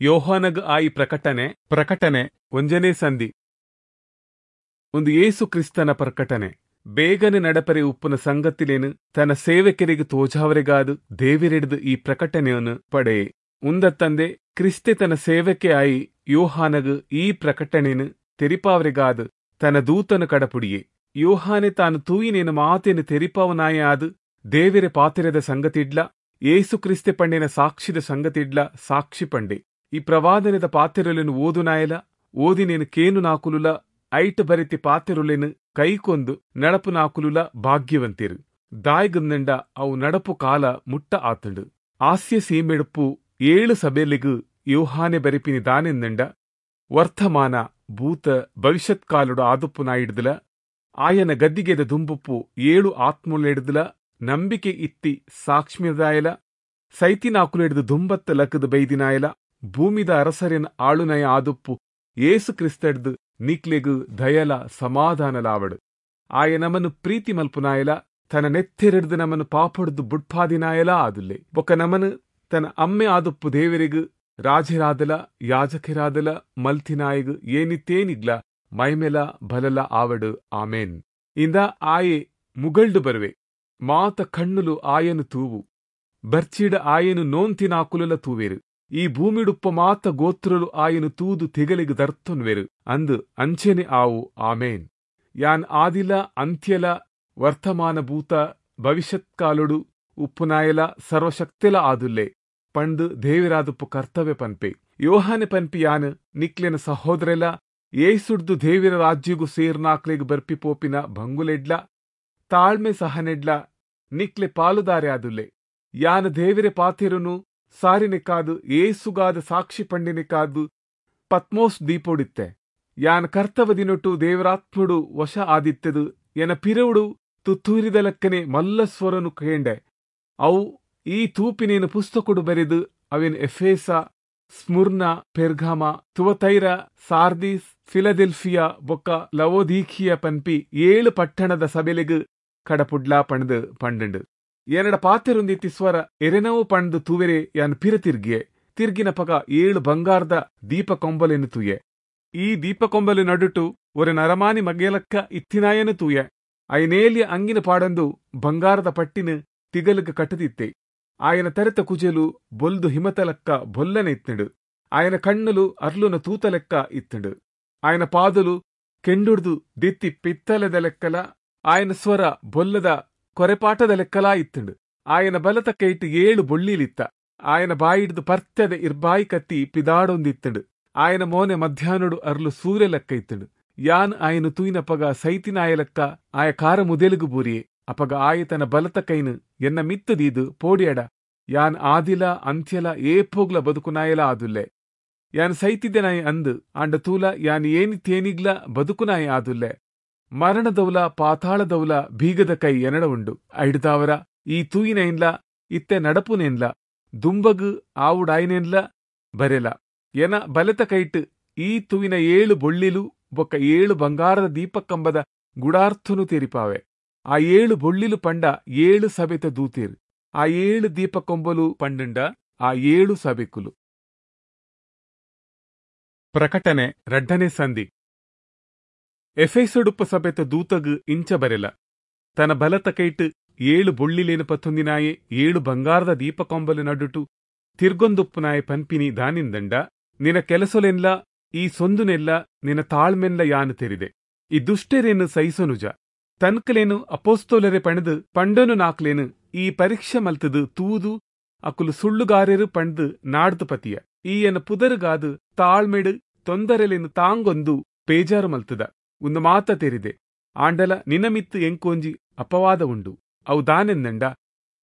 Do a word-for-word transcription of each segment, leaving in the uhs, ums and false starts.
ಯೋಹಾನಗ್ ಆಯಿ ಪ್ರಕಟಣೆ ಪ್ರಕಟಣೆ ಒಂಜನೇ ಸಂಧಿ. ಒಂದು ಯೇಸು ಕ್ರಿಸ್ತನ ಪ್ರಕಟಣೆ. ಬೇಗನೆ ನಡಪರೆ ಉಪ್ಪುನ ಸಂಗತಿಲೇನು ತನ್ನ ಸೇವಕರಿಗೆ ತೋಜಾವರೆಗಾದು ದೇವಿರೆಡ್ದು ಈ ಪ್ರಕಟಣೆಯನ್ನು ಪಡೆಯೆ. ಉಂದತ್ತಂದೆ ಕ್ರಿಸ್ತೆ ತನ್ನ ಸೇವಕೆ ಆಯಿ ಯೋಹಾನಗ್ ಈ ಪ್ರಕಟಣೆಯನ್ನು ತೆರಿಪಾವರೆಗಾದು ತನ್ನ ದೂತನ ಕಡಪುಡಿಯೆ. ಯೋಹಾನೆ ತಾನು ತೂಯಿನೇನು ಮಾತೇನು ತೆರಿಪಾವನಾಯ ಆದು ದೇವಿರೆ ಪಾತಿರದ ಸಂಗತಿಡ್ಲ ಯೇಸು ಕ್ರಿಸ್ತೆ ಪಂಡಿನ ಸಾಕ್ಷಿದ ಸಂಗತಿಡ್ಲ ಸಾಕ್ಷಿ ಪಂಡೆ. ಈ ಪ್ರವಾದನೆದ ಪಾತಿರಲೆನು ಓದುನಾಯಲ ಓದಿನೇನು ಕೇನು ನಾಕುಲುಲ ಐಟ್ ಬರಿತಿ ಪಾತಿರುಲೆನು ಕೈಕೊಂದು ನಡಪು ನಾಕುಲುಲ ಭಾಗ್ಯವಂತಿರು. ದಾಯ್ಗಂದಂಡ ಅವು ನಡಪು ಕಾಲ ಮುಟ್ಟ ಆತಂಡು. ಆಸ್ಯ ಸೀಮೆಡುಪು ಏಳು ಸಭೆಲಿಗು ಯೋಹಾನೆ ಬರಿಪಿನಿ ದಾನೆಂದಂಡ ವರ್ತಮಾನ ಭೂತ ಭವಿಷ್ಯತ್ ಕಾಲುಡು ಆದುಪ್ಪು ನಾಯಿಡ್ದಲ ಆಯನ ಗದ್ದಿಗೆದ ದುಂಬುಪ್ಪು ಏಳು ಆತ್ಮುಲೆಡ್ದಲ ನಂಬಿಕೆ ಇತ್ತಿ ಸಾಕ್ಷ್ಮ್ಯದಾಯಲ ಸೈತಿನಾಕುಲೆಡ್ದು ದುಂಬತ್ತ ಲಕ್ಕದ ಬೈದಿನಾಯಲ ಭೂಮಿದ ಅರಸರಿನ ಆಳುನಯ ಆದುಪ್ಪು ಏಸು ಕ್ರಿಸ್ತಡ್ದು ನಿಕ್ಲೆಗು ದಯಲ ಸಮಾಧಾನಲಾವಡು. ಆಯ ನಮನು ಪ್ರೀತಿ ಮಲ್ಪುನಾಯಲ ತನ್ನ ನೆತ್ತಿರಡ್ದು ನಮನು ಪಾಪಡ್ದು ಬುಡ್ಪಾದಿನಾಯಲ ಆದುಲ್ಲೆ. ಬೊಕ್ಕ ನಮನು ತನ್ನ ಅಮ್ಮೆ ಆದುಪ್ಪು ದೇವರಿಗು ರಾಜರಾದಲ ಯಾಜಕರಾದಲ ಮಲ್ತಿನಾಯಗು ಏನಿತ್ತೇನಿಗ್ಲ ಮೈಮೆಲ ಬಲಲ ಆವಡು. ಆಮೇನ್. ಇಂದ ಆಯೆ ಮುಗಳ್ಡು ಬರುವೆ, ಮಾತ ಕಣ್ಣುಲು ಆಯನು ತೂವು, ಬರ್ಚಿಡ ಆಯನು ನೋಂತಿನಾಕುಲಲ ತೂವೆರು. ಈ ಭೂಮಿಡುಪ್ಪ ಮಾತ ಗೋತ್ರಲು ಆಯನು ತೂದು ತಿಗಲಿಗೆ ದರ್ತೊನ್ವೆರು ಅಂದು ಅಂಚೆನೆ ಆವು. ಆಮೇನ್. ಯಾನ್ ಆದಿಲ ಅಂತ್ಯಲ ವರ್ತಮಾನ ಭೂತ ಭವಿಷ್ಯತ್ಕಾಲುಡು ಉಪ್ಪುನಾಯಲ ಸರ್ವಶಕ್ತಿಲ ಆದುಲ್ಲೆ ಪಂಡು ದೇವಿರಾದುಪ್ಪು ಕರ್ತವ್ಯ ಪನ್ಪೆ. ಯೋಹಾನೆ ಪನ್ಪಿ ಯಾನ್ ನಿಕ್ಲೆನ ಸಹೋದರೆಲ ಏಸುಡ್ದು ದೇವಿರ ರಾಜ್ಯಗೂ ಸೇರ್ನಾಕ್ಲೆಗ್ ಬರ್ಪಿ ಪೋಪಿನ ಭಂಗುಲೆಡ್ಲ ತಾಳ್ಮೆ ಸಹನೆಡ್ಲ ನಿಕ್ಲೆ ಪಾಲುದಾರೆ ಆದುಲ್ಲೆ. ಯಾನ್ ದೇವಿರೆ ಪಾತಿರುನು ಸಾರಿನೆಕಾದು ಏಸುಗಾದ ಸಾಕ್ಷಿ ಪಂಡಿನೆಕಾದು ಪತ್ಮೋಸ್ ದೀಪೋಡಿತ್ತೆ. ಯಾನ್ ಕರ್ತವ ದಿನೊಟ್ಟು ದೇವರಾತ್ಮುಡು ವಶ ಆದಿತ್ತೆದು ಎನ ಪಿರವುಡು ತುತ್ತೂರಿದ ಲಕ್ಕನೆ ಮಲ್ಲ ಸ್ವರನು ಕೇಂಡೆ. ಅವು ಈ ತೂಪಿನೇನು ಪುಸ್ತಕೊಡು ಬರೆದು ಅವೇನು Ephesus, Smyrna, Pergamum, Thyatira, Sardis, Philadelphia ಬೊಕ್ಕ ಲವೋದೀಖಿಯ ಪನ್ಪಿ ಏಳು ಪಟ್ಟಣದ ಸಬೆಲೆಗು ಕಡಪುಡ್ಲಾ ಪಣದು ಪಂಡಂಡು. ಎನ್ನಡ ಪಾತೆರುಂದಿತ್ತಿ ಸ್ವರ ಎರೆನವು ಪಂಡು ತೂವೆರೆ ಯಾನ್ ಪಿರ ತಿರ್ಗಿಯೆ. ತಿರ್ಗಿನ ಪಗ ಏಳು ಬಂಗಾರದ ದೀಪ ಕೊಂಬಲೆನು ತೂಯೆ. ಈ ದೀಪ ಕೊಂಬಲೆ ನಡುಟು ಒರೆ ನರಮಾನಿ ಮಗೇಲಕ್ಕ ಇತ್ತಿನಾಯನು ತೂಯೆ. ಐನೇಲಿಯ ಅಂಗಿನ ಪಾಡಂದು ಬಂಗಾರದ ಪಟ್ಟಿನ ತಿಗಲುಗ ಕಟ್ಟದಿತ್ತೆ. ಆಯನ ತರೆತ ಕುಜಲು ಬೊಲ್ದು ಹಿಮತಲಕ್ಕ ಬೊಲ್ಲನೆ ಇತ್ತಂಡು. ಆಯನ ಕಣ್ಣುಲು ಅರ್ಲುನ ತೂತಲೆಕ್ಕ ಇತ್ತಂಡು. ಆಯನ ಪಾದಲು ಕೆಂಡುಡ್ದು ದಿತ್ತಿ ಪಿತ್ತಲೆದ ಲೆಕ್ಕಲ ಆಯನ ಸ್ವರ ಬೊಲ್ಲದ ಕೊರೆಪಾಟದ ಲೆಕ್ಕಲಾ ಇತ್ತಂಡು. ಆಯನ ಬಲತ ಕೈಟು ಏಳು ಬೊಳ್ಳಿಲಿತ್ತ. ಆಯನ ಬಾಯಿಡ್ದು ಪರ್ತ್ಯದ ಇರ್ಬಾಯಿ ಕತ್ತಿ ಪಿದಾಡೊಂದಿತ್ತಂಡು. ಆಯನ ಮೋನೆ ಮಧ್ಯಾಹ್ನಡು ಅರ್ಲು ಸೂರ್ಯ ಲೆಕ್ಕ ಇತ್ತಂಡು. ಯಾನ್ ಆಯನ ತೂಯಿನ ಪಗ ಸೈತಿನಾಯ ಲೆಕ್ಕ ಆಯ ಕಾರ ಮುದೆಲುಗು ಬೂರಿಯೆ. ಅಪಗ ಆಯ ತನ್ನ ಬಲತ ಕೈನು ಎನ್ನ ಮಿತ್ತದೀದು ಪೋಡಿಯಡ ಯಾನ್ ಆದಿಲ ಅಂತ್ಯಲ ಏಪೋಗ್ಲ ಬದುಕುನಾಯಲ ಆದುಲ್ಲೆ. ಯಾನ್ ಸೈತಿದ್ದೆನಾಯ ಅಂದು ಆಂಡ ತೂಲ ಯಾನ್ ಏನಿ ತೇನಿಗ್ಲ ಬದುಕುನಾಯ ಆದುಲ್ಲೆ. ಮರಣದೌಲ ಪಾತಾಳದೌಲ ಬೀಗದ ಕೈ ಎನಡ ಉಂಡು. ಐಡ್ದಾವರ ಈ ತೂಯಿನೈನ್ಲ ಇತ್ತೆ ನಡಪುನೇನ್ಲ ದುಂಬಗು ಆವುಡಾಯಿನೇನ್ಲ ಬರೆಲ. ಎನ ಬಲೆತ ಕೈಟ್ ಈ ತೂವಿನ ಏಳು ಬೊಳ್ಳಿಲು ಬೊಕ್ಕ ಏಳು ಬಂಗಾರದ ದೀಪಕಂಬದ ಗುಡಾರ್ಥನು ತೆರಿಪಾವೆ. ಆ ಏಳು ಬೊಳ್ಳಿಲು ಪಂಡ ಏಳು ಸಭೆತ ದೂತೇರು. ಆ ಏಳು ದೀಪಕೊಂಬಲು ಪಂಡಂಡ ಆ ಏಳು ಸಭೆಕುಲು. ಪ್ರಕಟಣೆ ರಡ್ಡನೇ ಸಂಧಿ. ಎಫೆಸೊಡುಪ್ಪ ಸಭೆತ ದೂತಗು ಇಂಚ ಬರೆಲ. ತನ್ನ ಬಲತ ಕೈಟ್ ಏಳು ಬೊಳ್ಳಿಲೇನು ಪತ್ತೊಂದಿನಾಯೆ ಏಳು ಬಂಗಾರದ ದೀಪಕೊಂಬಲು ನಡುಟು ತಿರ್ಗೊಂದುಪ್ಪುನಾಯೆ ಪನ್ಪಿನಿ ದಾನಿಂದಂಡ ನಿನ್ನ ಕೆಲಸೊಲೆನ್ಲ ಈ ಸೊಂದುನೆಲ್ಲ ನಿನ್ನ ತಾಳ್ಮೆನ್ಲ ಯಾನು ತೆರಿದೆ. ಈ ದುಷ್ಟರೇನು ಸಹಿಸೊನುಜ. ತನ್ಕಲೇನು ಅಪೋಸ್ತೋಲರೆ ಪಣದು ಪಂಡನು ನಾಕ್ಲೇನು ಈ ಪರೀಕ್ಷೆ ಮಲ್ತದು ತೂದು ಅಕುಲು ಸುಳ್ಳುಗಾರೆರು ಪಂಡ್ದು ನಾಡ್ದು ಪತಿಯ. ಈಯನ ಪುದರುಗಾದು ತಾಳ್ಮೆಡು ತೊಂದರೆಲೇನು ತಾಂಗೊಂದು ಬೇಜಾರು ಮಲ್ತದ. ಒಂದು ಮಾತ ತೆರಿದೆ. ಆಂಡಲ ನಿನಮಿತ್ತು ಎಂಕೋಂಜಿ ಅಪವಾದ ಉಂಡು. ಅವು ದಾನೆಂದಂಡ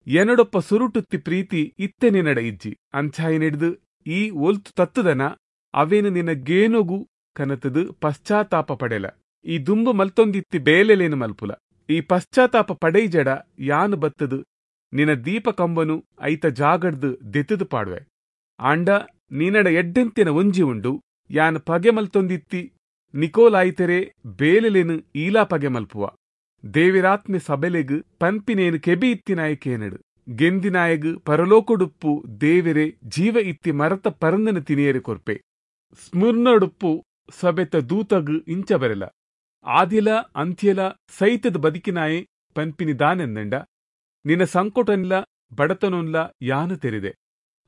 ಎನಡೊಪ್ಪ ಸುರುಟುತ್ತಿ ಪ್ರೀತಿ ಇತ್ತೆ ನಿನ್ನಡ ಇಜ್ಜಿ. ಅಂಚಾಯಿನಿಡ್ದು ಈ ಒಲ್ತು ತತ್ತುದನ ಅವೇನು ನಿನ್ನ ಗೇನೊಗು ಕನತದು ಪಶ್ಚಾತ್ತಾಪ ಪಡೆಲ. ಈ ದುಂಬು ಮಲ್ತೊಂದಿತ್ತಿ ಬೇಲೆಲೇನು ಮಲ್ಪುಲ. ಈ ಪಶ್ಚಾತ್ತಾಪ ಪಡೈಜಡ ಯಾನು ಬತ್ತದು ನಿನ್ನ ದೀಪ ಕಂಬನು ಐತ ಜಾಗಡ್ದು ದೆತ್ತದು ಪಾಡುವೆ. ಆಂಡ ನಿನ್ನಡ ಎಡ್ಡೆಂತಿನ ಒಂಜಿ ಉಂಡು. ಯಾನ್ ಪಗೆ ಮಲ್ತೊಂದಿತ್ತಿ ನಿಕೋಲಾಯ್ತೆರೆ ಬೇಲೆಲೇನು ಈಲಾ ಪಗೆ ಮಲ್ಪುವ. ದೇವಿರಾತ್ಮೆ ಸಬೆಲೆಗು ಪನ್ಪಿನೇನು ಕೆಬಿ ಇತ್ತಿನಾಯ ಕೇನಡು. ಗೆಂದಿನಾಯಗ್ ಪರಲೋಕೊಡುಪ್ಪು ದೇವೆರೆ ಜೀವ ಇತ್ತಿ ಮರತ ಪರಂದನ ತಿನಿಯರೆ ಕೊರ್ಪೆ. ಸ್ಮುರ್ನಡುಪ್ಪು ಸಬೆತ ದೂತಗ್ ಇಂಚ ಬರೆಲ, ಆದಿಲ ಅಂತ್ಯಲ ಸೈತದ ಬದಿಕಿನಾಯೆ ಪನ್ಪಿನಿ ದಾನೆಂದಂಡ, ನಿನ್ನ ಸಂಕೋಟನ್ಲ ಬಡತನೊನ್ಲ ಯಾನು ತೆರಿದೆ,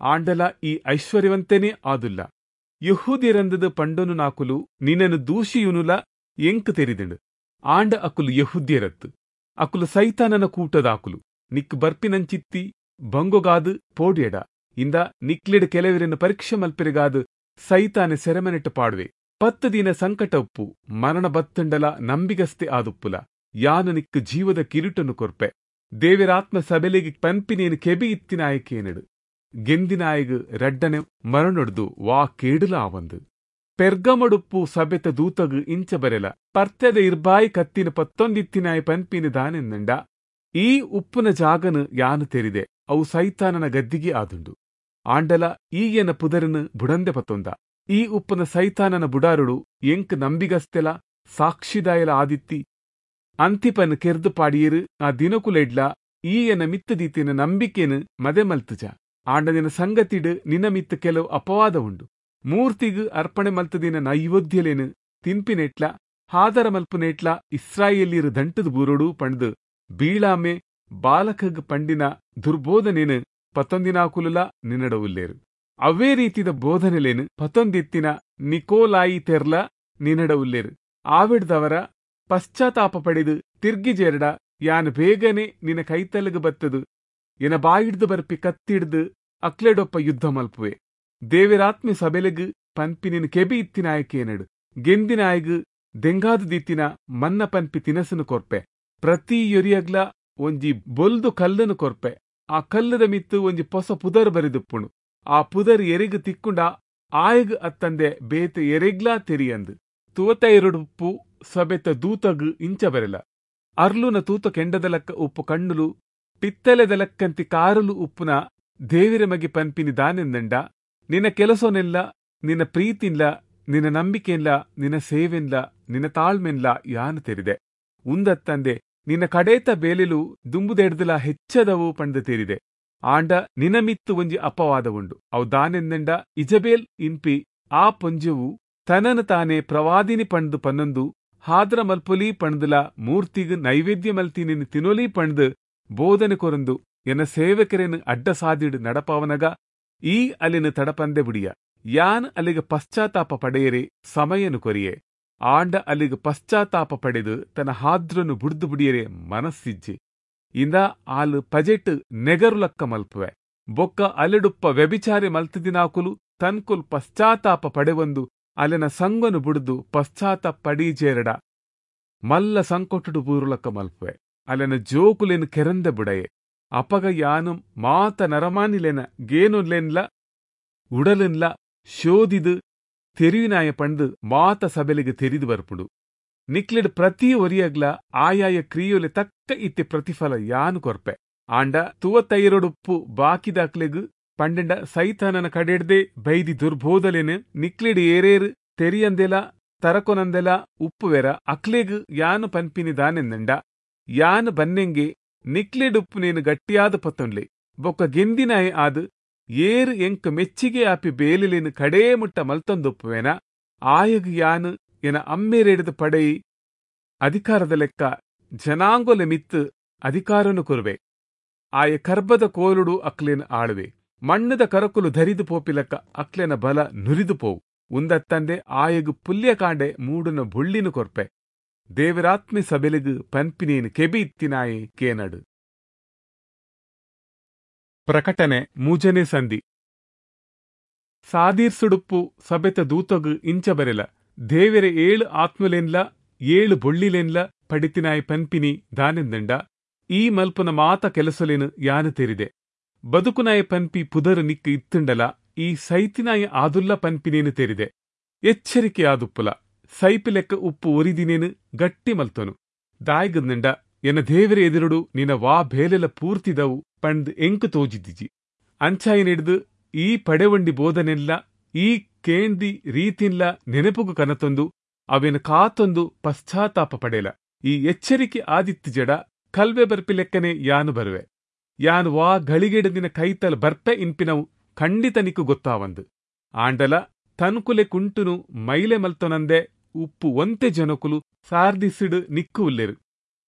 ಆಂಡಲ ಈ ಐಶ್ವರ್ಯವಂತನೇ ಆದುಲ್ಲ. ಯಹೂದ್ಯರಂದದ ಪಂಡನು ನಾಕುಲು ನಿನ್ನನು ದೂಷಿಯುನುಲ ಎಂಕ್ ತೆರಿದಿಂಡು. ಆಂಡ ಅಕುಲು ಯಹೂದ್ಯರತ್ತು, ಅಕುಲು ಸೈತಾನನ ಕೂಟದಾಕುಲು. ನಿಕ್ ಬರ್ಪಿನಂಚಿತ್ತಿ ಬಂಗೊಗಾದು ಪೋಡ್ಯಡ, ಇಂದ ನಿಕ್ಲೆಡ್ ಕೆಲವರನ್ನು ಪರೀಕ್ಷೆ ಮಲ್ಪೆರೆಗಾದು ಸೈತಾನೆ ಸೆರೆಮನೆಟ್ಟು ಪಾಡುವೆ. ಪತ್ತು ದಿನ ಸಂಕಟ ಉಪ್ಪು, ಮರಣ ಬತ್ತಂಡಲ ನಂಬಿಗಸ್ತೆ ಆದುಪ್ಪುಲ. ಯಾನು ನಿಕ್ ಜೀವದ ಕಿರೀಟನ್ನು ಕೊರ್ಪೆ. ದೇವರಾತ್ಮ ಸಬೆಲೆಗೆ ಪನ್ಪಿನೇನು ಕೆಬಿ ಇತ್ತಿನಾಯಕೇನಡು. ಗೆಂದಿನಾಯಗ್ ರಡ್ಡನೆ ಮರಣೊಡ್ದು ವಾ ಕೇಡುಲ ಆವಂದು. ಪೆರ್ಗಮಡುಪ್ಪು ಸಬೆತ ದೂತಗು ಇಂಚ ಬರೆಲ, ಪರ್ತೆದ ಇರ್ಬಾಯಿ ಕತ್ತಿನ ಪತ್ತೊಂದಿತ್ತಿನಾಯ ಪನ್ಪಿನ ದಾನೆಂದಂಡ, ಈ ಉಪ್ಪುನ ಜಾಗನು ಯಾನು ತೆರಿದೆ, ಅವು ಸೈತಾನನ ಗದ್ದಿಗೆ ಆದುಂಡು. ಆಂಡಲ ಈಯನ ಪುದರನು ಬುಡಂದೆ ಪತ್ತೊಂದ. ಈ ಉಪ್ಪುನ ಸೈತಾನನ ಬುಡಾರುಡು ಎಂಕ್ ನಂಬಿಗಸ್ತೆಲ ಸಾಕ್ಷಿದಾಯಲ ಆದಿತ್ತಿ ಅಂತಿಪನ್ ಕೆರ್ದು ಪಾಡಿಯರು. ಆ ದಿನಕುಲೆಡ್ಲ ಈಯನ ಮಿತ್ತದೀತಿನ ನಂಬಿಕೆನು ಮದೆ ಮಲ್ತುಜ. ಆಂಡ ನಿನ್ನ ಸಂಗತಿಡು ನಿನ್ನ ಮಿತ್ತ ಕೆಲವು ಅಪವಾದ ಉಂಡು. ಮೂರ್ತಿಗು ಅರ್ಪಣೆ ಮಲ್ತದಿನ ನೈವೇದ್ಯಲೇನು ತಿನ್ಪಿನೆಟ್ಲ ಹಾದರ ಮಲ್ಪುನೆಟ್ಲ ಇಸ್ರಾಯೇಲಿಯರು ದಂಟದ ಬೂರೋಡು ಪಂಡ್ದು ಬೀಳಾಮೆ ಬಾಲಕಗ್ ಪಂಡಿನ ದುರ್ಬೋಧನೇನು ಪತ್ತೊಂದಿನಾಕುಲುಲ ನಿನ್ನಡ ಉಲ್ಲೇರು. ಅವೇ ರೀತಿದ ಬೋಧನೆಲೇನು ಪತ್ತೊಂದಿತ್ತಿನ ನಿಕೋಲಾಯಿ ತೆರ್ಲ ನಿನ್ನಡ ಉಲ್ಲೇರು. ಆವಿಡ್ದವರ ಪಶ್ಚಾತ್ತಾಪ ಪಡೆದು ತಿರ್ಗಿಜೇರಡ ಯಾನ್ ಬೇಗನೆ ನಿನ್ನ ಕೈತಲಗು ಬತ್ತದು ಎನ ಬಾಯಿಡ್ದು ಬರ್ಪಿ ಕತ್ತಿಡ್ದು ಅಕ್ಲೆಡೊಪ್ಪ ಯುದ್ಧ ಮಲ್ಪುವೆ. ದೇವರಾತ್ಮೆ ಸಬೆಲೆಗು ಪನ್ಪಿನಿನ ಕೆಬಿ ಇತ್ತಿನಾಯಕೇನಡು. ಗೆಂದಿನಾಯಗು ದೆಂಗಾದು ದಿತ್ತಿನ ಮನ್ನ ಪನ್ಪಿ ತಿನಸನು ಕೊರ್ಪೆ. ಪ್ರತಿ ಯೊರಿಯಗ್ಲ ಒಂಜಿ ಬೊಲ್ದು ಕಲ್ಲನು ಕೊರ್ಪೆ. ಆ ಕಲ್ಲದ ಮಿತ್ತು ಒಂಜಿ ಪೊಸ ಪುದರ್ ಬರಿದುಪ್ಪುಣು. ಆ ಪುದರ್ ಎರೆಗು ತಿಕ್ಕುಂಡ ಆಯಗ್ ಅತ್ತಂದೆ ಬೇತೆ ಎರೆಗ್ಲಾ ತೆರಿಯಂದು. ತುವತ ಎರಡುಪ್ಪು ಸಬೆತ ದೂತಗು ಇಂಚ ಬರೆಲ, ಅರ್ಲುನ ತೂತ ಕೆಂಡದಲಕ್ಕ ಉಪ್ಪು ಕಣ್ಣುಲು ಪಿತ್ತಲೆದಲಕ್ಕಂತಿ ಕಾರಲು ಉಪ್ಪುನ ದೇವಿರ ಮಗೆ ಪನ್ಪಿನಿ ದಾನೆಂದಂಡ, ನಿನ್ನ ಕೆಲಸನೆಲ್ಲ ನಿನ್ನ ಪ್ರೀತಿನ್ಲ ನಿನ್ನ ನಂಬಿಕೆನ್ಲ ನಿನ್ನ ಸೇವೆನ್ಲ ನಿನ್ನ ತಾಳ್ಮೆನ್ಲ ಯಾನು ತೆರಿದೆ. ಉಂದತ್ತಂದೆ ನಿನ್ನ ಕಡೇತ ಬೇಲೆಲು ದುಂಬುದೆಡ್ದಲ ಹೆಚ್ಚದವು ಪಂಡ ತೆರಿದೆ. ಆಂಡ ನಿನ ಮಿತ್ತು ಒಂಜಿ ಅಪವಾದ ಉಂಡು. ಅವು ದಾನೆಂದಂಡ, ಇಜಬೇಲ್ ಇನ್ಪಿ ಆ ಪೊಂಜೆವು ತನನು ತಾನೇ ಪ್ರವಾದಿನಿ ಪಂಡ್ದು ಪನ್ನೊಂದು ಹಾದ್ರ ಮಲ್ಪೊಲಿ ಪಂಡ್ದಲ ಮೂರ್ತಿಗ್ ನೈವೇದ್ಯ ಮಲ್ತಿನಿನ್ ತಿನೊಲಿ ಪಂಡ್ದು ಬೋಧನೆ ಕೊರಂದು ಎನ್ನ ಸೇವಕರೇನು ಅಡ್ಡ ಸಾದಿಡು ನಡಪಾವನಗ ಈ ಅಲ್ಲಿನ ತಡಪಂದೆ ಬುಡಿಯ. ಯಾನ್ ಅಲ್ಲಿಗೆ ಪಶ್ಚಾತ್ತಾಪ ಪಡೆಯರೆ ಸಮಯನು ಕೊರಿಯೆ. ಆಂಡ ಅಲ್ಲಿಗೆ ಪಶ್ಚಾತ್ತಾಪ ಪಡೆದು ತನ್ನ ಹಾದ್ರನು ಬುಡ್ದು ಬುಡಿಯರೆ ಮನಸ್ಸಿಜ್ಜಿ. ಇಂದ ಆಲು ಪಜೆಟ್ ನೆಗರುಲಕ್ಕ ಮಲ್ಪುವೆ. ಬೊಕ್ಕ ಅಲೆಡುಪ್ಪ ವ್ಯಭಿಚಾರಿ ಮಲ್ತದಿನಾಕುಲು ತನ್ಕುಲ್ ಪಶ್ಚಾತ್ತಾಪ ಪಡೆವೊಂದು ಅಲೆನ ಸಂಗನು ಬುಡ್ದು ಪಶ್ಚಾತ್ತಾಪ ಪಡೀಜೇರಡ ಮಲ್ಲ ಸಂಕೊಟ್ಟುಡು ಬೂರುಲಕ್ಕ ಮಲ್ಪುವೆ. ಅಲೆನ ಜೋಕುಲೇನು ಕೆರಂದ ಬುಡಯೆ. ಅಪಗ ಯಾನು ಮಾತ ನರಮಾನಿಲೆನ ಗೇನುಲೆನ್ಲ ಉಡಲೆನ್ಲ ಶೋಧಿದು ತೆರಿವಿನಾಯ ಪಂಡು ಮಾತ ಸಬೆಲೆಗೆ ತೆರಿದು ಬರ್ಪುಡು. ನಿಕ್ಲೆಡ್ ಪ್ರತಿ ಒರಿಯಗ್ಲ ಆಯಾಯ ಕ್ರಿಯೊಲೆ ತಕ್ಕ ಇತ್ತೆ ಪ್ರತಿಫಲ ಯಾನು ಕೊರ್ಪೆ. ಆಂಡ ತುವತೈರೊಡುಪ್ಪು ಬಾಕಿದಾಕ್ಲೆಗ್ ಪಂಡೆಂಡ ಸೈತಾನನ ಕಡೆಡ್ದೆ ಬೈದಿ ದುರ್ಬೋಧಲೇನು ನಿಕ್ಲೆಡ್ ಏರೇರು ತೆರಿಯಂದೆಲ ತರಕೊನಂದೆಲ ಉಪ್ಪುವೆರ ಅಕ್ಲೆಗ್ ಯಾನು ಪನ್ಪಿನಿ ದಾನೆಂದಂಡ, ಯಾನು ಬನ್ನೆಂಗೆ ನಿಕ್ಲೆಡುಪ್ಪುನೇನು ಗಟ್ಟಿಯಾದ ಪತ್ತೊನ್ಲೆ. ಬೊಕ್ಕ ಗೆಂದಿನಾಯ ಆದು ಏರು ಎಂಕ್ ಮೆಚ್ಚಿಗೆ ಆಪಿ ಬೇಲಿಲೇನು ಕಡೇ ಮುಟ್ಟ ಮಲ್ತೊಂದುಪ್ಪುವೇನ ಆಯಗ್ ಯಾನು ಎನ ಅಮ್ಮೇರೇಡ್ದ ಪಡೆಯಿ ಅಧಿಕಾರದ ಲೆಕ್ಕ ಜನಾಂಗೊಲೆ ಮಿತ್ತು ಅಧಿಕಾರನು ಕೊರುವೆ. ಆಯ ಕರ್ಬದ ಕೋಲುಡು ಅಕ್ಲೇನು ಆಳುವೆ. ಮಣ್ಣದ ಕರಕುಲು ಧರಿದು ಪೋಪಿಲಕ್ಕ ಅಕ್ಲೆನ ಬಲ ನುರಿದು ಪೋವು. ಉಂದತ್ತಂದೆ ಆಯಗು ಪುಲ್ಯಕಾಂಡೆ ಮೂಡುನ ಬುಳ್ಳಿನು ಕೊರ್ಪೆ. ದೇವರಾತ್ಮೆ ಸಬೆಲೆಗು ಪನ್ಪಿನೇನು ಕೆಬಿ ಇತ್ತಿನಾಯೆ ಕೇನಡು. ಪ್ರಕಟಣೆ ಮೂಜನೇ ಸಂಧಿ. ಸಾದೀರ್ಸುಡುಪ್ಪು ಸಬೆತ ದೂತಗು ಇಂಚ ಬರೆಲ, ದೇವೆರೆ ಏಳು ಆತ್ಮಲೆನ್ಲ ಏಳು ಬೊಳ್ಳಿಲೆನ್ಲ ಪಡಿತಿನಾಯ್ ಪನ್ಪಿನಿ ದಾನೆಂದಂಡ, ಈ ಮಲ್ಪುನ ಮಾತ ಕೆಲಸಲೇನು ಯಾನು ತೆರಿದೆ. ಬದುಕುನಾಯ ಪನ್ಪಿ ಪುದರು ನಿಕ್ಕು ಇತ್ತುಂಡಲ ಈ ಸೈತಿನಾಯ ಆದುಲ್ಲ ಪನ್ಪಿನೇನು ತೆರಿದೆ. ಎಚ್ಚರಿಕೆ ಆದುಪ್ಪುಲ ಸೈಪಿಲೆಕ್ಕ ಉಪ್ಪು ಒರಿದಿನೇನು ಗಟ್ಟಿ ಮಲ್ತನು. ದಾಯ್ಗಂದಂಡ ಎನ್ನ ದೇವರ ಎದುರುಡು ನಿನ್ನ ವಾ ಬೇಲೆಲ ಪೂರ್ತಿದವು ಪಂಡ್ ಎಂಕು ತೋಜಿದ್ದಿಜಿ. ಅಂಚಾಯಿನಿಡ್ದು ಈ ಪಡೆವಂಡಿ ಬೋಧನೆಲ್ಲ ಈ ಕೇಂದಿ ರೀತಿನ್ಲ ನೆನಪುಗು ಕನತೊಂದು ಅವೇನು ಕಾತೊಂದು ಪಶ್ಚಾತ್ತಾಪ ಪಡೆಯಲ. ಈ ಎಚ್ಚರಿಕೆ ಆದಿತ್ತು ಜಡ ಕಲ್ವೆ ಬರ್ಪಿಲೆಕ್ಕನೆ ಯಾನು ಬರುವೆ. ಯಾನ್ ವಾ ಘಳಿಗೆಡು ನಿನ ಕೈತಲ್ ಬರ್ಪೆ ಇನ್ಪಿನವು ಖಂಡಿತ ನಿಕ್ಕು ಗೊತ್ತಾವಂದು. ಆಂಡಲ ತನ್ಕುಲೆ ಕುಂಟುನು ಮೈಲೆ ಮಲ್ತೊನಂದೆ ಉಪ್ಪು ಒಂತೆ ಜನಕುಲು ಸಾರ್ದಿಸಿಡು ನಿಕ್ಕು ಉಲ್ಲೆರು.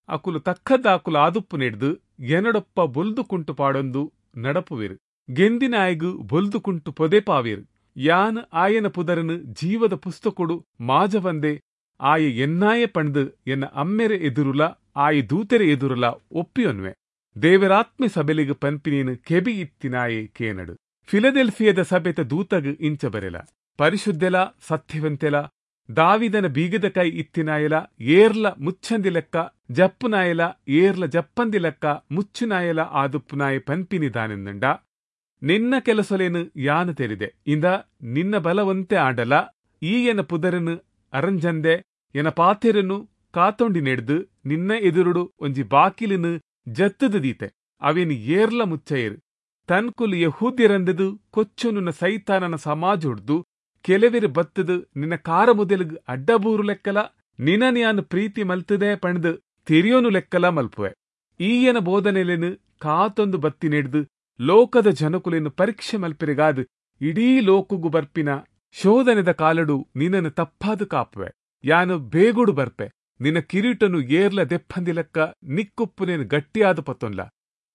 ಅಕುಲು ತಕ್ಕದಾಕುಲು ಆದುಪ್ಪು ನೆಡ್ದು ಎನಡೊಪ್ಪ ಬೊಲ್ದು ಕುಂಟು ಪಾಡೊಂದು ನಡಪುವೆರು. ಗೆಂದಿನಾಯಗು ಬೊಲ್ದು ಕುಂಟು ಪೊದೆ ಪಾವೇರು. ಯಾನ್ ಆಯನ ಪುದರನು ಜೀವದ ಪುಸ್ತಕೊಡು ಮಾಜವಂದೆ ಆಯೆ ಎನ್ನಾಯ ಪಂಡ್ದು ಎನ್ನ ಅಮ್ಮೆರೆ ಎದುರುಲ ಆಯೆ ದೂತೆರೆ ಎದುರುಲ ಒಪ್ಪಿಯೊನ್ವೆ. ದೇವರಾತ್ಮೆ ಸಬೆಲಿಗೆ ಪನ್ಪಿನೇನು ಕೆಬಿ ಇತ್ತಿನಾಯೆ ಕೇನಡು. ಫಿಲದೆಲ್ಫಿಯದ ಸಭೆತ ದೂತಗ್ ಇಂಚ ಬರೆಲ. ಪರಿಶುದ್ಧೆಲ ಸತ್ಯವಂತೆಲ ದಾವಿದನ ಬೀಗದ ಕೈ ಇತ್ತಿನಾಯಲ ಏರ್ಲ ಮುಚ್ಚಂದಿ ಲೆಕ್ಕ ಜಪ್ಪುನಾಯಲ ಏರ್ಲ ಜಪ್ಪಂದಿ ಲೆಕ್ಕ ಮುಚ್ಚುನಾಯಲ ಆದುಪ್ಪುನಾಯ ಪನ್ಪಿನಿ ದಾನೆಂದಂಡ, ನಿನ್ನ ಕೆಲಸಲೇನು ಯಾನು ತೆರಿದೆ. ಇಂದ ನಿನ್ನ ಬಲವಂತೆ ಆಂಡಲ ಈ ಎನ ಪುದರನು ಅರಂಜಂದೆ ಎನ ಪಾತೆರನು ಕಾತೊಂಡಿ ನೆಡ್ದು ನಿನ್ನ ಎದುರುಡು ಒಂಜಿ ಬಾಕಿಲಿನು ಜತ್ತದು ದೀತೆ. ಅವೇನು ಏರ್ಲ ಮುಚ್ಚಯರು. ತನ್ಕುಲು ಯಹೂದ್ಯರಂದದು ಕೊಚ್ಚುನುನ ಸೈತಾನನ ಸಮಾಜೊಡ್ದು ಕೆಲವೆರು ಬತ್ತದು ನಿನ್ನ ಕಾರ ಮುದೆಲುಗು ಅಡ್ಡಬೂರು ಲೆಕ್ಕಲ ನಿನ್ನ ಯಾನು ಪ್ರೀತಿ ಮಲ್ತದೆ ಪಣ್ದು ತೆರಿಯೋನು ಲೆಕ್ಕಲ ಮಲ್ಪುವೆ. ಈಯನ ಬೋಧನೆಲೆನು ಕಾತೊಂದು ಬತ್ತಿ ನೆಡ್ದು ಲೋಕದ ಜನಕುಲೆನು ಪರೀಕ್ಷೆ ಮಲ್ಪಿರಿಗಾದು ಇಡೀ ಲೋಕುಗು ಬರ್ಪಿನ ಶೋಧನೆದ ಕಾಲಡು ನಿನ್ನನ್ನು ತಪ್ಪಾದು ಕಾಪುವೆ. ಯಾನು ಬೇಗುಡು ಬರ್ಪೆ. ನಿನ್ನ ಕಿರೀಟನು ಏರ್ಲ ದೆಪ್ಪಂದಿ ಲೆಕ್ಕ ನಿಕ್ಕುಪ್ಪುನೇನು ಗಟ್ಟಿಯಾದ ಪತ್ತೊನ್ಲ.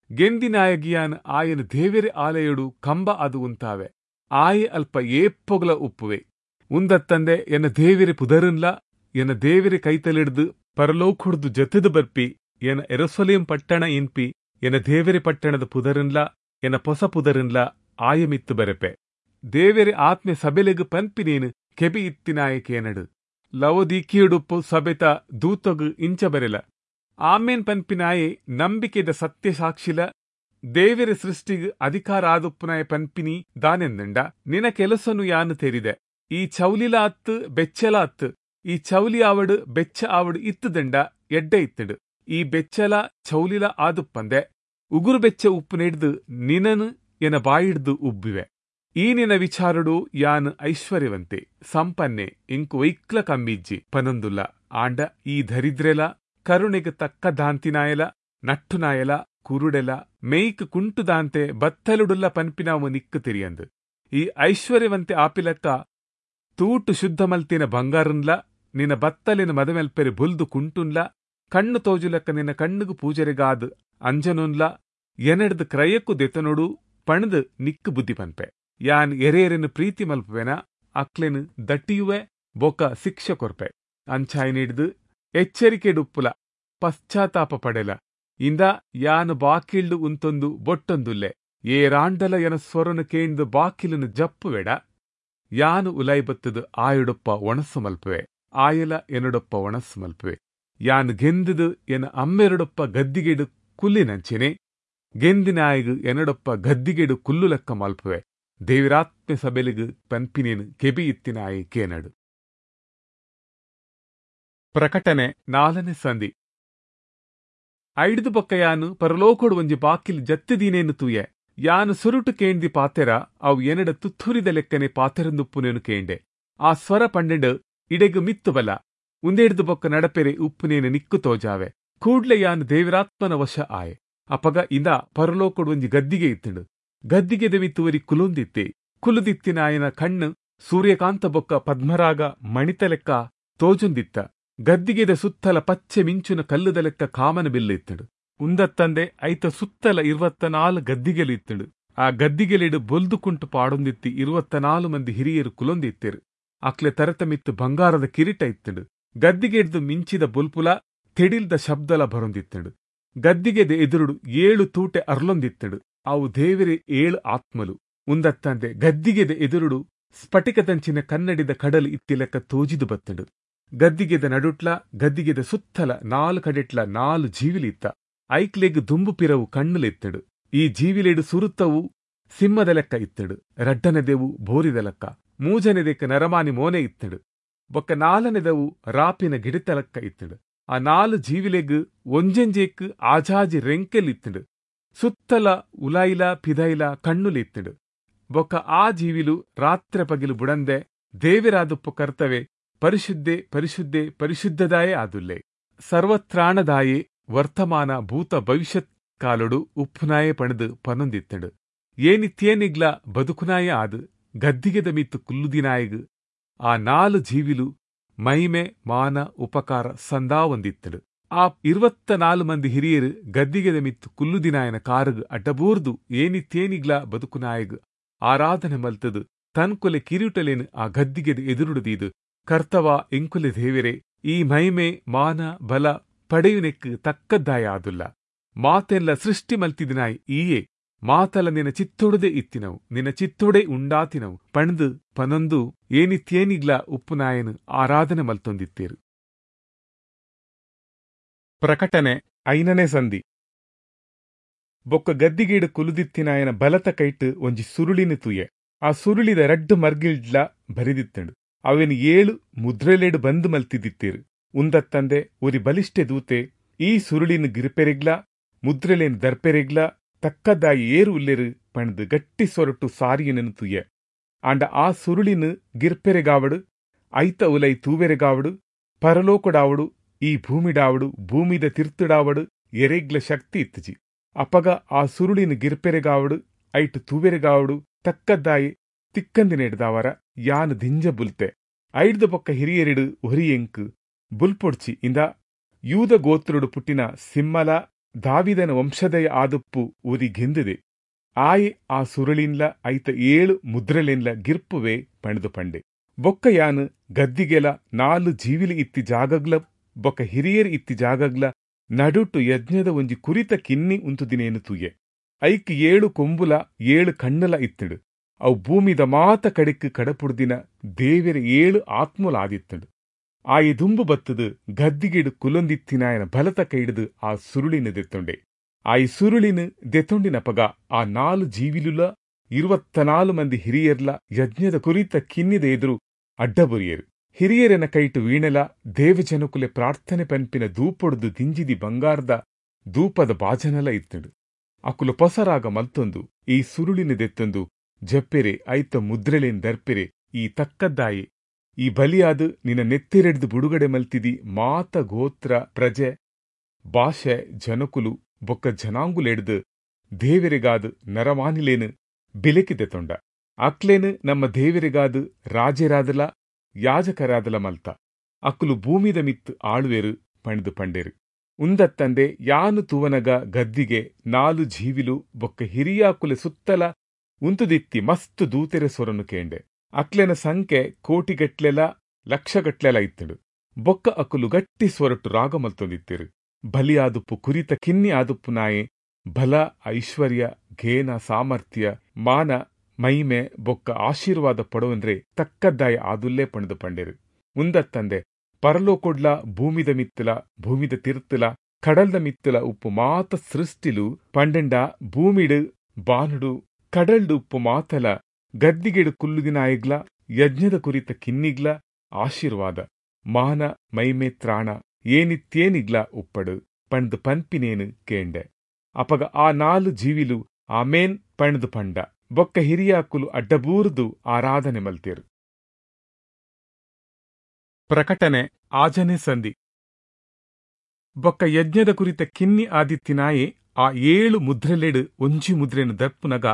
ಗೆಂದಿನಾಯಗಿಯಾನ್ ಆಯನ ದೇವೆರೆ ಆಲಯಡು ಕಂಬ ಅದು ಉಂತಾವೆ. ಆಯೆ ಅಲ್ಪ ಏಪ್ಪೊಗ್ಲ ಉಪ್ಪುವೆ. ಉಂದತ್ತಂದೆ ಎನ್ನ ದೇವೆರೆ ಪುದರುನ್ಲ ಎನ್ನ ದೇವೆರೆ ಕೈತಲಿಡ್ದು ಪರಲೋಕುಡ್ದು ಜತದು ಬರ್ಪಿ ಎನ್ನ ಎರಸೊಲೇಂ ಪಟ್ಟಣ ಇನ್ಪಿ ಎನ್ನ ದೇವೆರೆ ಪಟ್ಟಣದ ಪುದರುನ್ಲ ಎನ್ನ ಪೊಸ ಪುದರುನ್ಲ ಆಯಮಿತ್ತು ಬರೆಪೆ. ದೇವೆರೆ ಆತ್ಮೆ ಸಬೆಲೆಗು ಪನ್ಪಿನೇನು ಕೆಬಿ ಇತ್ತಿನಾಯಕೇನಡು. ಲವೋದಿಕಿಯುಡುಪ್ಪು ಸಬೆತ ದೂತಗು ಇಂಚ ಬರೆಲ. ಆಮೇನ್ ಪನ್ಪಿನಾಯೆ ನಂಬಿಕೆದ ಸತ್ಯಸಾಕ್ಷಿಲ ದೇವೆರೆ ಸೃಷ್ಟಿಗ್ ಅಧಿಕಾರ ಆದುಪ್ಪುನಾಯ ಪನ್ಪಿನಿ ದಾನೆಂದಂಡ, ನಿನ ಕೆಲಸನು ಯಾನು ತೆರಿದೆ. ಈ ಚೌಲಿಲ ಅತ್ತು ಬೆಚ್ಚಲ ಅತ್ತು. ಈ ಚೌಲಿ ಆವಡು ಬೆಚ್ಚ ಆವಡು ಇತ್ತುದಂಡ ಎಡ್ಡೆ ಇತ್ತಡು. ಈ ಬೆಚ್ಚಲ ಚೌಲಿಲ ಆದುಪ್ಪಂದೆ ಉಗುರು ಬೆಚ್ಚ ಉಪ್ಪು ನೆಡ್ದು ನಿನನು ಎನ ಬಾಯಿಡ್ದು ಉಬ್ಬಿವೆ. ಈ ನಿನ ವಿಚಾರಡು ಯಾನ್ ಐಶ್ವರ್ಯವಂತೆ ಸಂಪನ್ನೆ ಇಂಕು ವೈಕ್ಲ ಕಮ್ಮಿಜ್ಜಿ ಪನೊಂದುಲ್ಲ. ಆಂಡ ಈ ದರಿದ್ರೆಲ ಕರುಣೆಗೆ ತಕ್ಕ ದಾಂತಿನಾಯಲ ನಟ್ಟುನಾಯಲ ಕುರುಡೆಲ ಮೇಯ್ಕ್ ಕುಂಟುದಾಂತೆ ಬತ್ತಲುಡುಲ್ಲ ಪನ್ಪಿನಾವು ನಿಕ್ಕು ತೆರಿಯಂದು. ಈ ಐಶ್ವರ್ಯವಂತೆ ಆಪಿಲಕ್ಕ ತೂಟು ಶುದ್ಧ ಮಲ್ತಿನ ಬಂಗಾರನ್ಲ ನಿನ್ನ ಬತ್ತಲಿನ ಮದಮೆಲ್ಪೆರಿ ಬುಲ್ದು ಕುಂಟುನ್ಲ ಕಣ್ಣು ತೋಜುಲಕ್ಕ ನಿನ್ನ ಕಣ್ಣುಗು ಪೂಜೆರೆಗಾದ್ ಅಂಜನುನ್ಲ ಎನೆಡ್ದು ಕ್ರಯಕ್ಕೂ ದೆತನೊಡು ಪಣದು ನಿಕ್ಕು ಬುದ್ಧಿ ಪನ್ಪೆ. ಯಾನ್ ಎರೇರೆನು ಪ್ರೀತಿ ಮಲ್ಪುವೆನ ಅಕ್ಲೆನು ದಟ್ಟಿಯುವೆ ಬೊಕ ಶಿಕ್ಷೆ ಕೊರ್ಪೆ. ಅಂಚಾಯ್ ಎಚ್ಚರಿಕೆಡುಪ್ಪುಲ ಪಶ್ಚಾತ್ತಾಪ ಪಡೆಲ. ಇಂದ ಯಾನು ಬಾಕಿಲ್ಡು ಉಂತೊಂದು ಬೊಟ್ಟೊಂದುಲ್ಲೆ. ಏರಾಂಡಲ ಎನ ಸ್ವರನು ಕೇಂದು ಬಾಕಿಲನು ಜಪ್ಪುವೆಡ ಯಾನು ಉಲೈಬತ್ತದು ಆಯುಡೊಪ್ಪ ಒಣಸು ಮಲ್ಪುವೆ. ಆಯಲ ಎನಡೊಪ್ಪ ಒಣಸು ಮಲ್ಪುವೆ. ಯಾನು ಗೆಂದುದು ಎನ ಅಮ್ಮೆರಡೊಪ್ಪ ಗದ್ದಿಗೆಡು ಕುಲ್ಲಿನಂಚೆನೆ ಗೆಂದಿನಾಯಗು ಎನಡೊಪ್ಪ ಗದ್ದಿಗೆಡು ಕುಲ್ಲು ಲೆಕ್ಕ ಮಲ್ಪುವೆ. ದೇವಿರಾತ್ಮೆ ಸಬೆಲಿಗು ಪನ್ಪಿನೇನು ಕೆಬಿ ಇತ್ತಿನಾಯಿ ಕೇನಡು. ಪ್ರಕಟಣೆ ನಾಲ್ನೇ ಸಂಧಿ. ಐಡ್ದು ಬೊಕ್ಕ ಯಾನು ಪರಲೋಕೊಡು ಒಂಜಿ ಬಾಕಿಲ್ ಜತ್ತಿದೀನೇನು ತೂಯೆ. ಯಾನು ಸುರುಟು ಕೇಂದಿ ಪಾತೆರ ಅವು ಎನಡ ತುತ್ತೂರಿದ ಲೆಕ್ಕನೆ ಪಾತೆರಂದುಪ್ಪುನೇನು ಕೇಂಡೆ. ಆ ಸ್ವರ ಪಂಡೆಂಡು ಇಡೆಗು ಮಿತ್ತು ಬಲ ಉಂದೆಡ್ದು ಬೊಕ್ಕ ನಡಪೆರೆ ಉಪ್ಪುನೇನು ನಿಕ್ಕು ತೋಜಾವೆ. ಕೂಡ್ಲೆ ಯಾನು ದೇವಿರಾತ್ಮನ ವಶ ಆಯೆ. ಅಪಗ ಇಂದ ಪರಲೋಕೊಡು ಒಂಜಿ ಗದ್ದಿಗೆ ಇತ್ತಂಡು. ಗದ್ದಿಗೆದ ಮಿತ್ತುವರಿ ಕುಲುಂದಿತ್ತೆ. ಕುಲುದಿತ್ತಿನಾಯನ ಕಣ್ಣು ಸೂರ್ಯಕಾಂತ ಬೊಕ್ಕ ಪದ್ಮರಾಗ ಮಣಿತ ಲೆಕ್ಕ ತೋಜುಂದಿತ್ತ. ಗದ್ದಿಗೆದ ಸುತ್ತಲ ಪಚ್ಚೆ ಮಿಂಚುನ ಕಲ್ಲುದ ಲೆಕ್ಕ ಕಾಮನ ಬಿಲ್ಲು ಇತ್ತಡು. ಉಂದತ್ತಂದೆ ಐತ ಸುತ್ತಲ ಇರುವತ್ತ ನಾಲು ಗದ್ದಿಗೆಲು ಇತ್ತಡು. ಆ ಗದ್ದಿಗೆಲಿಡು ಬೊಲ್ದು ಕುಂಟು ಪಾಡೊಂದಿತ್ತಿ ಇರುವತ್ತ ನಾಲು ಮಂದಿ ಹಿರಿಯರು ಕುಲೊಂದಿತ್ತೆರು. ಅಕ್ಲೆ ತರತಮಿತ್ತು ಬಂಗಾರದ ಕಿರೀಟ ಇತ್ತಡು. ಗದ್ದಿಗೆಡ್ದು ಮಿಂಚಿದ ಬುಲ್ಪುಲ ತೆಡಿಲ್ದ ಶಬ್ದಲ ಬರೊಂದಿತ್ತಡು. ಗದ್ದಿಗೆದ ಎದುರುಡು ಏಳು ತೂಟೆ ಅರ್ಲೊಂದಿತ್ತಡು. ಅವು ದೇವರೆ ಏಳು ಆತ್ಮಲು. ಉಂದತ್ತಂದೆ ಗದ್ದಿಗೆದ ಎದುರುಡು ಸ್ಫಟಿಕದಂಚಿನ ಕನ್ನಡಿದ ಕಡಲು ಇತ್ತಿಲೆಕ್ಕ ತೋಜಿದು ಬತ್ತಡು. ಗದ್ದಿಗೆದ ನಡುಟ್ಲ ಗದ್ದಿಗೆದ ಸುತ್ತಲ ನಾಲು ಕಡೆಟ್ಲ ನಾಲು ಜೀವಿಲಿತ್ತ. ಐಕ್ಲೆಗ್ ದುಂಬು ಪಿರವು ಕಣ್ಣುಲಿತ್ತಡು. ಈ ಜೀವಿಲೆಡು ಸುರುತ್ತವು ಸಿಂಹದ ಲೆಕ್ಕ ಇತ್ತಡು. ರಡ್ಡನೆದೆವು ಬೋರಿದ ಲೆಕ್ಕ. ಮೂಜನೆದೆಕ್ ನರಮಾನಿ ಮೋನೆ ಇತ್ತಡು. ಬೊಕ್ಕ ನಾಲನೆದವು ರಾಪಿನ ಗಿಡಿತ ಲೆಕ್ಕ ಇತ್ತಡು. ಆ ನಾಲು ಜೀವಿಲೆಗ್ ಒಂಜೆಂಜೆಕ್ ಆಜಾಜಿ ರೆಂಕೆಲ್ ಇತ್ತಡು. ಸುತ್ತಲ ಉಲಾಯಿಲ ಪಿದೈಲ ಕಣ್ಣುಲಿತ್ತಡು. ಬೊಕ್ಕ ಆ ಜೀವಿಲು ರಾತ್ರೆ ಪಗಿಲು ಬುಡಂದೆ ದೇವಿರಾದುಪ್ಪು ಕರ್ತವೆ ಪರಿಶುದ್ಧೆ ಪರಿಶುದ್ಧೆ ಪರಿಶುದ್ಧದಾಯೇ ಆದುಲ್ಲೆ. ಸರ್ವತ್ರಾಣದಾಯೇ ವರ್ತಮಾನ ಭೂತ ಭವಿಷ್ಯತ್ ಕಾಲೊಡು ಉಪ್ಪುನಾಯೆ ಪಣದು ಪನೊಂದಿತ್ತಂಡು. ಏನಿತ್ಯೇನಿಗ್ಲ ಬದುಕುನಾಯೆ ಆದ್ ಗದ್ದಿಗೆದ ಮಿತ್ತು ಕುಲ್ಲುದಿನಾಯಗ್ ಆ ನಾಲು ಜೀವಿಲು ಮೈಮೆ ಮಾನ ಉಪಕಾರ ಸಂದಾವೊಂದಿತ್ತಂಡು. ಆ ಇರುವತ್ತ ನಾಲು ಮಂದಿ ಹಿರಿಯರು ಗದ್ದಿಗೆದ ಮಿತ್ತು ಕುಲ್ಲುದಿನಾಯನ ಕಾರುಗು ಅಡ್ಡಬೂರ್ದು ಏನಿತ್ಯೇನಿಗ್ಲ ಬದುಕುನಾಯಗ್ ಆರಾಧನೆ ಮಲ್ತದು ತನ್ಕುಲೆ ಕಿರೀಟಲೇನು ಆ ಗದ್ದಿಗೆದ ಎದುರುಡುದೀದು, ಕರ್ತವ ಎಂಕುಲೆ ದೇವೆರೆ, ಈ ಮಹಿಮೆ ಮಾನ ಬಲ ಪಡೆಯುನೆಕ್ಕು ತಕ್ಕದ್ದಾಯ ಆದುಲ್ಲ. ಮಾತೆಲ್ಲ ಸೃಷ್ಟಿ ಮಲ್ತಿದಿನಾಯ್ ಈಯೇ, ಮಾತಲ ನಿನ್ನ ಚಿತ್ತೊಡದೆ ಇತ್ತಿನವು, ನಿನ್ನ ಚಿತ್ತೊಡೆ ಉಂಡಾತಿನವು ಪಣ್ದು ಪನೊಂದು ಏನಿತ್ಯೇನಿಗ್ಲ ಉಪ್ಪುನಾಯನು ಆರಾಧನೆ ಮಲ್ತೊಂದಿತ್ತೇರು. ಪ್ರಕಟಣೆ ಐನನೇ ಸಂಧಿ. ಬೊಕ್ಕ ಗದ್ದಿಗೇಡು ಕುಲುದಿತ್ತಿನಾಯನ ಬಲತ ಕೈಟ್ ಒಂಜಿ ಸುರುಳಿನ ತೂಯೆ. ಆ ಸುರುಳಿದ ರಡ್ಡು ಮರ್ಗಿಲ್ಡ್ಲ ಬರಿದಿತ್ತಂಡು. ಅವೆನ್ ಏಳು ಮುದ್ರೆಲೆಡು ಬಂದ್ ಮಲ್ತಿದ್ದಿತ್ತೇರು. ಉಂದತ್ತಂದೆ ಒರಿ ಬಲಿಷ್ಠೆ ದೂತೆ ಈ ಸುರುಳಿನ ಗಿರ್ಪೆರೆಗ್ಲ ಮುದ್ರೆಲೇನ್ ದರ್ಪೆರೆಗ್ಲ ತಕ್ಕದಾಯಿ ಏರು ಉಲ್ಲೆರು ಪಣ್ದು ಗಟ್ಟಿ ಸೊರಟು ಸಾರಿಯನನ್ನು ತೂಯೆ. ಆಂಡ ಆ ಸುರುಳಿನ ಗಿರ್ಪೆರೆಗಾವಡು, ಐತ ಉಲೈ ತೂವೆರೆಗಾವಡು, ಪರಲೋಕಡಾವಡು, ಈ ಭೂಮಿಡಾವಡು, ಭೂಮಿದ ತಿರ್ತುಡಾವಡು ಎರೆಗ್ಲ ಶಕ್ತಿ ಇತ್ತಜಿ. ಅಪಗ ಆ ಸುರುಳಿನ ಗಿರ್ಪೆರೆಗಾವಡು, ಐಟು ತೂವೆರೆಗಾವಡು ತಕ್ಕದ್ದಾಯಿ ತಿಕ್ಕಂದಿನೆಡ್ದಾವರ ಯಾನ್ ದಿಂಜ ಬುಲ್ತೆ. ಐಡ್ದ ಬೊಕ್ಕ ಹಿರಿಯರಿಡು ಒರಿಯೆಂಕ್ ಬುಲ್ಪೊಡ್ಚಿ ಇಂದ ಯೂದ ಗೋತ್ರುಡು ಪುಟ್ಟಿನ ಸಿಮ್ಮಲ ದಾವಿದನ ವಂಶದಯ ಆದುಪ್ಪು ಒರಿ ಗೆಂದಿದೆ. ಆಯೆ ಆ ಸುರುಳಿನ್ಲ ಐತ ಏಳು ಮುದ್ರೆಲೆನ್ಲ ಗಿರ್ಪುವೆ ಪಣದು ಪಂಡೆ. ಬೊಕ್ಕ ಯಾನ್ ಗದ್ದಿಗೆಲ ನಾಲು ಜೀವಿಲಿ ಇತ್ತಿ ಜಾಗಗ್ಲ ಬೊಕ್ಕ ಹಿರಿಯರ್ ಇತ್ತಿ ಜಾಗಗ್ಲ ನಡುಟು ಯಜ್ಞದ ಒಂಜಿ ಕುರಿತ ಕಿನ್ನಿ ಉಂತುದಿನೇನು ತೂಯೆ. ಐಕ್ ಏಳು ಕೊಂಬುಲ ಏಳು ಕಣ್ಣುಲ ಇತ್ತಂಡು. ಅವು ಭೂಮಿದ ಮಾತ ಕಡೆಕ್ ಕಡಪುಡ್ದಿನ ದೇವೆರ ಏಳು ಆತ್ಮಲ ಆದಿತ್ತಂಡು. ಆಯೆ ದುಂಬು ಬತ್ತದು ಗದ್ದಿಗೆಡು ಕುಲೊಂದಿತ್ತಿನಾಯನ ಬಲತ ಕೈಡ್ದು ಆ ಸುರುಳಿನ ದೆತ್ತೊಂಡೆ. ಆಯಿ ಸುರುಳಿನ ದೆತ್ತೊಂಡಿನಪಗ ಆ ನಾಲು ಜೀವಿಲುಲ ಇರುವತ್ತನಾಲು ಮಂದಿ ಹಿರಿಯರ್ಲ ಯಜ್ಞದ ಕುರಿತ ಕಿನ್ನಿದ ಎದುರು ಅಡ್ಡಬುರಿಯರು. ಹಿರಿಯರನ ಕೈಟು ವೀಣೆಲ ದೇವಜನಕುಲೆ ಪ್ರಾರ್ಥನೆ ಪನ್ಪಿನ ದೂಪೊಡ್ದು ದಿಂಜಿದಿ ಬಂಗಾರದ ದೂಪದ ಬಾಜನಲ ಇತ್ತಂಡು. ಅಕುಲು ಪೊಸರಾಗ ಮಲ್ತೊಂದು ಈ ಸುರುಳಿನ ದೆತ್ತೊಂದು ಜಪ್ಪೆರೆ, ಐತ ಮುದ್ರೆಲೇನ್ ದರ್ಪೆರೆ, ಈ ತಕ್ಕದ್ದಾಯಿ ಈ ಬಲಿಯಾದ ನಿನ್ನ ನೆತ್ತಿರೆಡ್ದು ಬುಡುಗಡೆ ಮಲ್ತಿದಿ ಮಾತ ಗೋತ್ರ ಪ್ರಜೆ ಭಾಷೆ ಜನಕುಲು ಬೊಕ್ಕ ಜನಾಂಗುಲೆಡ್ದು ದೇವೆರೆಗಾದ ನರಮಾನಿಲೇನು ಬಿಲೆಕಿದೆ ತೊಂಡ. ಅಕ್ಲೇನು ನಮ್ಮ ದೇವೆರೆಗಾದ ರಾಜರಾದಲ ಯಾಜಕರಾದಲ ಮಲ್ತ. ಅಕ್ಕುಲು ಭೂಮಿದ ಮಿತ್ತು ಆಳುವೆರು ಪಂಡ್ದು ಪಂಡೇರು. ಉಂದತ್ತಂದೆ ಯಾನು ತೂವನಗ ಗದ್ದಿಗೆ ನಾಲು ಜೀವಿಲು ಬೊಕ್ಕ ಹಿರಿಯಾಕುಲೆ ಸುತ್ತಲ ಉಂತುದಿತ್ತಿ ಮಸ್ತ್ ದೂತೆರೆ ಸೊರನು ಕೇಂಡೆ. ಅಕ್ಲೆನ ಸಂಖ್ಯೆ ಕೋಟಿಗಟ್ಲೆಲ ಲಕ್ಷಗಟ್ಲೆಲ ಇತ್ತಡು. ಬೊಕ್ಕ ಅಕುಲು ಗಟ್ಟಿ ಸ್ವರಟು ರಾಗ ಮಲ್ತೊಂದಿತ್ತಿರು. ಬಲಿಯಾದುಪ್ಪು ಕುರಿತ ಕಿನ್ನಿ ಆದುಪ್ಪು ನಾಯೆ ಬಲ ಐಶ್ವರ್ಯ ಘೇನ ಸಾಮರ್ಥ್ಯ ಮಾನ ಮೈಮೆ ಬೊಕ್ಕ ಆಶೀರ್ವಾದ ಪಡೋಂದ್ರೆ ತಕ್ಕದ್ದಾಯ ಆದುಲ್ಲೇ ಪಣದು ಪಂಡೇರು. ಉಂದತ್ತಂದೆ ಪರಲೋಕೊಡ್ಲ ಭೂಮಿದ ಮಿತ್ತಲ ಭೂಮಿದ ತಿರ್ತಲ ಕಡಲ್ದ ಮಿತ್ತಲ ಉಪ್ಪು ಮಾತ ಸೃಷ್ಟಿಲು ಪಂಡೆಂಡ ಭೂಮಿಡು ಬಾನುಡು ಕಡಲ್ಡು ಉಪ್ಪು ಮಾತಲ ಗದ್ದಿಗೆಡು ಕುಲ್ಲುದಿನಾಯಗ್ಲ ಯಜ್ಞದ ಕುರಿತ ಕಿನ್ನಿಗ್ಲ ಆಶೀರ್ವಾದ ಮಾನ ಮೈಮೆ ತ್ರಾಣ ಏನಿತ್ಯೇನಿಗ್ಲ ಉಪ್ಪಡು ಪಂಡ್ದು ಪನ್ಪಿನೇನು ಕೇಂಡೆ. ಅಪಗ ಆ ನಾಲು ಜೀವಿಲು ಆಮೇನ್ ಪಂಡ್ದು ಪಂಡ. ಬೊಕ್ಕ ಹಿರಿಯಾಕುಲು ಅಡ್ಡಬೂರ್ದು ಆರಾಧನೆ ಮಲ್ತೇರು. ಪ್ರಕಟಣೆ ಆಜನೆ ಸಂಧಿ. ಬೊಕ್ಕ ಯಜ್ಞದ ಕುರಿತ ಕಿನ್ನಿ ಆದಿತ್ತಿನಾಯೆ ಆ ಏಳು ಮುದ್ರೆಲೆಡು ಒಂಜಿ ಮುದ್ರೆನು ದರ್ಪುನಗ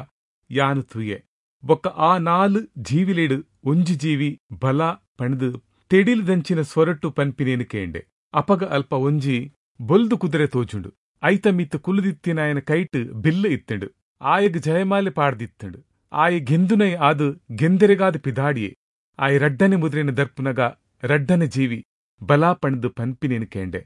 ಯಾನು ತೂಯೆ. ಬೊಕ್ಕ ಆ ನಾಲು ಜೀವಿಲೆಡು ಒಂಜಿ ಜೀವಿ ಬಲ ಪಣದು ತೆಡಿಲ್ದಂಚಿನ ಸ್ವರಟು ಪನ್ಪಿನೇನು ಕೇಂಡೆ. ಅಪಗ ಅಲ್ಪ ಒಂಜಿ ಬೊಲ್ದು ಕುದುರೆ ತೋಜುಂಡು. ಐತ ಮಿತ್ತು ಕುಲುದಿತ್ತಿನಾಯನ ಕೈಟ್ ಬಿಲ್ಲು ಇತ್ತಂಡು. ಆಯಗ್ ಜಯಮಾಲೆ ಪಾಡ್ದಿತ್ತಂಡು. ಆಯ ಗೆಂದುನೈ ಆದು ಗೆಂದೆರೆಗಾದ ಪಿದಾಡಿಯೆ. ಆಯ ರಡ್ಡನೆ ಮುದ್ರೆನ ದರ್ಪುನಗ ರಡ್ಡನೆ ಜೀವಿ ಬಲ ಪಣದು ಪನ್ಪಿನೇನು ಕೇಂಡೆ.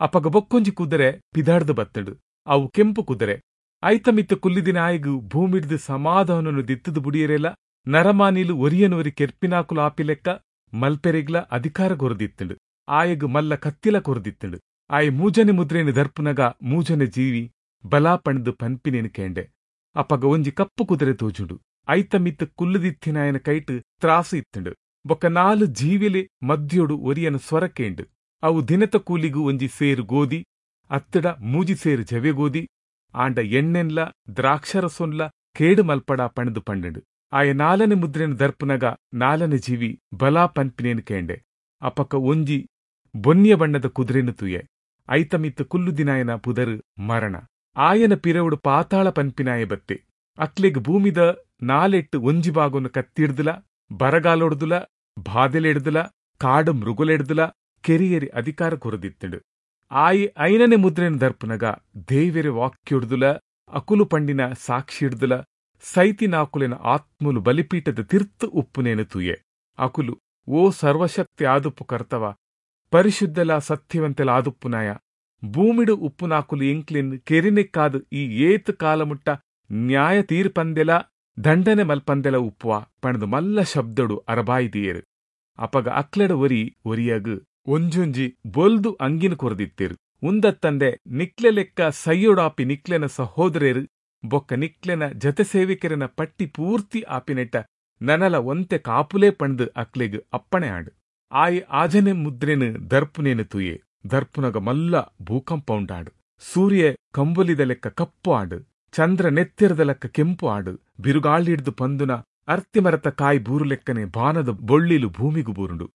ಅಪಗ ಬೊಕ್ಕೊಂಜಿ ಕುದುರೆ ಪಿದಾಡ್ದು ಬತ್ತಂಡು. ಅವು ಕೆಂಪು ಕುದುರೆ. ಐತ ಮಿತ್ತು ಕುಲ್ಲಿದಿನ ಆಯಗು ಭೂಮಿಡ್ದು ಸಮಾಧಾನನು ದಿತ್ತದು ಬುಡಿಯರೆಲ್ಲ ನರಮಾನಿಲು ಒರಿಯನೊರಿ ಕೆರ್ಪಿನಾಕುಲು ಆಪಿಲೆಕ್ಕ ಮಲ್ಪೆರೆಗ್ಲ ಅಧಿಕಾರ ಕೊರದಿತ್ತಂಡು. ಆಯಗು ಮಲ್ಲ ಕತ್ತಿಲ ಕೊರದಿತ್ತಂಡು. ಆಯ ಮೂಜನೆ ಮುದ್ರೆನ ದರ್ಪುನಗ ಮೂಜನೆ ಜೀವಿ ಬಲ ಪಣದು ಪನ್ಪಿನೇನು ಕೇಂಡೆ. ಅಪಗ ಒಂಜಿ ಕಪ್ಪು ಕುದುರೆ ತೋಜುಂಡು. ಐತ ಮಿತ್ತು ಕುಲ್ಲುದಿತ್ತಿನಾಯನ ಕೈಟ್ ತ್ರಾಸು ಇತ್ತಂಡು. ಬೊಕ್ಕ ನಾಲು ಜೀವಿಲೆ ಮದ್ಯೋಡು ಒರಿಯನ ಸ್ವರ ಕೇಂಡು. ಅವು ದಿನತ ಕೂಲಿಗು ಒಂಜಿ ಸೇರು ಗೋಧಿ ಅತ್ತಡ ಮೂಜಿ ಸೇರು ಜವೆ ಗೋಧಿ ಆಂಡ ಎಣ್ಣೆನ್ಲ ದ್ರಾಕ್ಷರಸೊನ್ಲ ಕೇಡು ಮಲ್ಪಡ ಪಣದು ಪಂಡಂಡು. ಆಯ ನಾಲನೆ ಮುದ್ರೆನ ದರ್ಪುನಗ ನಾಲನೆ ಜೀವಿ ಬಲ ಪನ್ಪಿನೇನು ಕೇಂಡೆ. ಅಪಕ ಒಂಜಿ ಬೊನ್ಯ ಬಣ್ಣದ ಕುದುರೆನು ತೂಯೆ. ಐತ ಮಿತ್ತು ಕುಲ್ಲುದಿನಾಯನ ಪುದರು ಮರಣ. ಆಯನ ಪಿರವುಡು ಪಾತಾಳ ಪನ್ಪಿನಾಯ ಬತ್ತೆ. ಅಕ್ಲೆಗ್ ಭೂಮಿದ ನಾಲೆಟ್ಟು ಒಂಜಿ ಬಾಗೊನು ಕತ್ತಿಡ್ದುಲ, ಬರಗಾಲೊಡ್ದುಲ, ಬಾದೆಲೆಡ್ದುಲ, ಕಾಡು ಮೃಗುಲೆಡ್ದುಲ ಕೆರಿಯರಿ ಅಧಿಕಾರ ಕೊರದಿತ್ತುಂಡು. ಆಯಿ ಐನನೆ ಮುದ್ರೆನ್ ದರ್ಪುನಗ ದೇವೆರೆ ವಾಕ್ಯೊಡ್ದುಲ ಅಕುಲು ಪಂಡಿನ ಸಾಕ್ಷಿಡ್ದುಲ ಸೈತಿನಾಕುಲೆನ ಆತ್ಮಲು ಬಲಿಪೀಠದ ತಿರ್ತು ಉಪ್ಪುನೇನು ತೂಯೆ. ಅಕುಲು, ಓ ಸರ್ವಶಕ್ತಿ ಆದುಪ್ಪು ಕರ್ತವ, ಪರಿಶುದ್ಧಲ ಸತ್ಯವಂತೆಲ ಆದುಪ್ಪುನಾಯ, ಭೂಮಿಡು ಉಪ್ಪುನಾಕುಲು ಎಂಕ್ಲೆನ್ ಕೆರಿನೆಕ್ಕಾದು ಈ ಏತ್ ಕಾಲಮುಟ್ಟ ನ್ಯಾಯ ತೀರ್ಪಂದೆಲ ದಂಡನೆ ಮಲ್ಪಂದೆಲ ಉಪ್ಪುವ ಪಣದು ಮಲ್ಲ ಶಬ್ದಡು ಅರಬಾಯಿದಿಯೇರು. ಅಪಗ ಅಕ್ಲೆಡ ಒರಿ ಒರಿಯಗ್ ಒಂಜೊಂಜಿ ಬೊಲ್ದು ಅಂಗಿನ ಕೊರದಿತ್ತೇರು. ಉಂದತ್ತಂದೆ ನಿಕ್ಲೆ ಲೆಕ್ಕ ಸೈಯೊಡಾಪಿ ನಿಕ್ಲೆನ ಸಹೋದರೇರು ಬೊಕ್ಕ ನಿಕ್ಲೆನ ಜತೆ ಸೇವಿಕೆರೆನ ಪಟ್ಟಿ ಪೂರ್ತಿ ಆಪಿನೆಟ್ಟ ನನಲ ಒಂತೆ ಕಾಪುಲೇ ಪಂಡ್ ಅಕ್ಲೆಗ್ ಅಪ್ಪಣೆ ಆಂಡ್. ಆಯ್ ಆಜನೆ ಮುದ್ರೆನು ದರ್ಪುನೇನು ತೂಯೆ. ದರ್ಪುನಗ ಮಲ್ಲ ಭೂಕಂಪ ಉಂಡಾಂಡ್. ಸೂರ್ಯ ಕಂಬುಲಿದ ಲೆಕ್ಕ ಕಪ್ಪು ಆಂಡ್, ಚಂದ್ರ ನೆತ್ತಿರದ ಲೆಕ್ಕ ಕೆಂಪು ಆಂಡ್. ಬಿರುಗಾಳಿಡ್ದು ಪಂದುನ ಅರ್ತಿಮರತ ಕಾಯಿ ಬೂರು ಲೆಕ್ಕನೆ ಬಾನದ ಬೊಳ್ಳಿಲು ಭೂಮಿಗು ಬೂರುಂಡು.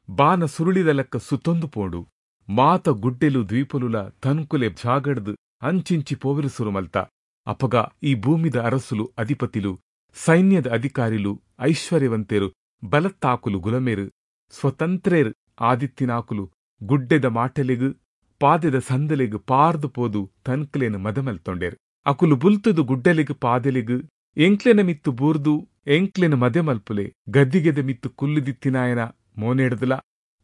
ಬಾನ ಸುರುಳಿದ ಲೆಕ್ಕ ಸುತ್ತೊಂದು ಪೋಂಡು. ಮಾತ ಗುಡ್ಡೆಲು ದ್ವೀಪಲುಲ ತನ್ಕುಲೆ ಜಾಗಡ್ದು ಅಂಚಿಂಚಿ ಪೋವಿರು ಸುರುಮಲ್ತ. ಅಪಗ ಈ ಭೂಮಿದ ಅರಸುಲು, ಅಧಿಪತಿಲು, ಸೈನ್ಯದ ಅಧಿಕಾರಿಲು, ಐಶ್ವರ್ಯವಂತೆರು, ಬಲತ್ತಾಕುಲು, ಗುಲಮೇರು, ಸ್ವತಂತ್ರೇರು ಆದಿತ್ತಿನಾಕುಲು ಗುಡ್ಡೆದ ಮಾಟೆಲೆಗು ಪಾದೆದ ಸಂದಲೆಗು ಪಾರ್ದು ಪೋದು ತನ್ಕುಲೇನು ಮದಮಲ್ತೊಂಡೇರು. ಅಕುಲು ಬುಲ್ತುದು ಗುಡ್ಡೆಲೆಗು ಪಾದೆಲೆಗು ಎಂಕ್ಲೆನ ಮಿತ್ತು ಬೂರ್ದು ಎಂಕ್ಲೆನ ಮದೆ ಮಲ್ಪುಲೆ, ಗದ್ದಿಗೆದ ಮಿತ್ತು ಕುಲ್ಲುದಿತ್ತಿನಾಯನ ಮೋನೆಡ್ದುಲ,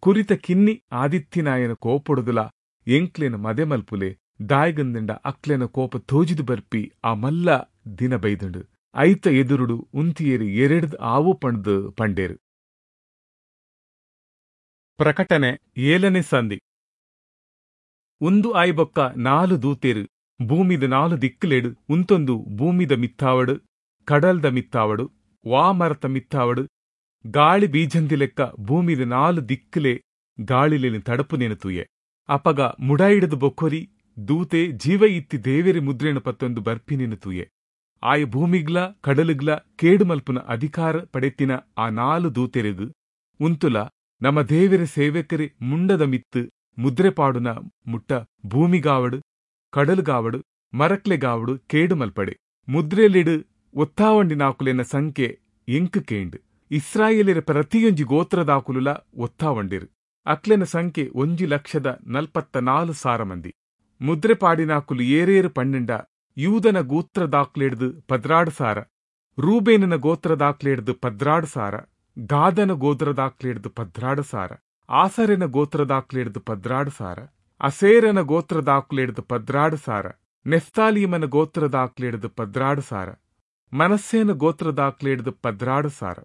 ಕುರಿತ ಕಿನ್ನಿ ಆದಿತ್ತಿನಾಯನ ಕೋಪೊಡುದುಲ ಎಂಕ್ಲೆನ ಮದೆ ಮಲ್ಪುಲೆ, ದಾಯ್ಗಂದಂಡ ಅಕ್ಲೆನ ಕೋಪ ತೋಜಿದು ಬರ್ಪಿ ಆ ಮಲ್ಲ ದಿನ ಬೈದುಂಡು. ಐತ ಎದುರುಡು ಉಂತಿಯೇರಿ ಎರೆಡ್ದು ಆವು ಪಂಡ್ದು ಪಂಡೇರು. ಪ್ರಕಟಣೆ ಏಳನೇ ಸಂಧಿ. ಉಂದು ಆಯ್ಬೊಕ್ಕ ನಾಲು ದೂತೇರು ಭೂಮಿದ ನಾಲು ದಿಕ್ಕುಲೆಡು ಉಂತೊಂದು ಭೂಮಿದ ಮಿತ್ತಾವಡು, ಕಡಲ್ದ ಮಿತ್ತಾವಡು, ವಾಮರತ ಮಿತ್ತಾವಡು, ಗಾಳಿ ಬೀಜಂದಿ ಲೆಕ್ಕ ಭೂಮಿದ ನಾಲು ದಿಕ್ಕುಲೆ ಗಾಳಿಲೇನು ತಡಪು ತೂಯೆ. ಅಪಗ ಮುಡಾಯಿಡದು ಬೊಕ್ಕೊರಿ ದೂತೆ ಜೀವ ಇತ್ತಿ ದೇವೆರಿ ಮುದ್ರೇನು ಪತ್ತೊಂದು ಬರ್ಪಿನೇನು ತೂಯೆ. ಆಯ ಭೂಮಿಗ್ಲ ಕಡಲುಗ್ಲ ಕೇಡುಮಲ್ಪುನ ಅಧಿಕಾರ ಪಡೆತಿನ ಆ ನಾಲು ದೂತೆರೆಗು ಉಂತುಲ ನಮ್ಮ ದೇವೆರ ಸೇವಕರೆ ಮುಂಡದ ಮಿತ್ತು ಮುದ್ರೆ ಪಾಡುನ ಮುಟ್ಟ ಭೂಮಿಗಾವಡು, ಕಡಲುಗಾವಡು, ಮರಕ್ಲೆಗಾವಡು ಕೇಡುಮಲ್ಪಡೆ. ಮುದ್ರೆಲಿಡು ಒತ್ತಾವಂಡಿನಾಕುಲೆನ ಸಂಖ್ಯೆ ಎಂಕು ಕೇಂಡು. ಇಸ್ರಾಯೇಲರ ಪ್ರತಿಯೊಂಜಿ ಗೋತ್ರದಾಕುಲುಲ ಒತ್ತಾವಂಡಿರು. ಅಕ್ಲೆನ ಸಂಖ್ಯೆ ಒಂಜಿ ಲಕ್ಷದ ನಲ್ಪತ್ತ ನಾಲು ಸಾರ ಮಂದಿ. ಮುದ್ರೆ ಪಾಡಿನಾಕುಲು ಏರೇರು ಪನ್ನೆಂಡ ಯೂದನ ಗೋತ್ರದಾಕ್ಲೆಡ್ದು ಪದ್ರಾಡು ಸಾರ, ರೂಬೇನನ ಗೋತ್ರದಾಕ್ಲೆಡ್ದು ಪದ್ರಾಡು ಸಾರ, ಗಾದನ ಗೋತ್ರದಾಕ್ಲೆಡ್ದು ಪದ್ರಾಡು ಸಾರ, ಆಸರೆನ ಗೋತ್ರದಾಕ್ಲೆಡ್ದು ಪದ್ರಾಡು ಸಾರ, ಅಸೇರನ ಗೋತ್ರದಾಕ್ಲೆಡ್ದು ಪದ್ರಾಡು ಸಾರ, ನೆಫ್ತಾಲೀಮನ ಗೋತ್ರದಾಕ್ಲೆಡ್ದು ಪದ್ರಾಡು ಸಾರ, ಮನಸ್ಸೇನ ಗೋತ್ರದಾಕ್ಲೆಡ್ದು ಪದ್ರಾಡು ಸಾರ,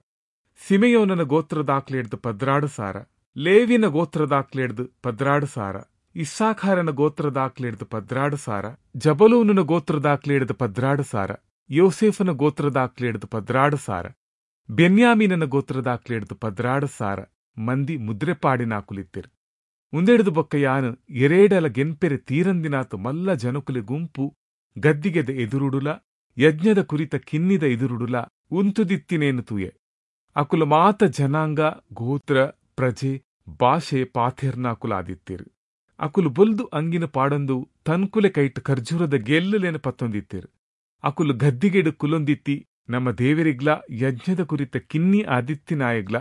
ಸಿಮೆಯೋನನ ಗೋತ್ರದಾಕ್ಲೆಡ್ದು ಪದ್ರಾಡು ಸಾರ, ಲೇವಿನ ಗೋತ್ರದಾಕ್ಲೆಡ್ದು ಪದ್ರಾಡು ಸಾರ, ಇಸ್ಸಾಖಾರನ ಗೋತ್ರದಾಕ್ಲೆಡ್ದು ಪದ್ರಾಡು ಸಾರ, ಜಬಲೂನನ ಗೋತ್ರದಾಕ್ಲೆಡ್ದು ಪದ್ರಾಡು ಸಾರ, ಯೋಸೇಫನ ಗೋತ್ರದಾಕ್ಲೆಡ್ದು ಪದ್ರಾಡು ಸಾರ, ಬೆನ್ಯಾಮೀನನ ಗೋತ್ರದಾಕ್ಲೆಡ್ದು ಪದ್ರಾಡು ಸಾರ ಮಂದಿ ಮುದ್ರೆಪಾಡಿನಾಕುಲಿತ್ತಿರು. ಉಂದೆಡ್ದು ಬೊಕ್ಕ ಯಾನು ಎರೇಡಲ ಗೆನ್ಪೆರೆ ತೀರಂದಿನಾತು ಮಲ್ಲ ಜನಕುಲೆ ಗುಂಪು ಗದ್ದಿಗೆದ ಎದುರುಡುಲ, ಯಜ್ಞದ ಕುರಿತ ಕಿನ್ನಿದ ಎದುರುಡುಲ ಉಂತುದಿತ್ತಿನೇನು ತೂಯೆ. ಅಕುಲ ಮಾತ ಜನಾಂಗ, ಗೋತ್ರ, ಪ್ರಜೆ, ಭಾಷೆ ಪಾಥೆರ್ನಾಕುಲಾದಿತ್ತಿರು. ಅಕುಲು ಬೊಲ್ದು ಅಂಗಿನ ಪಾಡೊಂದು ತನ್ಕುಲೆ ಕೈಟ್ ಖರ್ಜೂರದ ಗೆಲ್ಲುಲೇನು ಪತ್ತೊಂದಿತ್ತಿರು. ಅಕುಲು ಗದ್ದಿಗೆಡು ಕುಲೊಂದಿತ್ತಿ ನಮ್ಮ ದೇವರಿಗ್ಲ ಯಜ್ಞದ ಕುರಿತ ಕಿನ್ನಿ ಆದಿತ್ತಿನಾಯಗ್ಲ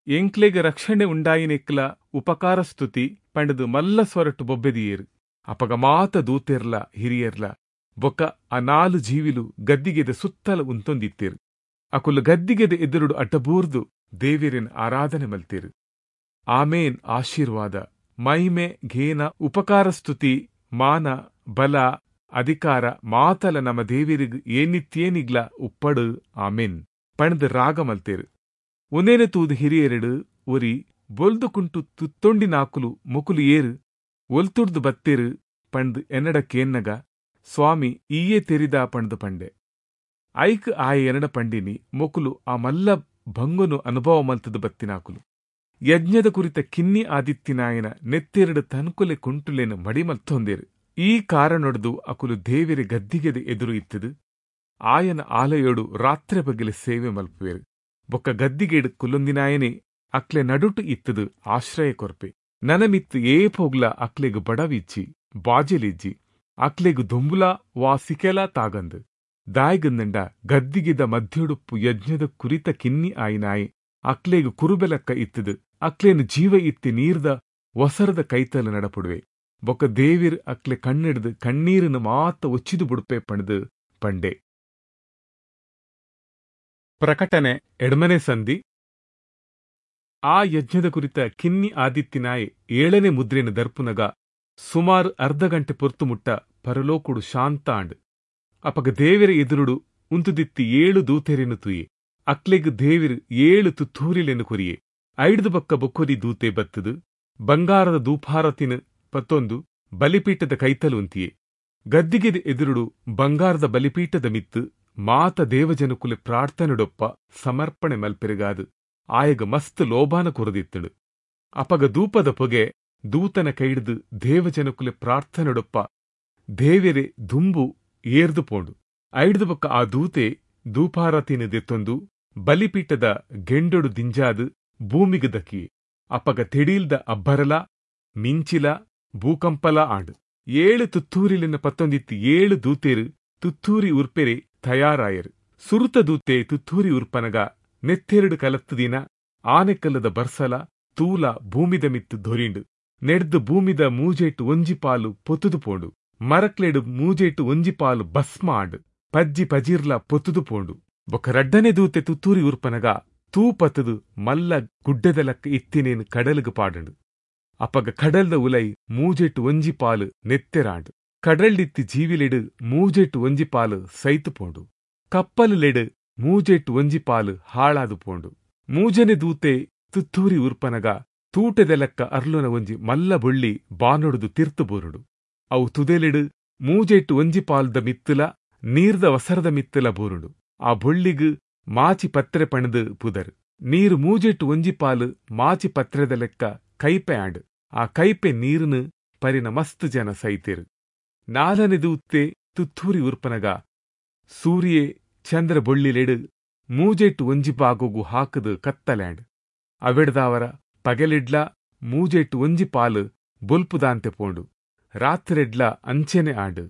ಎಂಕ್ಲೆಗ್ ರಕ್ಷಣೆ ಉಂಡಾಯಿನೆಕ್ಲ ಉಪಕಾರ ಸ್ತುತಿ ಪಂಡದು ಮಲ್ಲ ಸ್ವರಟು ಬೊಬ್ಬೆದಿಯೇರು. ಅಪಗ ಮಾತ ದೂತೆರ್ಲ ಹಿರಿಯರ್ಲ ಬೊಕ್ಕ ಆ ನಾಲು ಜೀವಿಲು ಗದ್ದಿಗೆದ ಸುತ್ತಲ ಉಂತೊಂದಿತ್ತಿರು. ಅಕುಲು ಗದ್ದಿಗೆದ ಎದುರುಡು ಅಡ್ಡಬೂರ್ದು ದೇವಿರಿನ ಆರಾಧನೆ ಮಲ್ತಿರು. ಆಮೇನ್. ಆಶೀರ್ವಾದ, ಮಹಿಮೆ, ಘೇನ, ಉಪಕಾರ ಸ್ತುತಿ, ಮಾನ, ಬಲ, ಅಧಿಕಾರ ಮಾತಲ ನಮ್ಮ ದೇವಿರಿಗ್ ಏನಿತ್ಯೇನಿಗ್ಲ ಉಪ್ಪಡು. ಆಮೇನ್ ಪಣದು ರಾಗ ಮಲ್ತೇರು. ಒಂದೇನೆ ತೂದು ಹಿರಿಯೆರಡು ಒರಿ ಬೊಲ್ದು ಕುಂಟು ತುತ್ತೊಂಡಿನಾಕುಲು ಮೊಕುಲು ಏರು ಒಲ್ತುಡ್ದು ಬತ್ತೇರು ಪಂಡ್ ಎನ್ನಡ ಕೇನ್ನಗ ಸ್ವಾಮಿ ಈಯೇ ತೆರಿದ ಪಂಡ್ದು ಪಂಡೆ. ಐಕ್ ಆಯ ಎನ್ನಡ ಪಂಡಿನಿ ಮೊಕುಲು ಆ ಮಲ್ಲ ಭಂಗುನು ಅನುಭವ ಮಲ್ತದು ಬತ್ತಿನಾಕುಲು. ಯಜ್ಞದ ಕುರಿತ ಕಿನ್ನಿ ಆದಿತ್ತಿನಾಯನ ನೆತ್ತೆರಡು ತನ್ಕುಲೆ ಕುಂಟುಲೇನು ಮಡಿಮಲ್ತೊಂದೇರು. ಈ ಕಾರಣೊಡ್ದು ಅಕುಲು ದೇವಿರೆ ಗದ್ದಿಗೆದ ಎದುರು ಇತ್ತದು ಆಯನ ಆಲಯೋಡು ರಾತ್ರೆ ಬಗೆಲೆ ಸೇವೆ ಮಲ್ಪುವೇರು. ಬೊಕ್ಕ ಗದ್ದಿಗೆಡು ಕುಲೊಂದಿನಾಯನೇ ಅಕ್ಲೆ ನಡುಟು ಇತ್ತದು ಆಶ್ರಯ ಕೊರ್ಪೆ. ನನಮಿತ್ತು ಏಪೋಗ್ಲ ಅಕ್ಲೆಗ್ ಬಡವಿಜ್ಜಿ, ಬಾಜೆಲಿಜ್ಜಿ. ಅಕ್ಲೆಗ್ ದೊಂಬುಲ ವಾ ಸಿಕೆಲ ತಾಗಂದು. ದಾಯ್ಗಂದಂಡ ಗದ್ದಿಗೆದ ಮಧ್ಯೊಡುಪ್ಪು ಯಜ್ಞದ ಕುರಿತ ಕಿನ್ನಿ ಆಯಿನಾಯಿ ಅಕ್ಲೆಗ್ ಕುರುಬೆಲಕ್ಕ ಇತ್ತದು ಅಕ್ಲೇನ್ ಜೀವ ಇತ್ತಿ ನೀರ್ದ ಒಸರದ ಕೈತಲು ನಡಪುಡುವೆ. ಬೊಕ್ಕ ದೇವಿರ್ ಅಕ್ಲೆ ಕಣ್ಣಿಡ್ದು ಕಣ್ಣೀರನ್ನು ಮಾತ ಒಚ್ಚಿದು ಬುಡುಪೆ ಪಣದು ಪಂಡೆ. ಪ್ರಕಟಣೆ ಎಡ್ಮನೆ ಸಂಧಿ. ಆ ಯಜ್ಞದ ಕುರಿತ ಕಿನ್ನಿ ಆದಿತ್ತಿನಾಯ್ ಏಳನೇ ಮುದ್ರೆನ ದರ್ಪುನಗ ಸುಮಾರು ಅರ್ಧ ಗಂಟೆ ಪೊರ್ತು ಮುಟ್ಟ ಪರಲೋಕುಡು ಶಾಂತ ಆಂಡ್. ಅಪಗ ದೇವಿರ ಎದುರುಡು ಉಂತುದಿತ್ತಿ ಏಳು ದೂತೆರೆನು ತುಯೆ. ಅಕ್ಲೆಗ್ ದೇವಿರ್ ಏಳು ತುತ್ತೂರಿಲೆನು ಕೊರಿಯೆ. ಐಡ್ದು ಬೊಕ್ಕ ಬೊಕ್ಕೊರಿ ದೂತೆ ಬತ್ತದು ಬಂಗಾರದ ದೂಪಾರತಿನ ಪತ್ತೊಂದು ಬಲಿಪೀಠದ ಕೈತಲು ಉಂತಿಯೆ. ಗದ್ದಿಗೆದ ಎದುರುಡು ಬಂಗಾರದ ಬಲಿಪೀಠದ ಮಿತ್ತು ಮಾತ ದೇವಜನಕುಲೆ ಪ್ರಾರ್ಥನೆಡೊಪ್ಪ ಸಮರ್ಪಣೆ ಮಲ್ಪೆರೆಗಾದು ಆಯಗ ಮಸ್ತ್ ಲೋಭಾನ ಕೊರದಿತ್ತಳು. ಅಪಗ ದೂಪದ ಪೊಗೆ ದೂತನ ಕೈಡ್ದು ದೇವಜನಕುಲೆ ಪ್ರಾರ್ಥನೆಡೊಪ್ಪ ದೇವೆರೆ ದುಂಬು ಏರ್ದು ಪೋಂಡು. ಐಡ್ದು ಬೊಕ್ಕ ಆ ದೂತೆ ದೂಪಾರತಿನ ದೆತ್ತೊಂದು ಬಲಿಪೀಠದ ಗೆಂಡೊಡು ದಿಂಜಾದು ಭೂಮಿಗೆ ದಕ್ಕಿಯೆ. ಅಪಗ ತೆಡೀಲ್ದ ಅಬ್ಬರಲ ಮಿಂಚಿಲ ಭೂಕಂಪಲ ಆಂಡ್. ಏಳು ತುತ್ತೂರಿಲಿನ ಪತ್ತೊಂದಿತ್ತು ಏಳು ದೂತೆರು ತುತ್ತೂರಿ ಉರ್ಪೆರೆ ತಯಾರಾಯರು. ಸುರುತ ದೂತೆ ತುತ್ತೂರಿ ಉರ್ಪನಗ ನೆತ್ತೆರಡು ಕಲತ್ತು ದಿನ ಆನೆಕಲ್ಲದ ಬರ್ಸಲ ತೂಲ ಭೂಮಿದ ಮಿತ್ತು ದೊರಿಂಡು. ನೆಡ್ದು ಭೂಮಿದ ಮೂಜೇಟು ಒಂಜಿ ಪಾಲು ಪೊತ್ತುದು ಪೋಂಡು. ಮರಕ್ಲೆಡು ಮೂಜೇಟು ಒಂಜಿ ಪಾಲು ಭಸ್ಮ ಆಂಡ್. ಪಜ್ಜಿ ಪಜಿರ್ಲ ಪೊತ್ತುದು ಪೋಂಡು. ಬೊಕ್ಕ ರಡ್ಡನೆ ದೂತೆ ತುತ್ತೂರಿ ಉರ್ಪನಗ ತೂ ಪತ್ತದು ಮಲ್ಲ ಗುಡ್ಡೆದ ಲಕ್ಕ ಇತ್ತಿನೇನು ಕಡಲ್ಗ್ ಪಾಡಂಡು. ಅಪಗ ಕಡಲ್ದ ಉಲೈ ಮೂಜೆಟ್ಟು ಒಂಜಿ ಪಾಲು ನೆತ್ತೆರಾಂಡ್. ಕಡಲ್ಡಿತ್ತಿ ಜೀವಿಲೆಡು ಮೂಜೆಟ್ಟು ಒಂಜಿ ಪಾಲು ಸೈತು ಪೋಂಡು. ಕಪ್ಪಲುಲೆಡು ಮೂಜೆಟ್ಟು ಒಂಜಿ ಪಾಲು ಹಾಳಾದು ಪೋಂಡು. ಮೂಜನೆ ದೂತೆ ತುತ್ತೂರಿ ಉರ್ಪನಗ ತೂಟೆದ ಲೆಕ್ಕ ಅರ್ಲುನ ಒಂಜಿ ಮಲ್ಲ ಬೊಳ್ಳಿ ಬಾನೊಡುದು ತಿರ್ತು ಬೋರುಡು. ಅವು ತುದೆಲೆಡು ಮೂಜೆಟ್ಟು ಒಂಜಿ ಪಾಲ್ದ ಮಿತ್ತುಲ ನೀರ್ದ ವಸರದ ಮಿತ್ತುಲ ಬೋರುಡು. ಆ ಬೊಳ್ಳಿಗ್ ಮಾಚಿ ಪತ್ರೆ ಪಣದು ಪುದರ್. ನೀರು ಮೂಜೆಟ್ಟು ಒಂಜಿ ಪಾಲು ಮಾಚಿ ಪತ್ರೆದ ಲೆಕ್ಕ ಕೈಪೆ ಆಂಡ್. ಆ ಕೈಪೆ ನೀರುನು ಪರಿನ ಮಸ್ತ್ ಜನ ಸೈತೇರು. ನಾಲನೆ ದೂತೆ ತುತ್ತೂರಿ ಉರ್ಪನಗ ಸೂರ್ಯೆ ಚಂದ್ರ ಬೊಳ್ಳಿಲೆಡು ಮೂಜೆಟ್ಟು ಒಂಜಿ ಬಾಗೋಗು ಹಾಕದು ಕತ್ತಲ್ಯಾಂಡ್. ಅವೆಡ್ದಾವರ ಪಗೆಲಿಡ್ಲ ಮೂಜೆಟ್ಟು ಒಂಜಿ ಪಾಲು ಬೊಲ್ಪುದಾಂತೆ ಪೋಂಡು. ರಾತ್ರೆಡ್ಲ ಅಂಚೆನೆ ಆಂಡ್.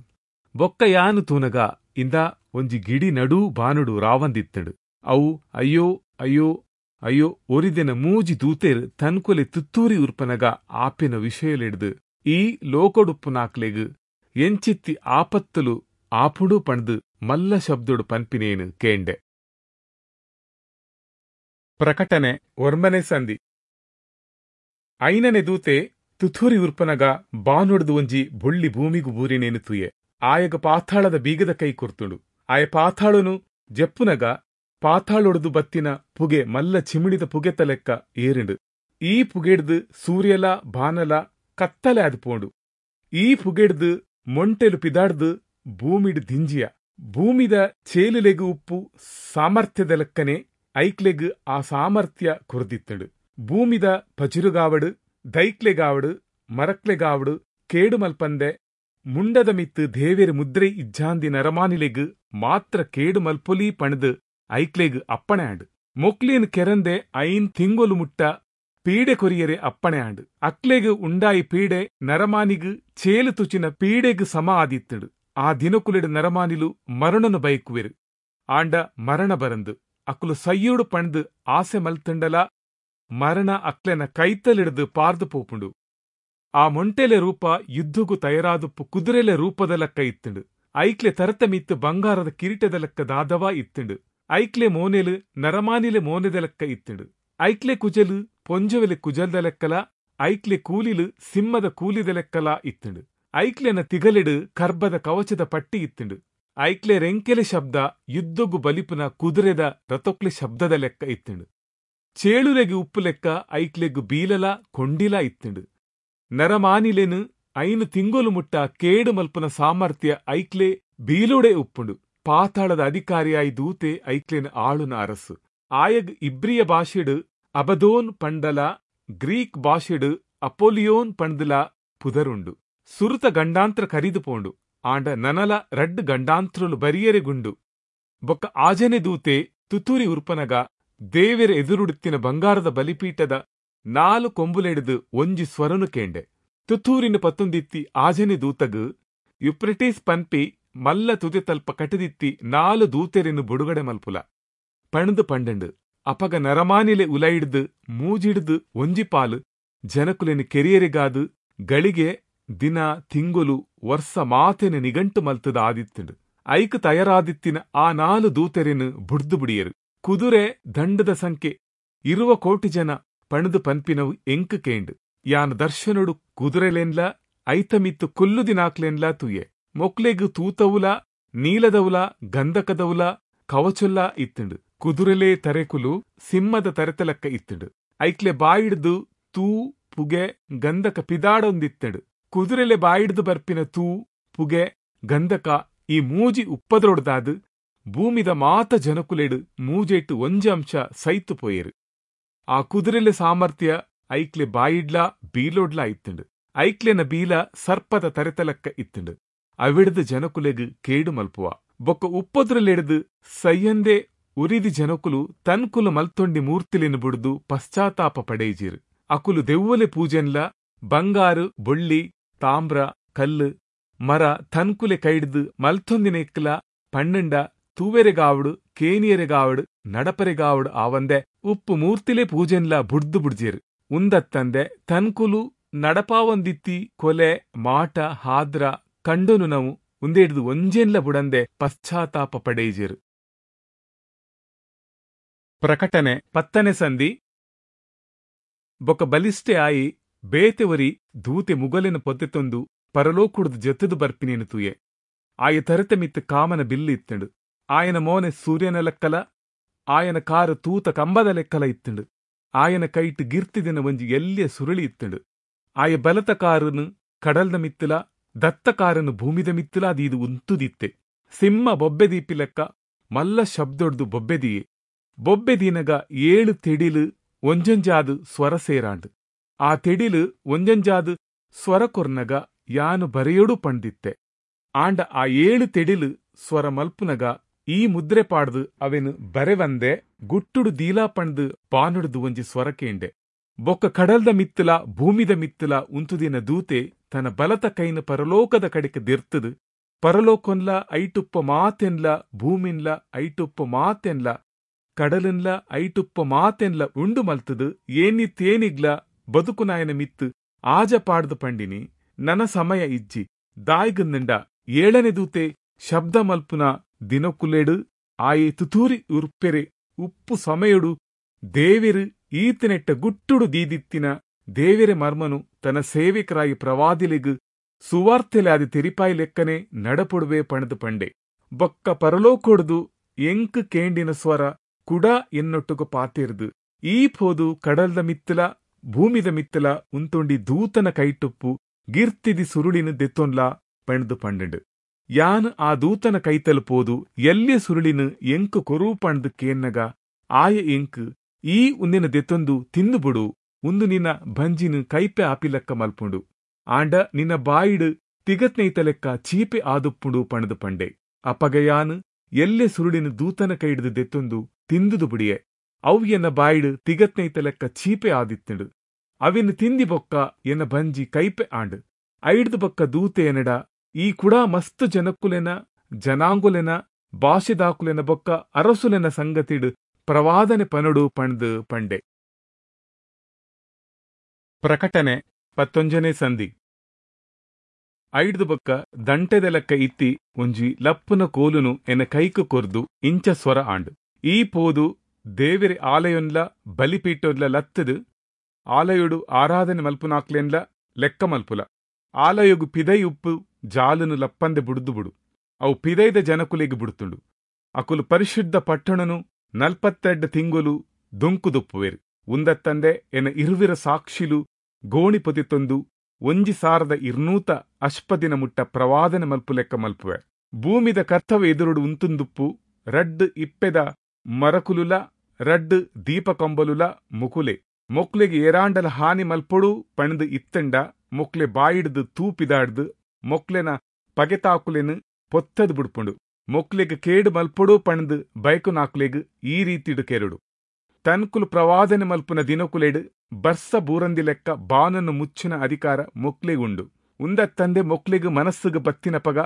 ಬೊಕ್ಕ ಯಾನು ತೂನಗ ಇಂದ ಒಂಜಿ ಗಿಡಿ ನಡೂ ಬಾನುಡು ರಾವಂದಿತ್ತಂಡು. ಅವು ಅಯ್ಯೋ ಅಯ್ಯೋ ಅಯ್ಯೋ ಒರಿದೆನ ಮೂಜಿ ದೂತೆರ್ ತನ್ಕೊಲೆ ತುತ್ತೂರಿ ಉರ್ಪನಗ ಆಪಿನ ವಿಷಯಲೆಡ್ದು ಈ ಲೋಕೊಡುಪ್ಪುನಾಕ್ಲೆಗ್ ಎಂಚಿತ್ತಿ ಆಪತ್ತುಲು ಆಪುಡು ಪಣ್ದು ಮಲ್ಲ ಶಬ್ದೊಡು ಪನ್ಪಿನೇನು ಕೇಂಡೆ. ಪ್ರಕಟಣೆ ಒರ್ಮನೆ ಸಂಧಿ. ಐನನೆ ದೂತೆ ತುಥೂರಿ ಉರ್ಪನಗ ಬಾನುಡ್ದು ಒಂಜಿ ಬೊಳ್ಳಿ ಭೂಮಿಗು ಬೂರಿನೇನು ತುಯೆ. ಆಯಗ ಪಾತಾಳದ ಬೀಗದ ಕೈ ಕೊರ್ತುಂಡು. ಆಯ ಪಾತಾಳುನು ಜಪ್ಪುನಗ ಪಾತಾಳೊಡ್ದು ಬತ್ತಿನ ಪುಗೆ ಮಲ್ಲ ಚಿಮಿಡಿದ ಪುಗೆತ ಲೆಕ್ಕ ಏರಿಂಡು. ಈ ಪುಗೆಡ್ದು ಸೂರ್ಯಲ ಬಾನಲ ಕತ್ತಲೆ ಆದ್ ಪೋಂಡು. ಈ ಪುಗೆಡ್ದು ಮೊಂಟೆಲು ಪಿದಾಡ್ದು ಭೂಮಿಡ್ ದಿಂಜಿಯ. ಭೂಮಿದ ಚೇಲುಲೆಗು ಉಪ್ಪು ಸಾಮರ್ಥ್ಯದ ಲೆಕ್ಕನೆ ಐಕ್ಲೆಗ್ ಆ ಸಾಮರ್ಥ್ಯ ಕೊರ್ದಿತ್ತಂಡು. ಭೂಮಿದ ಪಜಿರುಗಾವಡು ದೈಕ್ಲೆಗಾವಡು ಮರಕ್ಲೆಗಾವಡು ಕೇಡು ಮಲ್ಪಂದೆ ಮುಂಡದ ಮಿತ್ತು ದೇವೆರ್ ಮುದ್ರೆ ಇಜ್ಜಾಂದಿ ನರಮಾನಿಲೆಗ್ ಮಾತ್ರ ಕೇಡು ಮಲ್ಪೊಲಿ ಪಣದು ಐಕ್ಲೆಗ್ ಅಪ್ಪಣೆ ಆಂಡ್. ಮೊಕ್ಲೇನ್ ಕೆರಂದೆ ಐನ್ ತಿಂಗೊಲು ಮುಟ್ಟ ಪೀಡೆ ಕೊರಿಯರೆ ಅಪ್ಪಣೆ ಆಂಡ್. ಅಕ್ಲೆಗ್ ಉಂಡಾಯಿ ಪೀಡೆ ನರಮಾನಿಗ್ ಚೇಲು ತುಚಿನ ಪೀಡೆಗ್ ಸಮ ಆದಿತ್ತಂಡು. ಆ ದಿನಕುಲೆಡ್ ನರಮಾನಿಲು ಮರಣನು ಬಯಕುವೆರು. ಆಂಡ ಮರಣ ಬರಂದು ಅಕ್ಲು ಸಯ್ಯೋಡು ಪಣ್ದು ಆಸೆ ಮಲ್ತಂಡಲ ಮರಣ ಅಕ್ಲೆನ ಕೈತಲಿಡ್ದು ಪಾರ್ದು ಪೋಪುಂಡು. ಆ ಮೊಂಟೆಲೆ ರೂಪ ಯುದ್ಧಗು ತಯಾರಾದುಪ್ಪು ಕುದುರೆಲೆ ರೂಪದ ಲೆಕ್ಕ ಇತ್ತಂಡು. ಐಕ್ಲೆ ತರತ ಮಿತ್ತು ಬಂಗಾರದ ಕಿರೀಟದ ಲೆಕ್ಕ ದಾದವಾ ಇತ್ತಂಡು. ಐಕ್ಲೆ ಮೋನೆಲು ನರಮಾನಿಲೆ ಮೋನೆದ ಲೆಕ್ಕ ಇತ್ತಂಡು. ಐಕ್ಲೆ ಕುಜಲು ಪೊಂಜವೆಲೆ ಕುಜಲ್ದ ಲೆಕ್ಕಲ ಐಕ್ಲೆ ಕೂಲಿಲು ಸಿಂಹದ ಕೂಲಿದ ಲೆಕ್ಕಲ ಇತ್ತಂಡು. ಐಕ್ಲೆನ ತಿಗಲೆಡು ಕರ್ಬದ ಕವಚದ ಪಟ್ಟಿ ಇತ್ತಂಡು. ಐಕ್ಲೆ ರೆಂಕೆಲೆ ಶಬ್ದ ಯುದ್ಧಗು ಬಲಿಪುನ ಕುದುರೆದ ರಥೊಕ್ಲೆ ಶಬ್ದದ ಲೆಕ್ಕ ಇತ್ತಂಡು. ಚೇಳುಲೆಗೆ ಉಪ್ಪು ಲೆಕ್ಕ ಐಕ್ಲೆಗು ಬೀಲಲ ಕೊಂಡಿಲ ಇತ್ತಂಡು. ನರಮಾನಿಲೆನು ಐನು ತಿಂಗೊಲು ಮುಟ್ಟ ಕೇಡು ಮಲ್ಪುನ ಸಾಮರ್ಥ್ಯ ಐಕ್ಲೆ ಬೀಲೋಡೆ ಉಪ್ಪುಂಡು. ಪಾತಾಳದ ಅಧಿಕಾರಿಯಾಯಿ ದೂತೆ ಐಕ್ಲೆನ ಆಳುನ ಅರಸು. ಆಯಗ್ ಇಬ್ರಿಯ ಭಾಷೆಡು ಅಬದೋನ್ ಪಂಡಲ ಗ್ರೀಕ್ ಭಾಷೆಡು ಅಪೋಲಿಯೋನ್ ಪಂಡಲ ಪುದರುಂಡು. ಸುರುತ ಗಂಡಾಂತ್ರ ಕರಿದು ಪೋಂಡು. ಆಂಡ ನನಲ ರಡ್ಡು ಗಂಡಾಂತ್ರಲು ಬರಿಯರೆಗುಂಡು. ಬೊಕ್ಕ ಆಜನೆ ದೂತೆ ತುತೂರಿ ಉರ್ಪನಗ ದೇವೆರ ಎದುರುಡುತ್ತಿನ ಬಂಗಾರದ ಬಲಿಪೀಠದ ನಾಲು ಕೊಂಬುಲೆಡ್ದು ಒಂಜಿ ಸ್ವರನು ಕೇಂಡೆ. ತುತೂರಿನ ಪತ್ತೊಂದಿತ್ತಿ ಆಜನೆ ದೂತಗು ಯುಪ್ರಿಟೀಸ್ ಪನ್ಪಿ ಮಲ್ಲ ತುದೆತಲ್ಪ ಕಟದಿತ್ತಿ ನಾಲು ದೂತೆರೆನು ಬುಡುಗಡೆ ಮಲ್ಪುಲ ಪಣದು ಪಂಡಂಡು. ಅಪಗ ನರಮಾನಿಲೆ ಉಲೈಡ್ದು ಮೂಜಿಡ್ದು ಒಂಜಿ ಪಾಲು ಜನಕುಲೆನು ಕೆರಿಯರಿಗಾದು ಗಳಿಗೆ ದಿನ ತಿಂಗುಲು ವರ್ಷ ಮಾತೆನ ನಿಗಂಟು ಮಲ್ತದ ಆದಿತ್ತಂಡು. ಐಕ್ ತಯಾರಾದಿತ್ತಿನ ಆ ನಾಲು ದೂತೆರೆನು ಬುಡ್ದು ಬುಡಿಯರು. ಕುದುರೆ ದಂಡದ ಸಂಖ್ಯೆ ಇರುವ ಕೋಟಿ ಜನ ಪಣದು ಪನ್ಪಿನವು ಎಂಕು ಕೇಂಡು. ಯಾನ್ ದರ್ಶನೊಡು ಕುದುರೆಲೆನ್ಲ ಐತಮಿತ್ತು ಕುಲ್ಲುದಿನಾಕ್ಲೆನ್ಲ ತೂಯೆ. ಮೊಕ್ಲೆಗ್ ತೂತವುಲ ನೀಲದವುಲ ಗಂಧಕದವುಲ ಕವಚೊಲ್ಲ ಇತ್ತಂಡು. ಕುದುರೆಲೆ ತರೆಕುಲು ಸಿಂಹದ ತರೆತಲಕ್ಕ ಇತ್ತಂಡು. ಐಕ್ಲೆ ಬಾಯಿಡ್ದು ತೂ ಪುಗೆ ಗಂಧಕ ಪಿದಾಡೊಂದಿತ್ತಂಡು. ಕುದುರೆಲೆ ಬಾಯಿಡ್ದು ಬರ್ಪಿನ ತೂ ಪುಗೆ ಗಂಧಕ ಈ ಮೂಜಿ ಉಪ್ಪದ್ರೊಡ್ದಾದು ಭೂಮಿದ ಮಾತ ಜನಕುಲೆಡು ಮೂಜೆಟ್ಟು ಒಂಜಿ ಅಂಶ ಸೈತು ಪೋಯೆರು. ಆ ಕುದುರೆಲೆ ಸಾಮರ್ಥ್ಯ ಐಕ್ಲೆ ಬಾಯಿಡ್ಲಾ ಬೀಲೋಡ್ಲಾ ಇತ್ತಂಡು. ಐಕ್ಲೆನ ಬೀಲ ಸರ್ಪದ ತರೆತಲಕ್ಕ ಇತ್ತಂಡು. ಅವಿಡ್ದು ಜನಕುಲೆಗ್ ಕೇಡು ಮಲ್ಪುವ. ಬೊಕ್ಕ ಉಪ್ಪದ್ರಲೆಡ್ದು ಸೈಯಂದೆ ಉರಿದಿ ಜನಕುಲು ತನ್ಕುಲು ಮಲ್ತೊಂಡಿ ಮೂರ್ತಿಲೆನು ಬುಡ್ದು ಪಶ್ಚಾತ್ತಾಪ ಪಡೇಜಿರು. ಅಕುಲು ದೆವ್ವಲೆ ಪೂಜೆನ್ಲ ಬಂಗಾರು ಬೊಳ್ಳಿ ತಾಮ್ರ ಕಲ್ಲು ಮರ ತನ್ಕುಲೆ ಕೈಡ್ದು ಮಲ್ತೊಂದಿನೆಕ್ಲ ಪಣ್ಣಂಡ ತೂವೆರೆಗಾವಡು ಕೇನಿಯರೆಗಾವಡು ನಡಪರೆಗಾವಡು ಆವಂದೆ ಉಪ್ಪು ಮೂರ್ತಿಲೆ ಪೂಜೆನ್ಲ ಬುಡ್ದು ಬುಡ್ಜೇರು. ಉಂದತ್ತಂದೆ ತನ್ಕುಲು ನಡಪಾವಂದಿತ್ತಿ ಕೊಲೆ ಮಾಟ ಹಾದ್ರ ಕಂಡನು ನಾವು ಉಂದೇಡ್ದು ಒಂಜೇನ್ಲ ಬುಡಂದೆ ಪಶ್ಚಾತ್ತಾಪ ಪಡೇಜೇರು. ಪ್ರಕಟಣೆ ಪತ್ತನೆ ಸಂಧಿ. ಬೊಕ ಬಲಿಷ್ಠೆ ಆಯಿ ಬೇತೆವರಿ ದೂತೆ ಮುಗಲೆನ ಪೊತ್ತೆತೊಂದು ಪರಲೋಕುಡ್ದು ಜತ್ತದು ಬರ್ಪಿನೇನು ತೂಯೆ. ಆಯ ತರತೆ ಮಿತ್ತು ಕಾಮನ ಬಿಲ್ಲು ಇತ್ತಂಡು. ಆಯನ ಮೋನೆ ಸೂರ್ಯನ ಲೆಕ್ಕಲ, ಆಯನ ಕಾರು ತೂತ ಕಂಬದ ಲೆಕ್ಕಲ ಇತ್ತಂಡು. ಆಯನ ಕೈಟ್ ಗಿರ್ತಿದಿನ ಒಂಜಿ ಎಲ್ಲಿಯ ಸುರುಳಿ ಇತ್ತಂಡು. ಆಯ ಬಲತ ಕಾರನು ಕಡಲ್ದ ಮಿತ್ತಲ ದತ್ತ ಕಾರನು ಭೂಮಿದ ಮಿತ್ತಲ ಅದೀದು ಉಂತುದಿತ್ತೆ. ಸಿಂಹ ಬೊಬ್ಬೆ ದೀಪಿ ಲೆಕ್ಕ ಮಲ್ಲ ಶಬ್ದೊಡ್ದು ಬೊಬ್ಬೆದಿಯೆ. ಬೊಬ್ಬೆ ದೀನಗ ಏಳು ತೆಡಿಲು ಒಂಜೊಂಜಾದು ಸ್ವರ ಸೇರಾಂಡು. ಆ ತೆಡಿಲು ಒಂಜೊಂಜಾದು ಸ್ವರ ಕೊರ್ನಗ ಯಾನು ಬರೆಯೋಡು ಪಂಡಿತ್ತೆ. ಆಂಡ ಆ ಏಳು ತೆಡಿಲು ಸ್ವರ ಮಲ್ಪುನಗ ಈ ಮುದ್ರೆ ಪಾಡ್ದು ಅವೆನು ಬರೆವಂದೆ ಗುಟ್ಟುಡು ದೀಲಾ ಪಂಡ್ದು ಬಾನುಡ್ದು ಒಂಜಿ ಸ್ವರ ಕೇಂಡೆ. ಬೊಕ್ಕ ಕಡಲ್ದ ಮಿತ್ತಲ ಭೂಮಿದ ಮಿತ್ತಲ ಉಂತುದಿನ ದೂತೆ ತನ್ನ ಬಲತ ಕೈನ ಪರಲೋಕದ ಕಡೆಗೆ ದಿರ್ತದು ಪರಲೋಕೊಂಡ್ಲ ಐಟುಪ್ಪ ಮಾತೆನ್ಲ ಭೂಮಿನ್ಲ ಐಟುಪ್ಪ ಮಾತೆನ್ಲ ಕಡಲನ್ಲ ಐಟುಪ್ಪ ಮಾತೆನ್ಲ ಉಂಡು ಮಲ್ತದು ಏನಿ ತೇನಿಗ್ಲ ಬದುಕುನಾಯನ ಮಿತ್ತು ಆಜ ಪಾಡ್ದು ಪಂಡಿನಿ ನನ ಸಮಯ ಇಜ್ಜಿ ದಾಯ್ಗಂದಂಡ ಏಳನೆ ದೂತೆ ಶಬ್ದ ಮಲ್ಪುನ ದಿನಕುಲೆಡು ಆಯೆ ತುತೂರಿ ಉರ್ಪೆರೆ ಉಪ್ಪು ಸಮಯಡು ದೇವಿರು ಈತನೆಟ್ಟ ಗುಟ್ಟುಡು ದೀದಿತ್ತಿನ ದೇವಿರೆ ಮರ್ಮನು ತನ್ನ ಸೇವಿಕರಾಗಿ ಪ್ರವಾದಿಲಿಗು ಸುವಾರ್ತೆಲಾದಿ ತೆರಿಪಾಯಿ ಲೆಕ್ಕನೆ ನಡಪೊಡುವೆ ಪಣದು ಪಂಡೆ. ಬೊಕ್ಕ ಪರಲೋಕೊಡ್ದು ಎಂಕ್ ಕೇಂಡಿನ ಸ್ವರ ಕುಡ ಎನ್ನೊಟ್ಟುಗು ಪಾತಿರ್ದು ಈ ಪೋದು ಕಡಲ್ದ ಮಿತ್ತಲ ಭೂಮಿದ ಮಿತ್ತಲ ಉಂತೊಂಡಿ ದೂತನ ಕೈಟುಪ್ಪು ಗಿರ್ತಿದಿ ಸುರುಳಿನ ದೆತ್ತೊನ್ಲಾ ಪಣದು ಪಂಡಂಡು. ಯಾನ್ ಆ ದೂತನ ಕೈತಲ್ ಪೋದು ಎಲ್ಲಿಯ ಸುರುಳಿನ ಎಂಕ್ ಕೊರು ಪಣದು ಕೇನ್ನಗ ಆಯ ಎಂಕ್ ಈ ಉಂದಿನ ದೆತ್ತೊಂದು ತಿಂದು ಬುಡು, ಉಂದು ನಿನ್ನ ಬಂಜಿನ ಕೈಪೆ ಆಪಿಲೆಕ್ಕ ಮಲ್ಪುಂಡು, ಆಂಡ ನಿನ್ನ ಬಾಯಿಡು ತಿಗತ್ನೈತ ಲೆಕ್ಕ ಚೀಪೆ ಆದುಪ್ಪುಂಡು ಪಣದು ಪಂಡೆ. ಅಪಗಯಾನ್ ಎಲ್ಲೆ ಸುರುಳಿನ ದೂತನ ಕೈಡ್ದು ದೆತ್ತೊಂದು ತಿಂದುದು ಬುಡಿಯೆ. ಅವು ಎನ್ನ ಬಾಯಿಡು ತಿಗತ್ನೈತ ಲೆಕ್ಕ ಚೀಪೆ ಆದಿತ್ತಂಡು. ಅವಿನ ತಿಂದಿ ಬೊಕ್ಕ ಎನ್ನ ಬಂಜಿ ಕೈಪೆ ಆಂಡ್. ಐಡ್ದು ಬೊಕ್ಕ ದೂತೆ ಎನ್ನಡ ಈ ಕುಡಾ ಮಸ್ತ್ ಜನಕ್ಕುಲೆನ ಜನಾಂಗುಲೆನ ಭಾಷೆದಾಕುಲೆನ ಬೊಕ್ಕ ಅರಸುಲೆನ ಸಂಗತಿಡು ಪ್ರವಾದನೆ ಪನಡು ಪಂಡ್ದು ಪಂಡೆ. ಪ್ರಕಟಣೆ ಪತ್ತೊಂಜನೇ ಸಂಧಿ. ಐಡ್ದು ಬೊಕ್ಕ ದಂಟೆದ ಲೆಕ್ಕ ಇತ್ತಿ ಒಂಜಿ ಲಪ್ಪುನ ಕೋಲುನು ಎನ್ನ ಕೈಕು ಕೊರ್ದು ಇಂಚ ಸ್ವರ ಆಂಡ್. ಈ ಪೋದು ದೇವಿರೆ ಆಲಯೊನ್ಲ ಬಲಿಪೀಠೊನ್ಲ ಲತ್ತದು ಆಲಯೊಡು ಆರಾಧನೆ ಮಲ್ಪುನಾಕ್ಲೆನ್ಲ ಲೆಕ್ಕ ಮಲ್ಪುಲ. ಆಲಯೊಗು ಪಿದೈ ಉಪ್ಪು ಜಾಲುನು ಲಪ್ಪಂದೆ ಬುಡ್ದು ಬುಡು, ಅವು ಪಿದೈದ ಜನಕುಲೆಗ್ ಬುಡ್ತುಂಡು. ಅಕುಲು ಪರಿಶುದ್ಧ ಪಟ್ಟಣನು ನಲ್ಪತ್ತೆಡ್ಡು ತಿಂಗುಲು ದುಂಕುದುಪ್ಪುವೆರು. ಉಂದತ್ತಂದೆ ಎನ್ನ ಇರುವಿರ ಸಾಕ್ಷಿಲು ಗೋಣಿ ಪೊತಿತೊಂದು ಒಂಜಿ ಸಾರದ ಇರ್ನೂತ ಅಷ್ಪದಿನ ಮುಟ್ಟ ಪ್ರವಾದನೆ ಮಲ್ಪು ಲೆಕ್ಕ ಮಲ್ಪುವೆ. ಭೂಮಿದ ಕರ್ತವ್ಯ ಎದುರುಡು ಉಂತುಂದುಪ್ಪು ರಡ್ಡು ಇಪ್ಪೆದ ಮರಕುಲುಲ ರಡ್ಡು ದೀಪಕಂಬಲುಲ ಮುಕುಲೆ. ಮೊಕ್ಲೆಗೆ ಏರಾಂಡಲ ಹಾನಿ ಮಲ್ಪೊಡು ಪಣದು ಇತ್ತಂಡ ಮೊಕ್ಲೆ ಬಾಯಿಡ್ದು ತೂಪಿದಾಡ್ದು ಮೊಕ್ಲೆನ ಪಗೆತಾಕುಲೆನು ಪೊತ್ತದು ಬುಡ್ಪುಂಡು. ಮೊಕ್ಲೆಗ್ ಕೇಡು ಮಲ್ಪೊಡು ಪಣದು ಬೈಕುನಾಕುಲೆಗ್ ಈ ರೀತಿಡು ಕೆರಡು. ತನ್ಕುಲು ಪ್ರವಾದನೆ ಮಲ್ಪುನ ದಿನಕುಲೆಡು ಬರ್ಸ ಬೂರಂದಿ ಲೆಕ್ಕ ಬಾನನ್ನು ಮುಚ್ಚಿನ ಅಧಿಕಾರ ಮೊಕ್ಲೆಗುಂಡು. ಉಂದತ್ತಂದೆ ಮೊಕ್ಲೆಗ್ ಮನಸ್ಸುಗ್ ಬತ್ತಿನಪಗ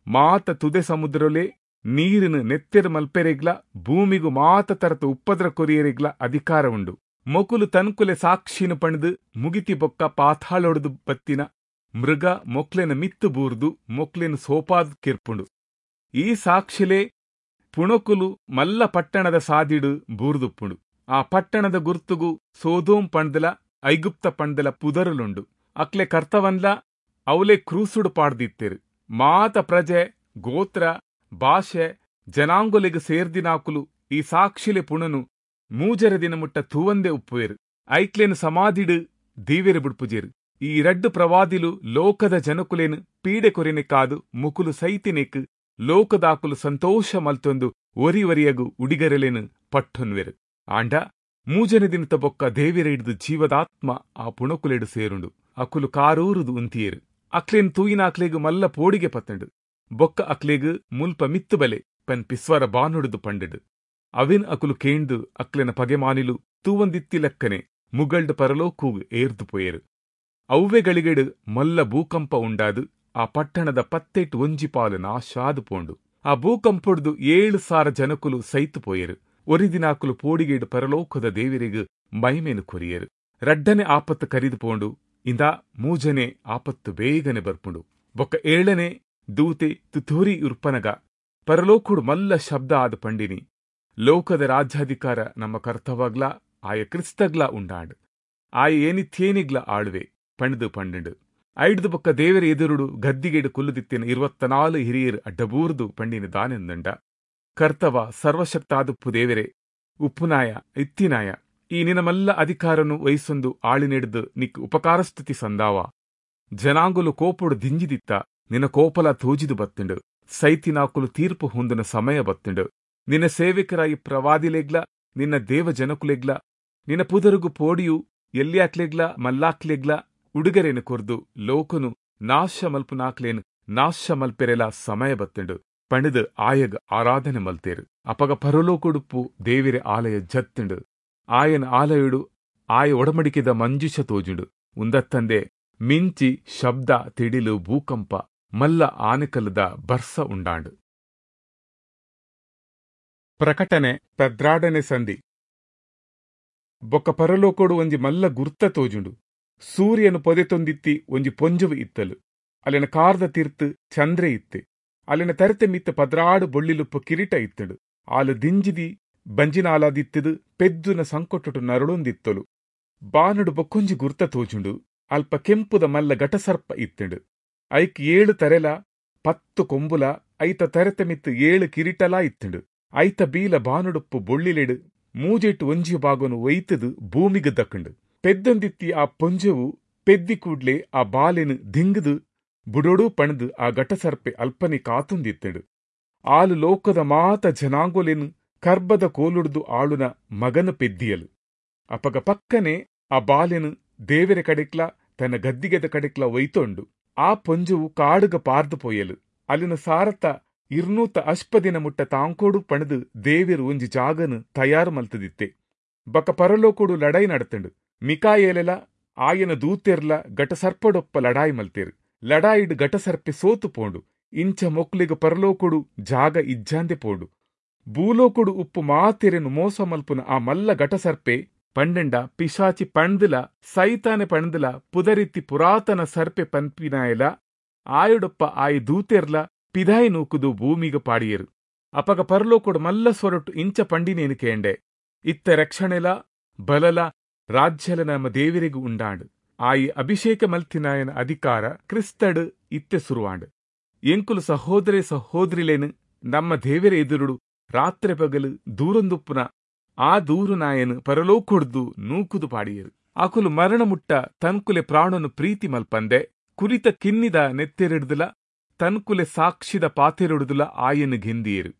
ಮಾತ ತುದೆ ಸಮುದ್ರೊಲೆ ನೀರಿನ ನೆತ್ತೆರ್ ಮಲ್ಪೆರೆಗ್ಲ ಭೂಮಿಗು ಮಾತ ತರತ ಉಪ್ಪದ್ರ ಕೊರಿಯರೆಗ್ಲ ಅಧಿಕಾರ ಉಂಡು. ಮೊಕುಲು ತನ್ಕುಲೆ ಸಾಕ್ಷಿನ ಪಂಡ್ದು ಮುಗಿತಿ ಬೊಕ್ಕ ಪಾತಾಳೊಡ್ದು ಬತ್ತಿನ ಮೃಗ ಮೊಕ್ಲೆನ ಮಿತ್ತು ಬೂರ್ದು ಮೊಕ್ಲೆನ ಸೋಪಾದ್ ಕಿರ್ಪುಂಡು. ಈ ಸಾಕ್ಷಿಲೆ ಪುಣಕುಲು ಮಲ್ಲ ಪಟ್ಟಣದ ಸಾದಿಡು ಬೂರ್ದುಪ್ಪುಂಡು. ಆ ಪಟ್ಟಣದ ಗುರ್ತುಗು ಸೋದೋಂ ಪಂಡ್ದಲ ಐಗುಪ್ತ ಪಂಡ್ದಲ ಪುದರುಲುಂಡು. ಅಕ್ಲೆ ಕರ್ತವನ್ಲ ಅವಲೆ ಕ್ರೂಸುಡು ಪಾಡ್ದಿತ್ತೆರು. ಮಾತ ಪ್ರಜೆ ಗೋತ್ರ ಭಾಷೆ ಜನಾಂಗೊಲೆಗ್ ಸೇರ್ದಿನಾಕುಲು ಈ ಸಾಕ್ಷಿಲೆ ಪುಣನು ಮೂಜರೆ ದಿನ ಮುಟ್ಟ ತೂವಂದೆ ಉಪ್ಪುವೆರು. ಐಕ್ಲೆನ್ ಸಮಾಧಿಡು ದೀವೆರು ಬುಡ್ಪುಜೆರು. ಈ ರಡ್ಡು ಪ್ರವಾದಿಲು ಲೋಕದ ಜನಕುಲೇನು ಪೀಡೆ ಕೊರಿನೆಕಾದು ಮುಕುಲು ಸೈತಿನೆಕ್ ಲೋಕದಾಕುಲು ಸಂತೋಷ ಮಲ್ತೊಂದು ಒರಿ ಒರಿಯಗು ಉಡಿಗರೆಲೇನು ಪಟ್ಟೊನ್ವೆರು. ಆಂಡ ಮೂಜನೆ ದಿನತ ಬೊಕ್ಕ ದೇವೆರ ಹಿಡ್ದು ಜೀವದಾತ್ಮ ಆ ಪುಣಕುಲೆಡು ಸೇರುಂಡು. ಅಕುಲು ಕಾರೂರುದು ಉಂತಿಯೇರು. ಅಕ್ಲೇನ್ ತೂಯಿನ ಅಕ್ಲೆಗ್ ಮಲ್ಲ ಪೋಡಿಗೆ ಪತ್ತಂಡು. ಬೊಕ್ಕ ಅಕ್ಲೆಗ್ ಮುಲ್ಪ ಮಿತ್ತು ಬಲೆ ಪನ್ ಪಿಸ್ವರ ಬಾನುಡುದು ಪಂಡಡು. ಅವಿನ್ ಅಕುಲು ಕೇಂದು ಅಕ್ಲೆನ ಪಗೆಮಾನಿಲು ತೂವಂದಿತ್ತಿ ಲೆಕ್ಕನೆ ಮುಗಲ್ಡ್ ಪರಲೋಕೂಗ್ ಏರ್ದು ಪೋಯೇರು. ಅವ್ವೆಗಳಿಗೆಡು ಮಲ್ಲ ಭೂಕಂಪ ಉಂಡಾದು ಆ ಪಟ್ಟಣದ ಪತ್ತೆಟ್ ಒಂಜಿ ಪಾಲು ನಾಶಾದು ಪೋಂಡು. ಆ ಭೂಕಂಪೊಡ್ದು ಏಳು ಸಾರ ಜನಕುಲು ಸೈತು ಪೋಯೇರು. ಒರಿದಿನಾಕುಲು ಪೋಡಿಗೇಡು ಪರಲೋಕದ ದೇವರಿಗ್ ಮೈಮೇನು ಕೊರಿಯೇರು. ರಡ್ಡನೆ ಆಪತ್ತು ಕರಿದು ಪೋಂಡು. ಇಂದ ಮೂಜನೆ ಆಪತ್ತು ಬೇಗನೆ ಬರ್ಪುಂಡು. ಬೊಕ್ಕ ಏಳನೆ ದೂತೆ ತುತೂರಿ ಉರ್ಪನಗ ಪರಲೋಕುಡು ಮಲ್ಲ ಶಬ್ದ ಆದ ಪಂಡಿನಿ, ಲೋಕದ ರಾಜ್ಯಾಧಿಕಾರ ನಮ್ಮ ಕರ್ತವಾಗ್ಲಾ ಆಯ ಕ್ರಿಸ್ತಗ್ಲಾ ಉಂಡಾಂಡ್, ಆಯ ಏನಿತ್ಯೇನಿಗ್ಲ ಆಳುವೆ ಪಂಡ್ದು ಪಂಡು. ಐಡ್ದು ಬೊಕ್ಕ ದೇವರ ಎದುರುಡು ಗದ್ದಿಗೆಡು ಕುಲ್ಲುದಿತ್ತಿನ ಇರುವತ್ತನಾಲು ಹಿರಿಯರು ಅಡ್ಡಬೂರ್ದು ಪಂಡಿನ ದಾನೆಂದಂಡ, ಕರ್ತವ ಸರ್ವಶಕ್ತಾದುಪ್ಪು ದೇವರೇ, ಉಪ್ಪುನಾಯ ಇತ್ತಿನಾಯ, ಈ ನಿನಮಲ್ಲ ಅಧಿಕಾರನು ವಹಿಸೊಂದು ಆಳಿನೆಡ್ದು ನಿಕ್ ಉಪಕಾರಸ್ತುತಿ ಸಂದಾವ. ಜನಾಂಗುಲು ಕೋಪುಡು ದಿಂಜಿದಿತ್ತ, ನಿನ್ನ ಕೋಪಲ ತೋಜಿದು ಬತ್ತುಂಡು. ಸೈತಿನಾಕುಲು ತೀರ್ಪು ಹೊಂದಿನ ಸಮಯ ಬತ್ತುಂಡು. ನಿನ್ನ ಸೇವಕರಾಯಿ ಪ್ರವಾದಿಲೆಗ್ಲ ನಿನ್ನ ದೇವ ಜನಕುಲೆಗ್ಲ ನಿನ್ನ ಪುದರುಗು ಪೋಡಿಯು ಎಲ್ಯಾಕ್ಲೆಗ್ಲ ಮಲ್ಲಾಕ್ಲೆಗ್ಲ ಉಡುಗರೇನು ಕೊರ್ದು ಲೋಕನು ನಾಶ ಮಲ್ಪುನಾಕ್ಲೇನು ನಾಶ ಮಲ್ಪೆರೆಲ ಸಮಯ ಬತ್ತುಂಡು ಪಂಡಿದು ಆಯಗ್ ಆರಾಧನೆ ಮಲ್ತೇರು. ಅಪಗ ಪರಲೋಕೊಡುಪ್ಪು ದೇವಿರೆ ಆಲಯ ಜತ್ತುಂಡು. ಆಯನ ಆಲಯುಡು ಆಯ ಒಡಮಡಿಕೆದ ಮಂಜುಷ ತೋಜುಂಡು. ಉಂದತ್ತಂದೆ ಮಿಂಚಿ ಶಬ್ದ ತಿಡಿಲು ಭೂಕಂಪ ಮಲ್ಲ ಆನೆಕಲ್ಲದ ಬರ್ಸ ಉಂಡಾಂಡು. ಪ್ರಕಟಣೆ ಪದ್ರಾಡನೆ ಸಂಧಿ. ಬೊಕ್ಕ ಪರಲೋಕೋಡು ಒಂಜಿ ಮಲ್ಲ ಗುರ್ತ ತೋಜುಂಡು. ಸೂರ್ಯನು ಪೊದೆತೊಂದಿತ್ತಿ ಒಂಜಿ ಪೊಂಜುವು ಇತ್ತಲು. ಅಲ್ಲಿನ ಕಾರ್ದ ತೀರ್ತು ಚಂದ್ರೆ ಇತ್ತೆ. ಅಲ್ಲಿನ ತರತೆ ಮಿತ್ತ ಪದ್ರಾಡು ಬೊಳ್ಳಿಲುಪ್ಪು ಕಿರೀಟ ಇತ್ತಡು. ಆಲು ದಿಂಜಿದಿ ಬಂಜಿನಾಲಾದಿತ್ತದು ಪೆದ್ದುನ ಸಂಕೊಟ್ಟುಟು ನರಳೊಂದಿತ್ತಲು. ಬಾನುಡು ಬೊಕ್ಕೊಂಜಿ ಗುರ್ತ ತೋಜುಂಡು. ಅಲ್ಪ ಕೆಂಪುದ ಮಲ್ಲ ಘಟಸರ್ಪ ಇತ್ತಂಡು. ಐಕ್ ಏಳು ತರೆಲ ಪತ್ತು ಕೊಂಬುಲ ಐತ ತರತೆ ಮಿತ್ತು ಏಳು ಕಿರೀಟಲಾ ಇತ್ತಂಡು. ಐತ ಬೀಲ ಬಾನುಡುಪ್ಪು ಬೊಳ್ಳಿಲೆಡು ಮೂಜೆಟ್ಟು ಒಂಜಿ ಬಾಗೊನು ಒಯ್ತದು ಭೂಮಿಗೆ ದಕ್ಕಂಡು. ಪೆದ್ದೊಂದಿತ್ತಿ ಆ ಪೊಂಜೆವು ಪೆದ್ದಿ ಕೂಡ್ಲೆ ಆ ಬಾಲೆನು ದಿಂಗದು ಬುಡೊಡು ಪಣದು ಆ ಘಟಸರ್ಪೆ ಅಲ್ಪನೆ ಕಾತುಂದಿತ್ತಂಡು. ಆಲು ಲೋಕದ ಮಾತ ಜನಾಂಗೊಲೆನು ಕರ್ಬದ ಕೋಲುಡ್ದು ಆಳುನ ಮಗನ ಪೆದ್ದಿಯಲು. ಅಪಗ ಪಕ್ಕನೆ ಆ ಬಾಲೆನು ದೇವರ ಕಡೆಕ್ಲ ತನ್ನ ಗದ್ದಿಗೆದ ಕಡೆಕ್ಲ ಒಯ್ತೊಂಡು. ಆ ಪೊಂಜುವು ಕಾಡುಗ ಪಾರ್ದು ಪೋಯಲು. ಅಲ್ಲಿನ ಸಾರತ ಇರ್ನೂತ ಅಷ್ಪದಿನ ಮುಟ್ಟ ತಾಂಕೋಡು ಪಣದು ದೇವಿರು ಒಂಜಿ ಜಾಗನು ತಯಾರು ಮಲ್ತದಿತ್ತೆ. ಬಕ ಪರಲೋಕೋಡು ಲಡಾಯಿ ನಡತಂಡು. ಮಿಕಾಯೇಲೆಲ ಆಯನ ದೂತೆರ್ಲ ಘಟಸರ್ಪಡೊಪ್ಪ ಲಡಾಯಿ ಮಲ್ತೇರು. ಲಡಾಯಿಡು ಘಟಸರ್ಪೆ ಸೋತು ಪೋಂಡು. ಇಂಚ ಮೊಕ್ಲಿಗ ಪರಲೋಕೊಡು ಜಾಗ ಇಜ್ಜಾಂದೆ ಪೋಂಡು. ಭೂಲೋಕೊಡು ಉಪ್ಪು ಮಾತೆರೆನು ಮೋಸ ಮಲ್ಪುನ ಆ ಮಲ್ಲ ಘಟಸರ್ಪೆ ಪಂಡೆಂಡ ಪಿಶಾಚಿ ಪಂಡ್ದಲ ಸೈತಾನೆ ಪಂಡ್ದಲ ಪುದರಿತ್ತಿ ಪುರಾತನ ಸರ್ಪೆ ಪನ್ಪಿನಾಯಲ ಆಯುಡೊಪ್ಪ ಆಯಿ ದೂತೆರ್ಲ ಪಿದಾಯಿ ನೂಕುದು ಭೂಮಿಗ ಪಾಡಿಯರು. ಅಪಗ ಪರಲೋಕೊಡು ಮಲ್ಲ ಸ್ವರೊಟ್ಟು ಇಂಚ ಪಂಡಿನೇನು ಕೇಂಡೆ, ಇತ್ತ ರಕ್ಷಣೆಲ ಬಲಲ ರಾಜ್ಯಲ ನಮ್ಮ ದೇವರಿಗೂ ಉಂಡಾಂಡು. ಆಯಿ ಅಭಿಷೇಕ ಮಲ್ತಿನಾಯನ ಅಧಿಕಾರ ಕ್ರಿಸ್ತಡು ಇತ್ತೆ ಸುರುವಾಂಡು. ಎಂಕುಲು ಸಹೋದರೇ ಸಹೋದರಿಲೇನು ನಮ್ಮ ದೇವರ ಎದುರುಡು ರಾತ್ರಿ ಪಗಲು ದೂರೊಂದುಪ್ಪುನ ಆ ದೂರು ನಾಯನು ಪರಲೋಕೊಡ್ದು ನೂಕುದು ಪಾಡಿಯರು. ಆಕುಲು ಮರಣ ಮುಟ್ಟ ತನ್ಕುಲೆ ಪ್ರಾಣನು ಪ್ರೀತಿ ಮಲ್ಪಂದೆ ಕುರಿತ ಕಿನ್ನಿದ ನೆತ್ತೆರೆಡ್ದುಲ ತನ್ಕುಲೆ ಸಾಕ್ಷಿದ ಪಾತೆರೊಡುದುಲ ಆಯನು ಗೆಂದಿಯರು.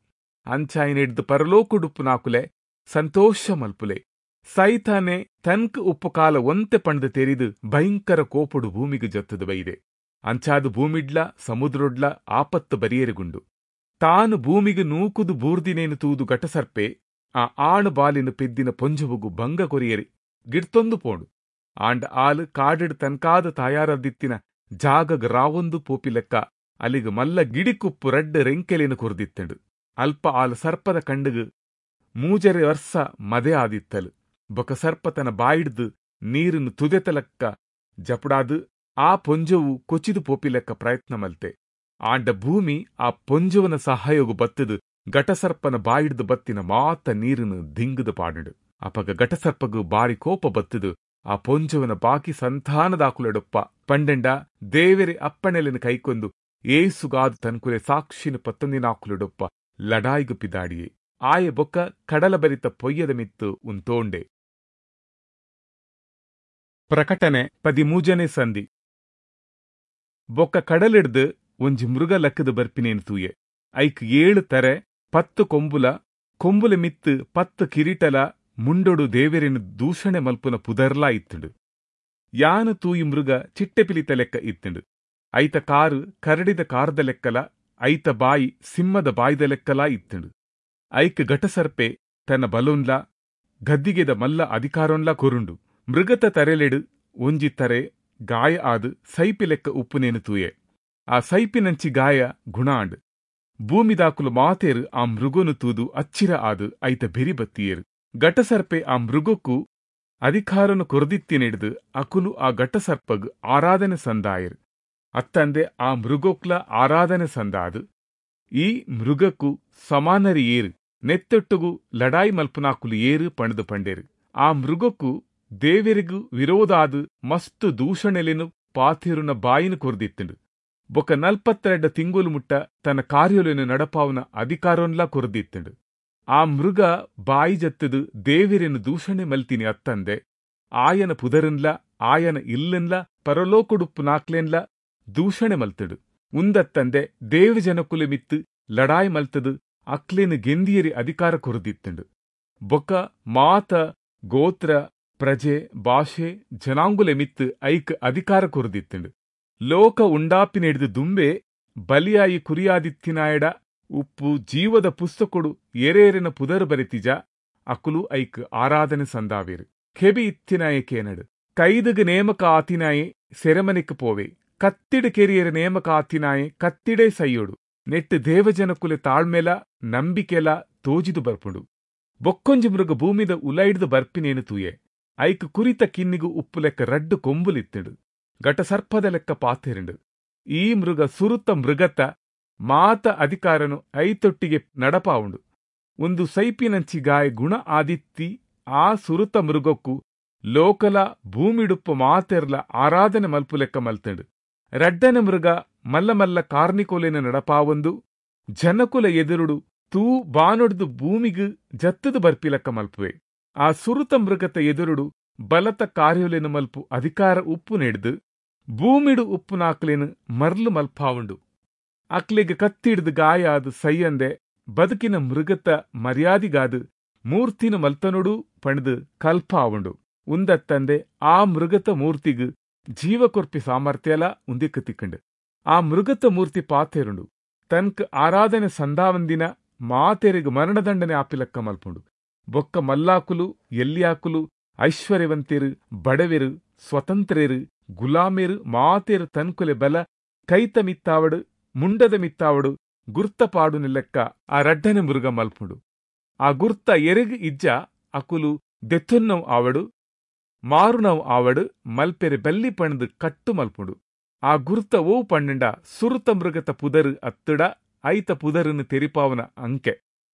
ಅಂಚಾಯನಿಡ್ದು ಪರಲೋಕೊಡುಪ್ಪುನಾಕುಲೆ ಸಂತೋಷ ಮಲ್ಪುಲೆ. ಸೈತಾನೆ ತನ್ಕ್ ಉಪ್ಪು ಕಾಲ ಒಂತೆ ಪಂಡ್ದು ತೆರಿದು ಭಯಂಕರ ಕೋಪುಡು ಭೂಮಿಗೆ ಜತ್ತದು ಬೈದೆ. ಅಂಚಾದು ಭೂಮಿಡ್ಲ ಸಮುದ್ರೊಡ್ಲ ಆಪತ್ತು ಬರಿಯರುಗುಂಡು. ತಾನು ಭೂಮಿಗೆ ನೂಕುದು ಬೂರ್ದಿನೇನು ತೂದು ಘಟಸರ್ಪೆ ಆ ಆಣು ಬಾಲಿನ ಪೆದ್ದಿನ ಪೊಂಜುವುಗು ಭಂಗ ಕೊರಿಯರಿ ಗಿಡ್ತೊಂದು ಪೋಂಡು. ಆಂಡ ಆಲು ಕಾಡಿಡ್ ತನ್ಕಾದ ತಾಯಾರದಿತ್ತಿನ ಜಾಗಗ್ ರಾವೊಂದು ಪೋಪಿಲೆಕ್ಕ ಅಲ್ಲಿಗ್ ಮಲ್ಲ ಗಿಡಿಕುಪ್ಪು ರಡ್ಡ್ ರೆಂಕೆಲೆನ್ ಕೊರ್ದಿತ್ತಂಡು. ಅಲ್ಪ ಆಲ್ ಸರ್ಪದ ಕಂಡುಗ್ ಮೂಜರೆ ವರ್ಸ ಮದೆ ಆದಿತ್ತಲು. ಬೊಕ ಸರ್ಪ ತನ ಬಾಯಿಡ್ದು ನೀರನ್ನು ತುದೆತಲಕ್ಕ ಜಪುಡಾದ್ ಆ ಪೊಂಜೊವು ಕೊಚಿದು ಪೋಪಿಲೆಕ್ಕ ಪ್ರಯತ್ನ ಮಲ್ತೆ. ಆಂಡ ಭೂಮಿ ಆ ಪೊಂಜೊವನ ಸಹಾಯೋಗು ಬತ್ತದು ಘಟಸರ್ಪನ ಬಾಯಿಡ್ದು ಬತ್ತಿನ ಮಾತ ನೀರನ್ನು ದಿಂಗುದು ಪಾಡುಂಡು. ಅಪಗ ಘಟಸರ್ಪಗು ಬಾರಿ ಕೋಪ ಬತ್ತದು ಆ ಪೊಂಜೊವನ ಬಾಕಿ ಸಂತಾನದಾಕುಲೆಡೊಪ್ಪ ಪಂಡೆಂಡ ದೇವೆರೆ ಅಪ್ಪಣೆಲೆನ್ ಕೈಕೊಂದು ಏಸುಗಾದು ತನ್ಕುಲೆ ಸಾಕ್ಷಿನ ಪತ್ತೊಂದಿನಾಕುಲೆಡೊಪ್ಪ ಲಡಾಯಿಗು ಪಿದಾಡಿಯೆ. ಆಯೆ ಬೊಕ್ಕ ಕಡಲ ಬರಿತ ಪೊಯ್ಯದ ಮಿತ್ತು ಉಂತೋಂಡೆ. ಪ್ರಕಟಣೆ ಪದಿಮೂಜನೇ ಸಂಧಿ. ಬೊಕ್ಕ ಕಡಲಿಡ್ದು ಒಂಜಿ ಮೃಗ ಲಕ್ಕದ ಬರ್ಪಿನೇನು ತೂಯೆ. ಐಕ್ ಏಳು ತರೆ ಪತ್ತು ಕೊಂಬುಲ, ಕೊಂಬುಲ ಮಿತ್ತು ಪತ್ತು ಕಿರೀಟಲ, ಮುಂಡೊಡು ದೇವೆರೆನು ದೂಷಣೆ ಮಲ್ಪುನ ಪುದರ್ಲಾ ಇತ್ತುಂಡು. ಯಾನು ತೂಯಿ ಮೃಗ ಚಿಟ್ಟೆಪಿಲಿತ ಲೆಕ್ಕ ಇತ್ತುಂಡು. ಐತ ಕಾರು ಕರಡಿದ ಕಾರದ ಲೆಕ್ಕಲ, ಐತ ಬಾಯಿ ಸಿಂಹದ ಬಾಯಿದ ಲೆಕ್ಕಲಾ ಇತ್ತುಂಡು. ಐಕ್ ಘಟಸರ್ಪೆ ತನ್ನ ಬಲೊನ್ಲ ಗದ್ದಿಗೆದ ಮಲ್ಲ ಅಧಿಕಾರೊನ್ಲ ಕೊರುಂಡು. ಮೃಗತ ತರೆಲೆಡು ಒಂಜಿ ತರೆ ಗಾಯ ಆದ್ ಸೈಪಿ ಲೆಕ್ಕ ಉಪ್ಪುನೇನು ತೂಯೆ. ಆ ಸೈಪಿನಂಚಿ ಗಾಯ ಗುಣ ಆಂಡ್. ಭೂಮಿದಾಕುಲು ಮಾತೇರು ಆ ಮೃಗೊನು ತೂದು ಅಚ್ಚಿರ ಆದ್ ಐತ ಬೆರಿ ಬತ್ತಿಯೇರು. ಘಟಸರ್ಪೆ ಆ ಮೃಗಕ್ಕೂ ಅಧಿಕಾರನು ಕೊರದಿತ್ತಿನಿಡ್ದು ಅಕುಲು ಆ ಘಟಸರ್ಪಗ್ ಆರಾಧನೆ ಸಂದಾಯರು. ಅತ್ತಂದೆ ಆ ಮೃಗೋಕ್ಲ ಆರಾಧನೆ ಸಂದಾದು ಈ ಮೃಗಕ್ಕೂ ಸಮಾನರಿ ಏರು, ನೆತ್ತೊಟ್ಟುಗು ಲಡಾಯಿ ಮಲ್ಪುನಾಕುಲು ಏರು ಪಣದು ಪಂಡೇರು. ಆ ಮೃಗಕ್ಕೂ ದೇವೆರಿಗೂ ವಿರೋಧಾದು ಮಸ್ತು ದೂಷಣೆಲೆನು ಪಾತಿರುನ ಬಾಯಿನ ಕೊರದಿತ್ತುಂಡು. ಬೊಕ ನಲ್ಪತ್ತೆರಡು ತಿಂಗುಲು ಮುಟ್ಟ ತನ್ನ ಕಾರ್ಯೊಲೆನು ನಡಪಾವನ ಅಧಿಕಾರೊನ್ಲಾ ಕೊರದಿತ್ತುಂಡು. ಆ ಮೃಗ ಬಾಯಿ ಜತ್ತದು ದೇವೆರೆನು ದೂಷಣೆ ಮಲ್ತಿನಿ ಅತ್ತಂದೆ ಆಯನ ಪುದರನ್ಲ ಆಯನ ಇಲ್ಲನ್ಲ ಪರಲೋಕುಡುಪ್ಪು ನಾಕ್ಲೆನ್ಲ ದೂಷಣೆ ಮಲ್ತಡು. ಉಂದತ್ತಂದೆ ದೇವಜನಕುಲೆ ಮಿತ್ತು ಲಡಾಯಿ ಮಲ್ತದು ಅಕ್ಲೇನು ಗೆಂದಿಯರಿ ಅಧಿಕಾರ ಕೊರದಿತ್ತುಂಡು. ಬೊಕ ಮಾತ ಗೋತ್ರ ಪ್ರಜೆ ಭಾಷೆ ಜನಾಂಗುಲೆ ಮಿತ್ತು ಐಕ್ ಅಧಿಕಾರ ಕೊರದಿತ್ತುಂಡು. ಲೋಕ ಉಂಡಾಪಿನೆಡ್ದು ದುಂಬೆ ಬಲಿಯಾಯಿ ಕುರಿಯಾದಿತ್ತಿನಾಯಡ ಉಪ್ಪು ಜೀವದ ಪುಸ್ತಕೊಡು ಎರೇರೆನ ಪುದರ್ ಬರೆತಿಜ ಅಕುಲು ಐಕ್ ಆರಾಧನೆ ಸಂದಾವೇರು. ಕೆಬಿ ಇತ್ತಿನಾಯೆ ಕೇನಡು, ಕೈದಗ ನೇಮಕ ಆತಿನಾಯೆ ಸೆರೆಮನೆಕ್ ಪೋವೆ, ಕತ್ತಿಡು ಕೆರಿಯರ ನೇಮಕ ಆತಿನಾಯೆ ಕತ್ತಿಡೇ ಸೈಯೋಡು. ನೆಟ್ಟು ದೇವಜನಕುಲೆ ತಾಳ್ಮೆಲ ನಂಬಿಕೆಲ ತೋಜಿದು ಬರ್ಪುಂಡು. ಬೊಕ್ಕೊಂಜಿ ಮೃಗ ಭೂಮಿದ ಉಲೈಡ್ದು ಬರ್ಪಿನೇನು ತೂಯೆ. ಐಕ್ ಕುರಿತ ಕಿನ್ನಿಗು ಉಪ್ಪು ಲೆಕ್ಕ ರಡ್ಡು ಕೊಂಬುಲಿತ್ತುಂಡು. ಘಟ ಸರ್ಪದ ಲೆಕ್ಕ ಪಾತೆರಿಂಡು. ಈ ಮೃಗ ಸುರುತ ಮೃಗತ ಮಾತ ಅಧಿಕಾರನು ಐತೊಟ್ಟಿಗೆ ನಡಪಾವುಂಡು. ಒಂದು ಸೈಪಿನಂಚಿ ಗಾಯ ಗುಣ ಆದಿತ್ತಿ ಆ ಸುರುತ ಮೃಗಕ್ಕೂ ಲೋಕಲ ಭೂಮಿಡುಪ್ಪು ಮಾತೆರ್ಲ ಆರಾಧನೆ ಮಲ್ಪು ಲೆಕ್ಕ ಮಲ್ತಂಡು. ರಡ್ಡನ ಮೃಗ ಮಲ್ಲ ಮಲ್ಲ ಕಾರ್ನಿಕೋಲೆನ ನಡಪಾವೊಂದು ಜನಕುಲ ಎದುರುಡು ತೂ ಬಾನೊಡ್ದು ಭೂಮಿಗು ಜತ್ತದು ಬರ್ಪಿಲಕ್ಕ ಮಲ್ಪುವೆ. ಆ ಸುರುತ ಮೃಗತ ಎದುರುಡು ಬಲತ ಕಾರ್ಯೊಲೆನು ಮಲ್ಪು ಅಧಿಕಾರ ಉಪ್ಪು ನೆಡ್ದು ಭೂಮಿಡು ಉಪ್ಪು ನಾಕ್ಲೇನು ಮರ್ಲು ಮಲ್ಪಾವುಂಡು. ಅಕ್ಲೆಗ್ ಕತ್ತಿಡ್ದು ಗಾಯ ಆದು ಸೈಯಂದೆ ಬದುಕಿನ ಮೃಗತ ಮರ್ಯಾದಿಗಾದು ಮೂರ್ತಿನ ಮಲ್ತನೊಡು ಪಣದು ಕಲ್ಪಾವುಂಡು. ಉಂದತ್ತಂದೆ ಆ ಮೃಗತ ಮೂರ್ತಿಗು ಜೀವಕೊರ್ಪಿ ಸಾಮರ್ಥ್ಯಲ ಉಂದಿಕ್ಕು ತಿಕ್ಕಂಡು. ಆ ಮೃಗತ ಮೂರ್ತಿ ಪಾತೆರುಂಡು. ತನ್ಕ್ ಆರಾಧನೆ ಸಂದಾವಂದಿನ ಮಾತೆರೆಗ್ ಮರಣದಂಡನೆ ಆಪಿಲಕ್ಕ ಮಲ್ಪುಂಡು. ಬೊಕ್ಕ ಮಲ್ಲಾಕುಲು ಎಲ್ಲಿಯಾಕುಲು ಐಶ್ವರ್ಯವಂತೆರು ಬಡವೆರು ಸ್ವತಂತ್ರೆರು ಗುಲಾಮೆರು ಮಾತೆರು ತನ್ಕುಲೆ ಬಲ ಕೈತ ಮಿತ್ತಾವಡು ಮುಂಡದ ಮಿತ್ತಾವಡು ಗುರ್ತ ಪಾಡು ನಿಲ್ಲಕ್ಕ ಆ ರಡ್ಡನೆ ಮೃಗ ಮಲ್ಪುಂಡು. ಆ ಗುರ್ತ ಎರೆಗ್ ಇಜ್ಜ ಅಕುಲು ದೆತ್ತೊನ್ನವು ಆವಡು ಮಾರುನವು ಆವಡು ಮಲ್ಪೆರೆ ಬಲ್ಲಿ ಪಣದು ಕಟ್ಟು ಮಲ್ಪುಂಡು. ಆ ಗುರ್ತ ಓ ಪಣ್ಣಂಡ ಸುರುತ ಮೃಗತ ಪುದರು ಅತ್ತುಡ ಐತ ಪುದರನ್ನು ತೆರಿಪಾವನ ಅಂಕೆ.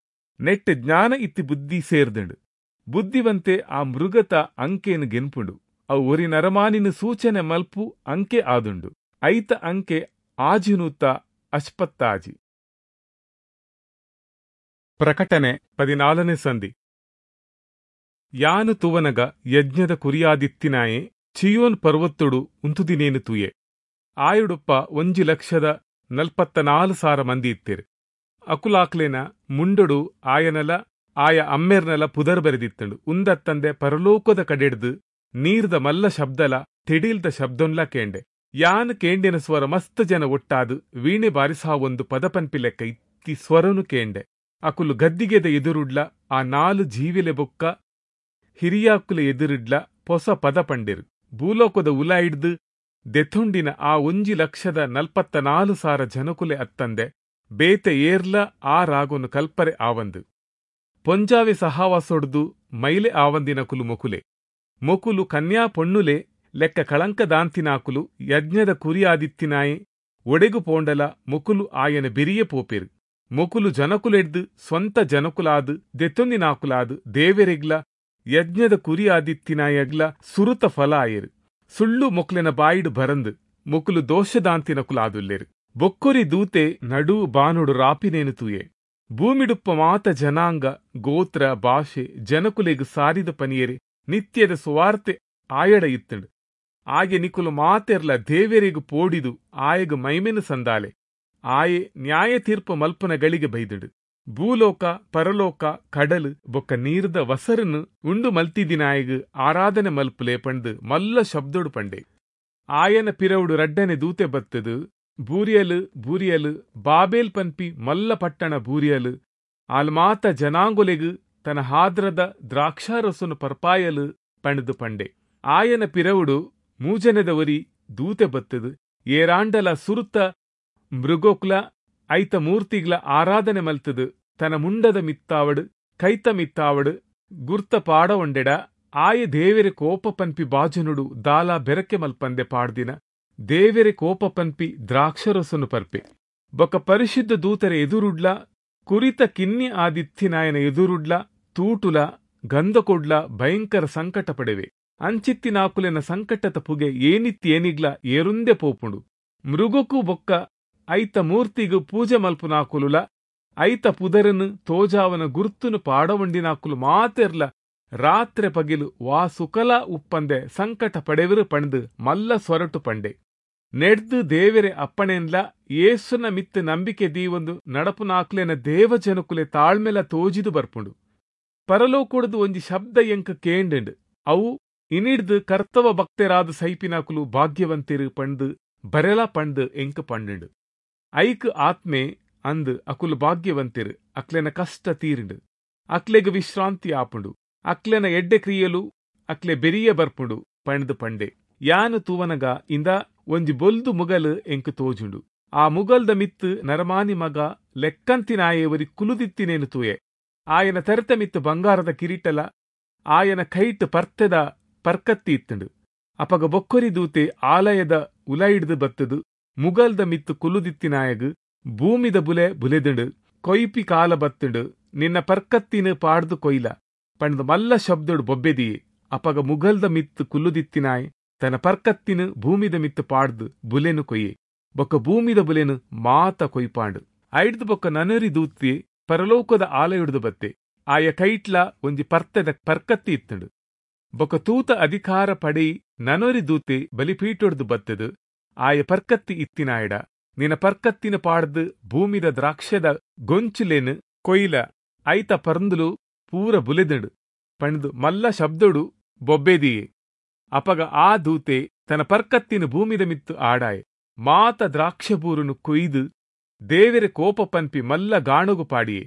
ನೆಟ್ ಜ್ಞಾನ ಇತ್ತಿ ಬುದ್ಧಿ ಸೇರ್ದಂಡು. ಬುದ್ಧಿವಂತೆ ಆ ಮೃಗತ ಅಂಕೆನು ಗೆನ್ಪುಂಡು. ಅವು ಒರಿ ನರಮಾನಿನ ಸೂಚನೆ ಮಲ್ಪು ಅಂಕೆ ಆದುಂಡು. ಐತ ಅಂಕೆ ಆಜಿನೂತ ಅಶ್ಪತ್ತಾಜಿ. ಪ್ರಕಟಣೆ ಪದಿನಾಲನೇ ಸಂಧಿ. ಯಾನು ತುವನಗ ಯಜ್ಞದ ಕುರಿಯಾದಿತ್ತಿನಾಯೆ ಚಿಯೋನ್ ಪರ್ವತ್ತೊಡು ಉಂತುದಿನೇನು ತೂಯೆ. ಆಯುಡುಪ್ಪ ಒಂಜಿ ಲಕ್ಷದ ನಲ್ಪತ್ತ ನಾಲು ಸಾರ ಮಂದಿ ಇತ್ತಿರು. ಅಕುಲಾಕ್ಲೇನ ಮುಂಡೊಡು ಆಯನಲ ಆಯ ಅಮ್ಮೆರ್ನಲ ಪುದರ್ ಬರೆದಿತ್ತಂಡು. ಉಂದತ್ತಂದೆ ಪರಲೋಕದ ಕಡೆಡ್ದು ನೀರ್ದ ಮಲ್ಲ ಶಬ್ದಲ ತಿಡೀಲ್ದ ಶಬ್ದೊನ್ಲ ಕೇಂಡೆ. ಯಾನ್ ಕೇಂಡಿನ ಸ್ವರ ಮಸ್ತ್ ಜನ ಒಟ್ಟಾದು ವೀಣೆ ಬಾರಿಸಾವೊಂದು ಪದಪನ್ಪಿ ಲೆಕ್ಕ ಇತ್ತಿ ಸ್ವರನು ಕೇಂಡೆ. ಅಕುಲು ಗದ್ದಿಗೆದ ಎದುರುಡ್ಲ ಆ ನಾಲು ಜೀವಿಲೆ ಬೊಕ್ಕ ಹಿರಿಯಾಕುಲ ಎದುರುಡ್ಲ ಪೊಸ ಪದ ಪಂಡೆರು. ಭೂಲೋಕದ ಉಲಾಯಿಡ್ದು ದೆಥೊಂಡಿನ ಆ ಒಂಜಿ ಲಕ್ಷದ ನಲ್ಪತ್ತ ನಾಲು ಸಾರ ಜನಕುಲೆ ಅತ್ತಂದೆ ಬೇತೆ ಏರ್ಲ ಆ ರಾಗೊನು ಕಲ್ಪರೆ ಆವಂದು. ಪೊಂಜಾವೆ ಸಹಾವಾಸೊಡ್ದು ಮೈಲೆ ಆವಂದಿನಕುಲು ಮೊಕುಲೆ. ಮೊಕುಲು ಕನ್ಯಾ ಪೊಣ್ಣುಲೆ ಲೆಕ್ಕ ಕಳಂಕದಾಂತಿನಾಕುಲು ಯಜ್ಞದ ಕುರಿಯಾದಿತ್ತಿನಾಯೆ ಒಡೆಗು ಪೋಂಡಲ ಮೊಕುಲು ಆಯನ ಬೆರಿಯೆ ಪೋಪೆರು. ಮೊಕುಲು ಜನಕುಲೆಡ್ದು ಸ್ವಂತ ಜನಕುಲಾದು ದೆತ್ತೊಂದಿನಾಕುಲಾದು ದೇವೆರೆಗ್ಲ ಯಜ್ಞದ ಕುರಿಯಾದಿತ್ತಿನಾಯಗ್ಲ ಸುರುತ ಫಲ ಆಯೆರು. ಸುಳ್ಳು ಮೊಕ್ಲೆನ ಬಾಯಿಡು ಬರಂದು ಮೊಕುಲು ದೋಷದಾಂತಿನಕುಲಾದುಲ್ಲೆರು. ಬೊಕ್ಕೊರಿ ದೂತೆ ನಡು ಬಾನುಡು ರಾಪಿನೇನು ತೂಯೆ. ಭೂಮಿಡುಪ್ಪ ಮಾತ ಜನಾಂಗ ಗೋತ್ರ ಭಾಷೆ ಜನಕುಲೆಗ್ ಸಾರಿದ ಪನಿಯರೆ ನಿತ್ಯದ ಸುವಾರ್ತೆ ಆಯಡ ಇತ್ತಂಡು. ಆಗೆ ನಿಕುಲು ಮಾತೆರ್ಲ ದೇವೆರೆಗ್ ಪೋಡಿದು ಆಯಗ್ ಮೈಮೆನು ಸಂದಾಲೆ. ಆಯೆ ನ್ಯಾಯ ತೀರ್ಪು ಮಲ್ಪನ ಗಳಿಗೆ ಬೈದುಡು. ಭೂಲೋಕ ಪರಲೋಕ ಕಡಲು ಬೊಕ್ಕ ನೀರ್ದ ವಸರನ್ನು ಉಂಡು ಮಲ್ತಿದಿನಾಯಗ್ ಆರಾಧನೆ ಮಲ್ಪುಲೆ ಪಂಡು ಮಲ್ಲ ಶಬ್ದೊಡು ಪಂಡೆ. ಆಯನ ಪಿರವುಡು ರಡ್ಡನೆ ದೂತೆ ಬತ್ತದು ಬೂರಿಯಲು ಬೂರಿಯಲು ಬಾಬೇಲ್ ಪನ್ಪಿ ಮಲ್ಲ ಪಟ್ಟಣ ಬೂರಿಯಲು ಆಲ್ಮಾತ ಜನಾಂಗೊಲೆಗ್ ತನ್ನ ಹಾದ್ರದ ದ್ರಾಕ್ಷಾರಸನು ಪರ್ಪಾಯಲು ಪಂಡ್ದು ಪಂಡೆ. ಆಯನ ಪಿರವುಡು ಮೂಜನೆದ ಒರಿ ದೂತೆ ಬತ್ತದು ಏರಾಂಡಲ ಸುರುತ ಮೃಗೋಕ್ಲ ಐತ ಮೂರ್ತಿಗ್ಲ ಆರಾಧನೆ ಮಲ್ತದು ತನ್ನ ಮುಂಡದ ಮಿತ್ತಾವಡು ಕೈತ ಮಿತ್ತಾವಡು ಗುರ್ತ ಪಾಡ ಒಂಡೆಡ ಆಯ ದೇವೆರೆ ಕೋಪ ಪನ್ಪಿ ಬಾಜನುಡು ದಾಲ ಬೆರಕೆ ಮಲ್ಪಂದೆ ಪಾಡ್ದಿನ ದೇವೆರೆ ಕೋಪ ಪನ್ಪಿ ದ್ರಾಕ್ಷರಸನು ಪರ್ಪೆ. ಬೊಕ ಪರಿಶುದ್ಧ ದೂತರ ಎದುರುಡ್ಲ ಕುರಿತ ಕಿನ್ನಿ ಆದಿತ್ತಿನಾಯನ ಎದುರುಡ್ಲ ತೂಟುಲ ಗಂಧಕೊಡ್ಲ ಭಯಂಕರ ಸಂಕಟ ಪಡೆವೆ. ಅಂಚಿತ್ತಿನಾಕುಲೆನ ಸಂಕಟದ ಪುಗೆ ಏನಿತ್ತಿ ಏನಿಗ್ಲ ಏರುಂದೆ ಪೋಪುಂಡು. ಮೃಗಕ್ಕೂ ಬೊಕ್ಕ ಐತ ಮೂರ್ತಿಗು ಪೂಜೆ ಮಲ್ಪುನಾಕುಲುಲ ಐತ ಪುದರನು ತೋಜಾವನ ಗುರ್ತುನು ಪಾಡವಂಡಿನಾಕುಲು ಮಾತೆರ್ಲ ರಾತ್ರೆ ಪಗಿಲು ವಾ ಸುಕಲ ಉಪ್ಪಂದೆ ಸಂಕಟ ಪಡೆವರು ಪಂಡು ಮಲ್ಲ ಸ್ವರಟು ಪಂಡೆ. ನೆಡ್ದು ದೇವೆರೆ ಅಪ್ಪಣೆನ್ಲ ಏಸುನ ಮಿತ್ತು ನಂಬಿಕೆ ದೀವೊಂದು ನಡಪುನಾಕ್ಲೆನ ದೇವಜನಕುಲೆ ತಾಳ್ಮೆಲ ತೋಜಿದು ಬರ್ಪುಂಡು. ಪರಲೋಕೊಡ್ದು ಒಂಜಿ ಶಬ್ದ ಎಂಕ ಕೇಂಡು. ಅವು ಇನಿಡ್ದು ಕರ್ತವ ಭಕ್ತರಾದ ಸೈಪಿನಾಕುಲು ಭಾಗ್ಯವಂತಿರು ಪಂಡು ಬರೆಲ ಪಂಡು ಎಂಕ ಪಂಡು. ಐಕ್ ಆತ್ಮೆ ಅಂದು ಅಕುಲು ಭಾಗ್ಯವಂತಿರು, ಅಕ್ಲೆನ ಕಷ್ಟ ತೀರಿಂಡು, ಅಕ್ಲೆಗ್ ವಿಶ್ರಾಂತಿ ಆಪುಂಡು, ಅಕ್ಲೆನ ಎಡ್ಡೆ ಕ್ರಿಯೆಲು ಅಕ್ಲೆ ಬೆರಿಯ ಬರ್ಪುಂಡು ಪಂಡ್ದು ಪಂಡೆ. ಯಾನು ತೂವನಗ ಇಂದ ಒಂಜಿ ಬೊಲ್ದು ಮುಗಲು ಎಂಕ್ ತೋಜುಂಡು. ಆ ಮುಗಲ್ದ ಮಿತ್ತು ನರಮಾನಿ ಮಗ ಲೆಕ್ಕಂತಿನಾಯೇವರಿ ಕುಲುದಿತ್ತಿನೇನು ತೂಯೆ. ಆಯನ ತರೆತ ಮಿತ್ತು ಬಂಗಾರದ ಕಿರೀಟಲ ಆಯನ ಕೈಟ್ ಪರ್ತೆದ ಪರ್ಕತ್ತಿ ಇತ್ತಂಡು. ಅಪಗ ಬೊಕ್ಕೊರಿ ದೂತೆ ಆಲಯದ ಉಲೈಡ್ದು ಬತ್ತದು ಮುಗಲ್ದ ಮಿತ್ತು ಕುಲುದಿತ್ತಿನಾಯಗ್ ಭೂಮಿದ ಬುಲೆ ಬುಲೆದುಂಡು, ಕೊಯ್ಪಿ ಕಾಲ ಬತ್ತುಂಡು, ನಿನ್ನ ಪರ್ಕತ್ತಿನ ಪಾಡ್ದು ಕೊಯ್ಲ ಪಂಡ್ದು ಮಲ್ಲ ಶಬ್ದೊಡು ಬೊಬ್ಬೆದಿಯೆ. ಅಪಗ ಮುಗಲ್ದ ಮಿತ್ತು ಕುಲ್ಲುದಿತ್ತಿನಾಯ್ ತನ್ನ ಪರ್ಕತ್ತಿನ ಭೂಮಿದ ಮಿತ್ತು ಪಾಡ್ದು ಬುಲೆನು ಕೊಯ್ಯೆ. ಬೊಕ್ಕ ಭೂಮಿದ ಬುಲೆನು ಮಾತ ಕೊಯ್ಪಾಂಡು. ಐಡ್ದು ಬೊಕ್ಕ ನನರಿ ದೂತಿ ಪರಲೋಕದ ಆಲಯುಡ್ದು ಬತ್ತೆ. ಆಯ ಕೈಟ್ಲ ಒಂಜಿ ಪರ್ತೆದ ಪರ್ಕತ್ತಿ ಇತ್ತಂಡು. ಬೊಕ್ಕ ತೂತ ಅಧಿಕಾರ ಪಡೆಯಿ ನನೊರಿ ದೂತೆ ಬಲಿಪೀಟೊಡ್ದು ಬತ್ತದು ಆಯ ಪರ್ಕತ್ತಿ ಇತ್ತಿನಾಯಡ ನಿನ್ನ ಪರ್ಕತ್ತಿನ ಪಾಡ್ದು ಭೂಮಿದ ದ್ರಾಕ್ಷದ ಗೊಂಚುಲೇನು ಕೊಯ್ಲ ಐತ ಪರ್ಂದುಲು ಪೂರ ಬುಲೆದುಂಡು ಪಂಡ್ದು ಮಲ್ಲ ಶಬ್ದೊಡು ಬೊಬ್ಬೆದಿಯೆ. ಅಪಗ ಆ ದೂತೆ ತನ್ನ ಪರ್ಕತ್ತಿನ ಭೂಮಿದ ಮಿತ್ತು ಆಡಾಯೆ. ಮಾತ ದ್ರಾಕ್ಷಬೂರುನು ಕೊಯ್ದು ದೇವೆರೆ ಕೋಪ ಪನ್ಪಿ ಮಲ್ಲ ಗಾಣುಗು ಪಾಡಿಯೆ.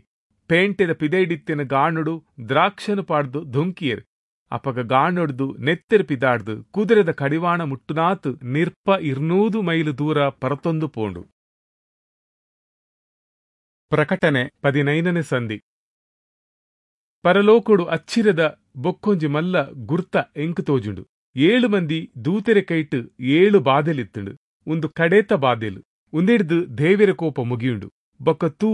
ಪೇಂಟೆದ ಪಿದೈಡಿತ್ತಿನ ಗಾಣುಡು ದ್ರಾಕ್ಷನು ಪಾಡ್ದು ಧುಂಕಿಯರ್. ಅಪಗ ಗಾಣೊಡ್ದು ನೆತ್ತೆರ್ ಪಿದಾಡ್ದು ಕುದುರೆದ ಕಡಿವಾಣ ಮುಟ್ಟುನಾತ್ ನಿರ್ಪ ಇರ್ನೂದು ಮೈಲು ದೂರ ಪರತೊಂದು ಪೋಂಡು. ಪ್ರಕಟಣೆ ಪದಿನೈದನೇ ಸಂಧಿ. ಪರಲೋಕೊಡು ಅಚ್ಚಿರದ ಬೊಕ್ಕೊಂಜಿ ಮಲ್ಲ ಗುರ್ತ ಎಂಕ್ ತೋಜುಂಡು. ಏಳು ಮಂದಿ ದೂತೆರೆ ಕೈಟ್ ಏಳು ಬಾದೆಲಿತ್ತುಂಡು. ಒಂದು ಕಡೇತ ಬಾದೆಲು ಉಂದಿಡ್ದು ದೇವೆರ ಕೋಪ ಮುಗಿಯುಂಡು. ಬೊಕ್ಕ ತೂ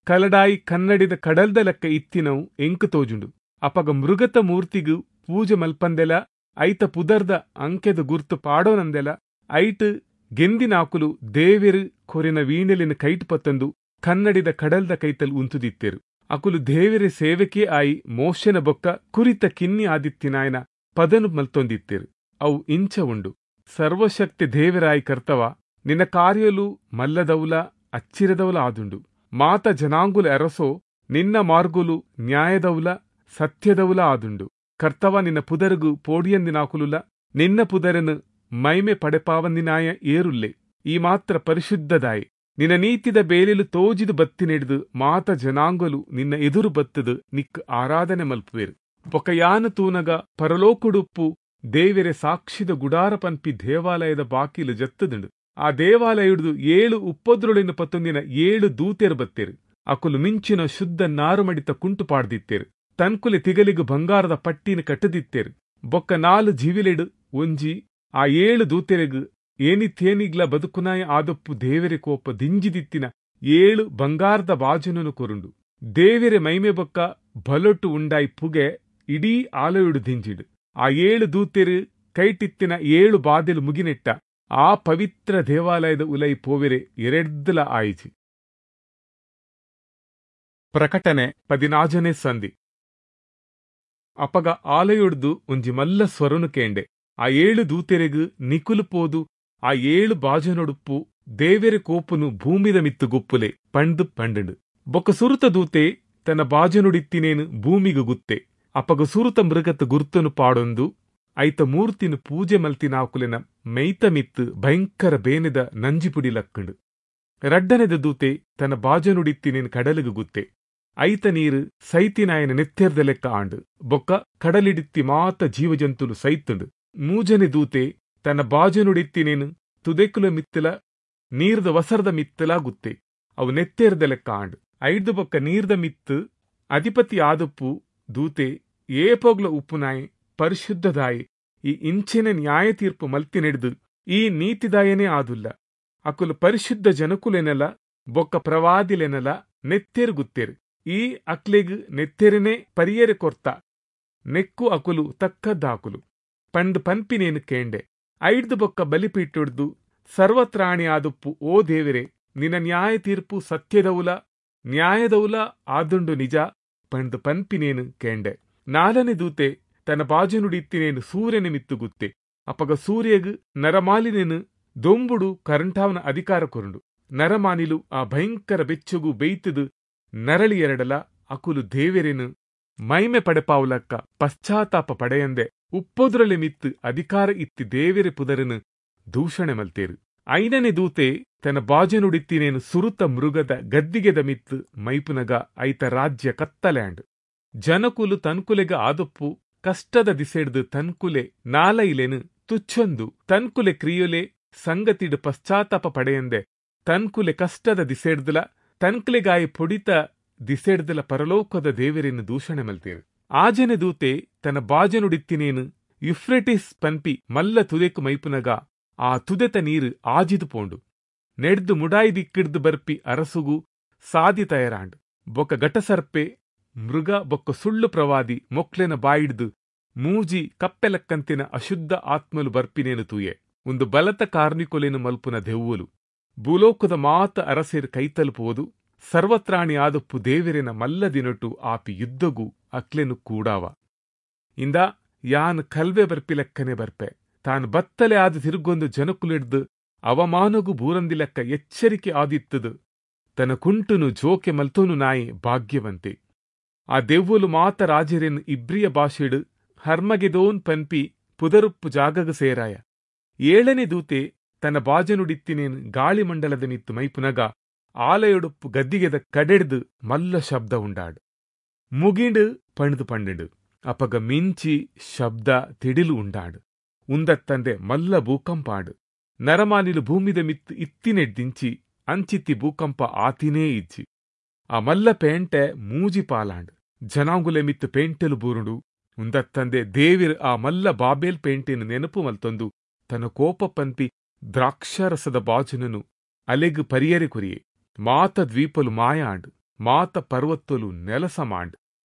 ಕಲಡಾಯಿ ಕನ್ನಡಿದ ಕಡಲ್ದ ಲೆಕ್ಕ ಇತ್ತಿನವು ಎಂಕ್ ತೋಜುಂಡು. ಅಪಗ ಮೃಗತ ಮೂರ್ತಿಗು ಪೂಜೆ ಮಲ್ಪಂದೆಲ ಐತ ಪುದರ್ದ ಅಂಕೆದ ಗುರ್ತು ಪಾಡೋನಂದೆಲ ಐಟ್ ಗೆಂದಿನಾಕುಲು ದೇವೆರು ಕೊರಿನ ವೀಣೆಲಿನ ಕೈಟ್ ಪತ್ತಂದು ಕನ್ನಡಿದ ಕಡಲ್ದ ಕೈತಲ್ ಉಂತುದಿತ್ತೆರು. ಅಕುಲು ದೇವೆರೆ ಸೇವೆಕೇ ಆಯಿ ಮೋಶನ ಬೊಕ್ಕ ಕುರಿತ ಕಿನ್ನಿ ಆದಿತ್ತಿನಾಯನ ಪದನು ಮಲ್ತೊಂದಿತ್ತೆರು. ಅವು ಇಂಚ ಉಂಡು. ಸರ್ವಶಕ್ತಿ ದೇವರಾಯಿ ಕರ್ತವ, ನಿನ್ನ ಕಾರ್ಯಲು ಮಲ್ಲದೌಲ ಅಚ್ಚಿರದೌಲ ಆದುಂಡು. ಮಾತ ಜನಾಂಗುಲ ಅರಸೋ, ನಿನ್ನ ಮಾರ್ಗುಲು ನ್ಯಾಯದೌಲ ಸತ್ಯದೌಲ ಆದುಂಡು. ಕರ್ತವ, ನಿನ್ನ ಪುದರುಗು ಪೋಡಿಯಂದಿನಾಕುಲುಲ ನಿನ್ನ ಪುದರನು ಮೈಮೆ ಪಡೆಪಾವಂದಿನಾಯ ಏರುಲ್ಲೆ. ಈ ಮಾತ್ರ ಪರಿಶುದ್ಧದಾಯಿ. ನಿನ್ನ ನೀತಿದ ಬೇಲೆಲು ತೋಜಿದು ಬತ್ತಿನೆಡ್ದು ಮಾತ ಜನಾಂಗಲು ನಿನ್ನ ಎದುರು ಬತ್ತದು ನಿಕ್ ಆರಾಧನೆ ಮಲ್ಪುವೇರು. ಬೊಕಯಾನು ತೂನಗ ಪರಲೋಕುಡುಪ್ಪು ದೇವೆರೆ ಸಾಕ್ಷಿದ ಗುಡಾರ ಪನ್ಪಿ ದೇವಾಲಯದ ಬಾಕಿಲು ಜತ್ತುದುಂಡು. ಆ ದೇವಾಲಯಡ್ದು ಏಳು ಉಪ್ಪದ್ರೊಳೆನು ಪತ್ತೊಂದಿನ ಏಳು ದೂತೆರು ಬತ್ತೆರು. ಅಕುಲು ಮಿಂಚಿನ ಶುದ್ಧ ನಾರುಮಡಿತ ಕುಂಟು ಪಾಡ್ದಿತ್ತೇರು. ತನ್ಕುಲೆ ತಿಗಲಿಗು ಬಂಗಾರದ ಪಟ್ಟಿನ ಕಟ್ಟದಿತ್ತೇರು. ಬೊಕ್ಕ ನಾಲು ಜೀವಿಲೆಡು ಒಂಜಿ ಆ ಏಳು ದೂತೆರೆಗು ಏನಿಥೇನಿಗ್ಲ ಬದುಕುನಾಯ ಆದೊಪ್ಪು ದೇವೆರೆ ಕೋಪ ದಿಂಜಿದಿತ್ತಿನ ಏಳು ಬಂಗಾರದ ಬಾಜನನು ಕೊರುಂಡು. ದೇವೆರೆ ಮೈಮೆ ಬೊಕ್ಕ ಬಲೊಟ್ಟು ಉಂಡಾಯಿ ಪುಗೆ ಇಡೀ ಆಲಯುಡು ದಿಂಜಿಡು. ಆ ಏಳು ದೂತೆರು ಕೈಟಿತ್ತಿನ ಏಳು ಬಾದೆಲು ಮುಗಿನೆಟ್ಟ ಆ ಪವಿತ್ರ ದೇವಾಲಯದ ಉಲೈ ಪೋವೆರೆ ಎರೆಡ್ದಲ ಆಯಿಜಿ. ಪ್ರಕಟಣೆ ಪದಿನಾಜನೇ ಸಂಧಿ. ಅಪಗ ಆಲಯೊಡ್ದು ಒಂಜಿ ಮಲ್ಲ ಸ್ವರನು ಕೇಂಡೆ. ಆ ಏಳು ದೂತೆರೆಗು ನಿಕುಲು ಪೋದು ಆ ಏಳು ಬಾಜನೊಡುಪ್ಪು ದೇವೆರೆ ಕೋಪುನು ಭೂಮಿದ ಮಿತ್ತು ಗುಪ್ಪುಲೆ ಪಂಡು ಪಂಡುಂಡು. ಬೊಕ್ಕ ಸುರುತ ದೂತೆ ತನ್ನ ಬಾಜನೊಡಿತ್ತಿನೇನು ಭೂಮಿಗು ಗುತ್ತೆ. ಅಪಗ ಸುರುತ ಮೃಗತ ಗುರ್ತನು ಪಾಡೊಂದು ಐತ ಮೂರ್ತಿನ ಪೂಜೆ ಮಲ್ತಿನಾಕುಲೆನ ಮೈತ ಮಿತ್ತು ಭಯಂಕರ ಬೇನೆದ ನಂಜಿಪುಡಿ ಲಕ್ಕಂಡು. ರಡ್ಡನೆದ ದೂತೆ ತನ್ನ ಬಾಜನುಡಿತ್ತಿನೇನು ಕಡಲಿಗು ಗುತ್ತೆ. ಐತ ನೀರು ಸೈತಿನಾಯನ ನೆತ್ತೆರ್ದ ಲೆಕ್ಕ ಆಂಡು. ಬೊಕ್ಕ ಕಡಲಿಡಿತ್ತಿ ಮಾತ ಜೀವಜಂತುಲು ಸೈತುಂಡು. ಮೂಜನೆ ದೂತೆ ತನ್ನ ಬಾಜನುಡಿತ್ತಿನೇನು ತುದೆಕುಲ ಮಿತ್ತಲ ನೀರ್ದ ವಸರದ ಮಿತ್ತಲ ಗುತ್ತೆ. ಅವು ನೆತ್ತೆರ್ದ ಲೆಕ್ಕ ಆಂಡು. ಐದು ಬೊಕ್ಕ ನೀರ್ದ ಮಿತ್ತು ಅಧಿಪತಿ ಆದಪ್ಪು ದೂತೆ ಏಪೋಗ್ಲ ಉಪ್ಪುನಾಯಿ ಪರಿಶುದ್ಧದಾಯಿ ಈ ಇಂಚಿನ ನ್ಯಾಯ ತೀರ್ಪು ಮಲ್ತಿನೆಡ್ದು ಈ ನೀತಿದಾಯನೇ ಆದುಲ್ಲ. ಅಕುಲು ಪರಿಶುದ್ಧ ಜನಕುಲೆನಲ ಬೊಕ್ಕ ಪ್ರವಾದಿಲೆನಲ ನೆತ್ತೆರು ಗುತ್ತೇರು. ಈ ಅಕ್ಲೆಗ್ ನೆತ್ತೆರನೆ ಪರಿಯರೆ ಕೊರ್ತ ನೆಕ್ಕು ಅಕುಲು ತಕ್ಕದ್ದಾಕುಲು ಪಂದ್ ಪನ್ಪಿನೇನು ಕೇಂಡೆ. ಐಡ್ದು ಬೊಕ್ಕ ಬಲಿಪೀಟೊಡ್ದು ಸರ್ವತ್ರಾಣಿ ಆದುಪ್ಪು ಓ ದೇವರೇ, ನಿನ್ನ ನ್ಯಾಯ ತೀರ್ಪು ಸತ್ಯದೌಲ ನ್ಯಾಯದೌಲ ಆದುಂಡು ನಿಜ ಪಂದ್ ಪನ್ಪಿನೇನು ಕೇಂಡೆ. ನಾಲನೆ ದೂತೆ ತನ್ನ ಬಾಜನುಡಿತ್ತಿನೇನು ಸೂರ್ಯನ ಮಿತ್ತು ಗುತ್ತೆ. ಅಪಗ ಸೂರ್ಯಗ್ ನರಮಾಲಿನೇನು ದೊಂಬುಡು ಕರಂಟಾವನ ಅಧಿಕಾರ ಕೊರುಂಡು. ನರಮಾನಿಲು ಆ ಭಯಂಕರ ಬೆಚ್ಚಗು ಬೇಯ್ತದು ನರಳಿ ಎರಡಲ ಅಕುಲು ದೇವೆರೆನು ಮೈಮೆ ಪಡೆಪಾವುಲಕ್ಕ ಪಶ್ಚಾತ್ತಾಪ ಪಡೆಯಂದೆ ಉಪ್ಪೊದ್ರಲೆ ಮಿತ್ತು ಅಧಿಕಾರ ಇತ್ತಿ ದೇವೆರೆ ಪುದರನು ದೂಷಣೆ ಮಲ್ತೇರು. ಐದನೇ ದೂತೆ ತನ್ನ ಬಾಜನುಡಿತ್ತಿನೇನು ಸುರುತ ಮೃಗದ ಗದ್ದಿಗೆದ ಮಿತ್ತು ಮೈಪುನಗ ಐತ ರಾಜ್ಯ ಕತ್ತಲೆಂಡ್. ಜನಕುಲು ತನ್ಕುಲೆಗ ಆದೊಪ್ಪು ಕಷ್ಟದ ದಿಸೆಡ್ದು ತನ್ಕುಲೆ ನಾಲೈಲೆನು ತುಚ್ಚೊಂದು ತನ್ಕುಲೆ ಕ್ರಿಯೊಲೆ ಸಂಗತಿಡು ಪಶ್ಚಾತ್ತಾಪ ಪಡೆಯಂದೆ ತನ್ಕುಲೆ ಕಷ್ಟದ ದಿಸೆಡ್ದಲ ತನ್ಕುಲೆಗಾಯಿ ಪೊಡಿತ ದಿಸೆಡ್ದಲ ಪರಲೋಕದ ದೇವರೆನ್ನು ದೂಷಣೆ ಮಲ್ತೇರು. ಆಜನೆ ದೂತೆ ತನ್ನ ಬಾಜನುಡಿತ್ತಿನೇನು ಯುಫ್ರೆಟಿಸ್ ಪನ್ಪಿ ಮಲ್ಲ ತುದೆಕು ಮೈಪುನಗ ಆ ತುದೆತ ನೀರು ಆಜಿದು ಪೋಂಡು. ನೆಡ್ದು ಮುಡಾಯಿ ದಿಕ್ಕಿಡ್ದು ಬರ್ಪಿ ಅರಸುಗು ಸಾದಿ ತಯರಾಂಡ್. ಬೊಕ್ಕ ಘಟಸರ್ಪೆ ಮೃಗ ಬೊಕ್ಕ ಸುಳ್ಳು ಪ್ರವಾದಿ ಮೊಕ್ಲೆನ ಬಾಯಿಡ್ದು ಮೂಜಿ ಕಪ್ಪೆಲಕ್ಕಂತಿನ ಅಶುದ್ಧ ಆತ್ಮಲು ಬರ್ಪಿನೇನು ತೂಯೆ. ಒಂದು ಬಲತ ಕಾರ್ನಿಕೊಲೆನು ಮಲ್ಪುನ ದೆವ್ವಲು ಭೂಲೋಕದ ಮಾತ ಅರಸೇರು ಕೈತಲುಪುವುದು ಸರ್ವತ್ರಾಣಿ ಆದಪ್ಪು ದೇವರೆನ ಮಲ್ಲ ದಿನಟು ಆಪಿ ಯುದ್ಧಗು ಅಕ್ಲೆನು ಕೂಡಾವ. ಇಂದ ಯಾನ್ ಕಲ್ವೆ ಬರ್ಪಿಲೆಕ್ಕನೆ ಬರ್ಪೆ. ತಾನು ಬತ್ತಲೆ ಆದ ತಿರುಗೊಂದು ಜನಕುಲಿಡ್ದು ಅವಮಾನಗು ಬೂರಂದಿಲೆಕ್ಕ ಎಚ್ಚರಿಕೆ ಆದಿತ್ತದು. ತನ್ನ ಕುಂಟುನು ಜೋಕೆ ಮಲ್ತೋನು ನಾಯಿ ಭಾಗ್ಯವಂತೆ. ಆ ದೆವ್ವಲು ಮಾತ ರಾಜರೆನ್ ಇಬ್ರಿಯ ಭಾಷೆಡು ಹರ್ಮಗೆದೋನ್ ಪನ್ಪಿ ಪುದರುಪ್ಪು ಜಾಗಗ ಸೇರಾಯ. ಏಳನೇ ದೂತೆ ತನ್ನ ಬಾಜನುಡಿತ್ತಿನೇನು ಗಾಳಿಮಂಡಲದ ಮಿತ್ತು ಮೈಪುನಗ ಆಲಯೊಡುಪ್ಪು ಗದ್ದಿಗೆದ ಕಡೆಡ್ದು ಮಲ್ಲ ಶಬ್ದ ಉಂಡಾಡು. ಮುಗಿಂಡು ಪಣ್ದು ಪಂಡಿಡು. ಅಪಗ ಮಿಂಚಿ ಶಬ್ದ ತಿಡಿಲು ಉಂಡಾಡು. ಉಂದತ್ತಂದೆ ಮಲ್ಲ ಭೂಕಂಪಾಡು. ನರಮಾನಿಲು ಭೂಮಿದ ಮಿತ್ತು ಇತ್ತಿನೆಡ್ದಿಂಚಿ ಅಂಚಿತ್ತಿ ಭೂಕಂಪ ಆತಿನೇ ಇಜ್ಜಿ. ಆ ಮಲ್ಲ ಪೇಂಟೆ ಮೂಜಿ ಪಾಲಾಂಡ್. ಜನಾಂಗುಲೆ ಮಿತ್ತು ಪೇಂಟೆಲು ಬೂರುಂಡು. ಉಂದತ್ತಂದೆ ದೇವಿರ್ ಆ ಮಲ್ಲ ಬಾಬೇಲ್ ಪೇಂಟೆನು ನೆನಪು ಮಲ್ತೊಂದು ತನ್ನ ಕೋಪ ಪನ್ಪಿ ದ್ರಾಕ್ಷಾರಸದ ಬಾಜನನು ಅಲೆಗು ಪರಿಯರೆ ಕುರಿಯೆ. ಮಾತ ದ್ವೀಪಲು ಮಾಯಾಂಡ್. ಮಾತ ಪರ್ವತ್ತಲು ನೆಲಸಮಾಂಡ್.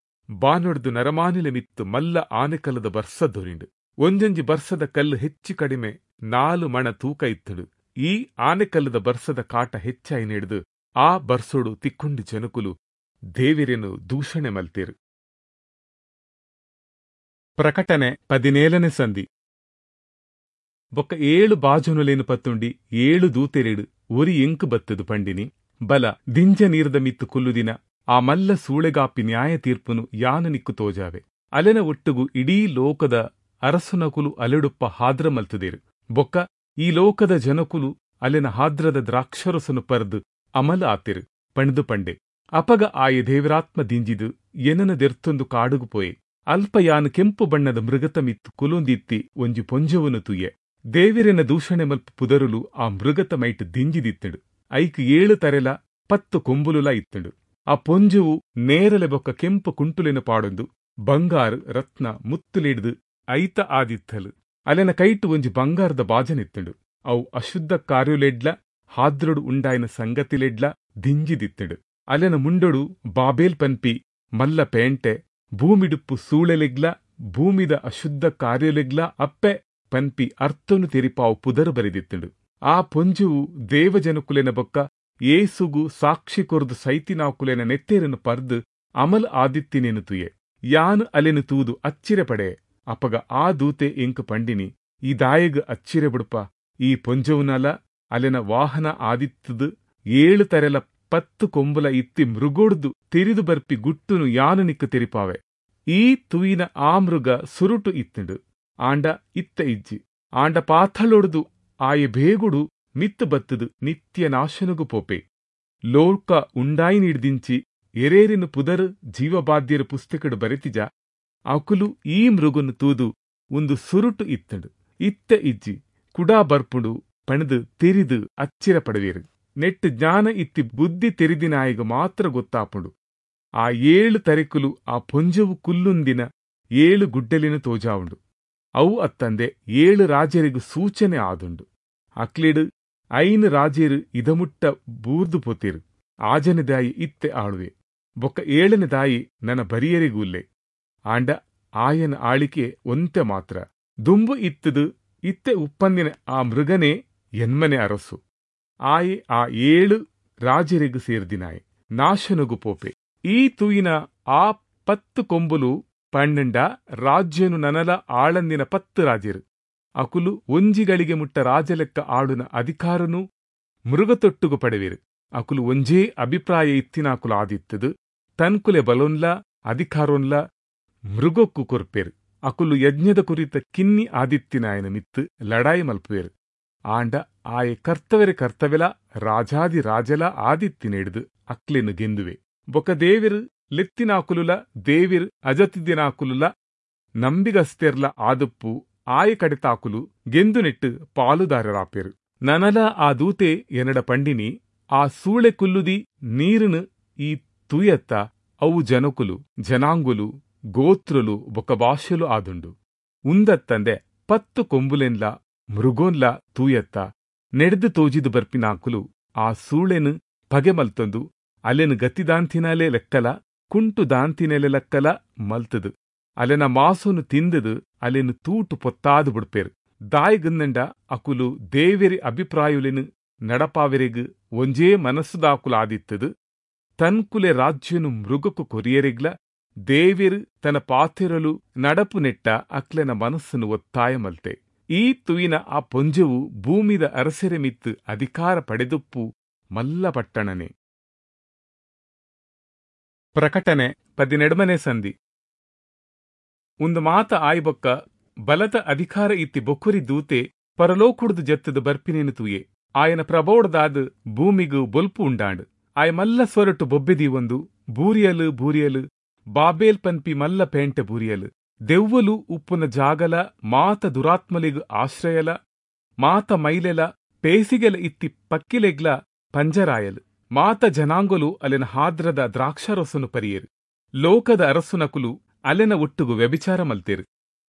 ಬಾನೊಡ್ದು ನರಮಾನಿಲೆ ಮಿತ್ತು ಮಲ್ಲ ಆನೆಕಲ್ಲದ ಬರ್ಸ ದೊರಿಂಡು. ಒಂಜೊಂಜಿ ಬರ್ಸದ ಕಲ್ಲು ಹೆಚ್ಚು ಕಡಿಮೆ ನಾಲು ಮಣ ತೂಕ ಇತ್ತಡು. ಈ ಆನೆಕಲ್ಲದ ಬರ್ಸದ ಕಾಟ ಹೆಚ್ಚಾಯಿ ನೆಡ್ದು ಆ ಬರ್ಸೋಡು ತಿಕ್ಕೊಂಡಿ ಜನಕುಲು ದೇವಿರೆನು ದೂಷಣೆ ಮಲ್ತೇರು. ಪ್ರಕಟಣೆ ಪದಿನೇಳನೇ ಸಂಧಿ. ಬೊಕ್ಕ ಏಳು ಬಾಜನುಲೇನು ಪತ್ತುಂಡಿ ಏಳು ದೂತೆರೇಡು ಒರಿ ಎಂಕು ಬತ್ತದು ಪಂಡಿನಿ. ಬಲ ದಿಂಜ ನೀರ್ದ ಮಿತ್ತು ಕುಲ್ಲುದಿನ ಆ ಮಲ್ಲ ಸೂಳೆಗಾಪಿ ನ್ಯಾಯ ತೀರ್ಪುನು ಯಾನು ನಿಕ್ಕು ತೋಜಾವೆ. ಅಲೆನ ಒಟ್ಟುಗು ಇಡೀ ಲೋಕದ ಅರಸುನಕುಲು ಅಲೆಡುಪ್ಪ ಹಾದ್ರ ಮಲ್ತುದೇರು. ಬೊಕ್ಕ ಈ ಲೋಕದ ಜನಕುಲು ಅಲೆನ ಹಾದ್ರದ ದ್ರಾಕ್ಷರಸನು ಪರ್ದು ಅಮಲ ಆತಿರು ಪಂಡ್ದು ಪಂಡೆ. ಅಪಗ ಆಯೆ ದೇವರಾತ್ಮ ದಿಂಜಿದು ಎನನ ದೆರ್ತೊಂದು ಕಾಡುಗು ಪೋಯೆ. ಅಲ್ಪ ಯಾನ್ ಕೆಂಪು ಬಣ್ಣದ ಮೃಗತ ಮಿತ್ತು ಕುಲುಂದಿತ್ತಿ ಒಂಜಿ ಪೊಂಜೊವುನು ತೂಯೆ. ದೇವಿರೆನ ದೂಷಣೆ ಮಲ್ಪು ಪುದರುಲು ಆ ಮೃಗತ ಮೈಟ್ ದಿಂಜಿದಿತ್ತುಂಡು. ಐಕ್ ಏಳು ತರೆಲ ಪತ್ತು ಕೊಂಬುಲುಲ ಇತ್ತುಂಡು. ಆ ಪೊಂಜುವು ನೇರಲೆ ಬೊಕ್ಕ ಕೆಂಪು ಕುಂಟುಲೆನ ಪಾಡೊಂದು ಬಂಗಾರು ರತ್ನ ಮುತ್ತುಲಿಡ್ದು ಐತ ಆದಿತ್ತಲು. ಅಲೆನ ಕೈಟು ಒಂಜಿ ಬಂಗಾರದ ಬಾಜನಿತ್ತುಂಡು. ಅವು ಅಶುದ್ಧ ಕಾರ್ಯಲೆಡ್ಲ ಹಾದ್ರೊಡು ಉಂಡಾಯಿನ ಸಂಗತಿಲೆಡ್ಲ ದಿಂಜಿದಿತ್ತುಂಡು. ಅಲೆನ ಮುಂಡೊಡು ಬಾಬೇಲ್ ಪನ್ಪಿ ಮಲ್ಲ ಪೇಂಟೆ ಭೂಮಿಡುಪ್ಪು ಸೂಳೆಲೆಗ್ಲ ಭೂಮಿದ ಅಶುದ್ಧ ಕಾರ್ಯಲೆಗ್ಲ ಅಪ್ಪೆ ಪನ್ಪಿ ಅರ್ಥನು ತೆರಿಪಾವು ಪುದರು ಬರೆದಿತ್ತುಂಡು. ಆ ಪೊಂಜುವು ದೇವಜನಕುಲೆನ ಬೊಕ್ಕ ಏಸುಗು ಸಾಕ್ಷಿ ಕೊರ್ದು ಸೈತಿನಾಕುಲೆನ ನೆತ್ತೇರನ್ನು ಪರ್ದು ಅಮಲ್ ಆದಿತ್ತಿನೇನು ತುಯೆ. ಯಾನ್ ಅಲೆನು ತೂದು ಅಚ್ಚಿರೆ ಪಡೆ. ಅಪಗ ಆ ದೂತೆ ಎಂಕ್ ಪಂಡಿನಿ, ಈ ದಾಯಗ್ ಅಚ್ಚಿರೆ ಬುಡ್ಪ, ಈ ಪೊಂಜೊವುನಲ ಅಲೆನ ವಾಹನ ಆದಿತ್ತದು ಏಳು ತರೆಲ ಪತ್ತು ಕೊಂಬುಲ ಇತ್ತಿ ಮೃಗೊಡ್ದು ತೆರಿದು ಬರ್ಪಿ ಗುಟ್ಟುನು ಯಾನು ನಿಕ್ಕು ತೆರಿಪಾವೆ. ಈ ತುಯಿನ ಆ ಮೃಗ ಸುರುಟು ಇತ್ತುಂಡು, ಆಂಡ ಇತ್ತ ಇಜ್ಜಿ. ಆಂಡ ಪಾಥಳೊಡ್ದು ಆಯೆ ಬೇಗುಡು ಮಿತ್ತು ಬತ್ತದು ನಿತ್ಯ ನಾಶನಗು ಪೋಪೆ. ಲೋಕ ಉಂಡಾಯಿ ನೀಡ್ದಿಂಚಿ ಎರೇರಿನ ಪುದರ್ ಜೀವಬಾಧ್ಯರ ಪುಸ್ತಕಡು ಬರೆತಿಜ ಅಕುಲು ಈ ಮೃಗನು ತೂದು ಒಂದು ಸುರುಟು ಇತ್ತುಂಡು, ಇತ್ತ ಇಜ್ಜಿ, ಕುಡಾ ಬರ್ಪುಂಡು ಪಣದು ತೆರಿದು ಅಚ್ಚಿರ ಪಡವೇರು. ನೆಟ್ಟು ಜ್ಞಾನ ಇತ್ತಿ ಬುದ್ಧಿ ತೆರಿದಿನಾಯಿಗ ಮಾತ್ರ ಗೊತ್ತಾಪುಂಡು. ಆ ಏಳು ತರೆಕುಲು ಆ ಪೊಂಜವು ಕುಲ್ಲುಂದಿನ ಏಳು ಗುಡ್ಡಲಿನ ತೋಜಾವುಂಡು. ಅವು ಅತ್ತಂದೆ ಏಳು ರಾಜರಿಗೂ ಸೂಚನೆ ಆದುಂಡು. ಅಕ್ಲಿಡು ಐನು ರಾಜೇರು ಇದಮುಟ್ಟ ಬೂರ್ದು ಪೋತೇರು. ಆಜನೆ ದಾಯಿ ಇತ್ತೆ ಆಳುವೆ, ಬೊಕ್ಕ ಏಳನೆ ದಾಯಿ ನನ್ನ ಬರಿಯರಿಗೂಲ್ಲೆ. ಆಂಡ ಆಯನ ಆಳಿಕೆ ಒಂತೆ ಮಾತ್ರ. ದುಂಬು ಇತ್ತದು ಇತ್ತೆ ಉಪ್ಪಂದಿನ ಆ ಮೃಗನೇ ಎನ್ಮನೆ ಅರಸು. ಆಯೆ ಆ ಏಳು ರಾಜರಿಗೂ ಸೇರ್ದಿನಾಯೆ ನಾಶನಗು ಪೋಪೆ. ಈ ತೂಯಿನ ಆ ಪತ್ತು ಕೊಂಬುಲು ಪಣ್ಣಂಡ ರಾಜ್ಯನು ನನಲ ಆಳಂದಿನ ಪತ್ತು ರಾಜರು. ಅಕುಲು ಒಂಜಿಗಳಿಗೆ ಮುಟ್ಟ ರಾಜಲೆಕ್ಕ ಆಳುನ ಅಧಿಕಾರನು ಮೃಗತೊಟ್ಟುಗು ಪಡೆವಿರು. ಅಕುಲು ಒಂಜೇ ಅಭಿಪ್ರಾಯ ಇತ್ತಿನಾಕುಲು ಆದಿತ್ತದು ತನ್ಕುಲೆ ಬಲೊನ್ಲ ಅಧಿಕಾರೊನ್ಲ ಮೃಗೊಕ್ಕು ಕೊರ್ಪೇರು. ಅಕುಲು ಯಜ್ಞದ ಕುರಿತ ಕಿನ್ನಿ ಆದಿತ್ತಿನಾಯನ ಮಿತ್ತು ಲಡಾಯಿ ಮಲ್ಪುವೇರು. ಆಂಡ ಆಯೆ ಕರ್ತವೆರೆ ಕರ್ತವೆಲ ರಾಜಾದಿ ರಾಜಲ ಆದಿತ್ತಿನೆಡ್ದು ಅಕ್ಲೆನು ಗೆಂದುವೆ. ಬೊಕ ದೇವಿರು ಲೆತ್ತಿನಾಕುಲುಲ ದೇವಿರ್ ಅಜತಿದಿನಾಕುಲುಲ ನಂಬಿಗಸ್ತೆರ್ಲ ಆದುಪ್ಪು ಆಯ ಕಡೆತಾಕುಲು ಗೆಂದು ನೆಟ್ಟು ಪಾಲುದಾರರಾಪೇರು. ನನಲ ಆ ದೂತೆ ಎನ್ನಡ ಪಂಡಿನಿ, ಆ ಸೂಳೆ ಕುಲ್ಲುದಿ ನೀರುನು ಈ ತೂಯತ್ತ ಅವು ಜನಕುಲು ಜನಾಂಗುಲು ಗೋತ್ರುಲು ಬೊಕ ಭಾಷೆಲು ಆದುಂಡು. ಉಂದತ್ತಂದೆ ಪತ್ತು ಕೊಂಬುಲೆನ್ಲ ಮೃಗೋನ್ಲ ತೂಯತ್ತ ನೆಡ್ದು ತೋಜಿದು ಬರ್ಪಿನಾಕುಲು ಆ ಸೂಳೆನು ಪಗೆ ಮಲ್ತೊಂದು ಅಲೆನು ಗತಿದಾಂತಿನಾಲೆ ಲೆಕ್ಕಲ ಕುಂಟು ದಾಂತಿನೆಲೆ ಲೆಕ್ಕಲ ಮಲ್ತದು ಅಲೆನ ಮಾಸೊನು ತಿಂದದು ಅಲೆನು ತೂಟು ಪೊತ್ತಾದು ಬುಡ್ಪೇರು. ದಾಯಿಗಂದಂಡ ಅಕುಲು ದೇವೆರಿ ಅಭಿಪ್ರಾಯುಲೆನು ನಡಪಾವೆರೆಗ್ ಒಂಜೇ ಮನಸ್ಸುದಾಕುಲು ಆದಿತ್ತದು ತನ್ಕುಲೆ ರಾಜ್ಯನು ಮೃಗಕ್ಕು ಕೊರಿಯರೆಗ್ಲ ದೇವೆರು ತನ್ನ ಪಾತೆರಲು ನಡಪು ನೆಟ್ಟ ಅಕ್ಲೆನ ಮನಸ್ಸನ್ನು ಒತ್ತಾಯ ಮಲ್ತೆ. ಈ ತುಯಿನ ಆ ಪೊಂಜವು ಭೂಮಿದ ಅರಸೆರೆ ಮಿತ್ತು ಅಧಿಕಾರ ಪಡೆದುಪ್ಪು ಮಲ್ಲ ಪಟ್ಟಣನೆ. ಪ್ರಕಟಣೆ ಪದಿನೆಡ್ಮನೆ ಸಂಧಿ. ಒಂದು ಮಾತ ಆಯ್ಬೊಕ್ಕ ಬಲತ ಅಧಿಕಾರ ಇತ್ತಿ ಬೊಕ್ಕುರಿ ದೂತೆ ಪರಲೋಕುಡ್ದು ಜತ್ತದು ಬರ್ಪಿನೇನು ತೂಯೆ. ಆಯನ ಪ್ರಬೋಡ್ದಾದ್ ಭೂಮಿಗು ಬೊಲ್ಪು ಉಂಡಾಂಡ್. ಆಯ ಮಲ್ಲ ಸ್ವರಟು ಬೊಬ್ಬೆದಿ ಒಂದು ಬೂರಿಯಲು ಬೂರಿಯಲು ಬಾಬೇಲ್ ಪನ್ಪಿ ಮಲ್ಲ ಪೇಂಟೆ ಬೂರಿಯಲು ದೆವ್ವಲು ಉಪ್ಪುನ ಜಾಗಲ ಮಾತ ದುರಾತ್ಮಲಿಗು ಆಶ್ರಯಲ ಮಾತ ಮೈಲೆಲ ಪೇಸಿಗೆಲ ಇತ್ತಿ ಪಕ್ಕಿಲೆಗ್ಲ ಪಂಜರಾಯಲು. ಮಾತ ಜನಾಂಗುಲು ಅಲೆನ ಹಾದ್ರದ ದ್ರಾಕ್ಷಾರಸನು ಪರಿಯೇರು. ಲೋಕದ ಅರಸುನಕುಲು ಅಲೆನ ಒಟ್ಟುಗು ವ್ಯಭಿಚಾರ ಮಲ್ತೇರು.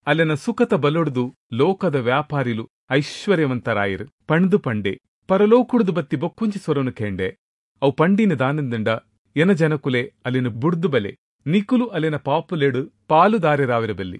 ಅಲೆನ ಸುಖತ ಬಲೊಡ್ದು ಲೋಕದ ವ್ಯಾಪಾರಿಲು ಐಶ್ವರ್ಯವಂತರಾಯರು ಪಂಡ್ದು ಪಂಡೆ. ಪರಲೋಕುಡ್ದು ಬತ್ತಿ ಬೊಕ್ಕೊಂಚಿ ಸ್ವರನು ಕೇಂಡೆ. ಅವು ಪಂಡಿನ ದಾನಂದಂಡ ಎನ ಜನಕುಲೆ ಅಲೆನ ಬುಡ್ದು ಬಲೆ ನಿಕುಲು ಅಲೆನ ಪಾಪುಲೆಡು ಪಾಲುದಾರೆರಾವಿರಬಲ್ಲಿ.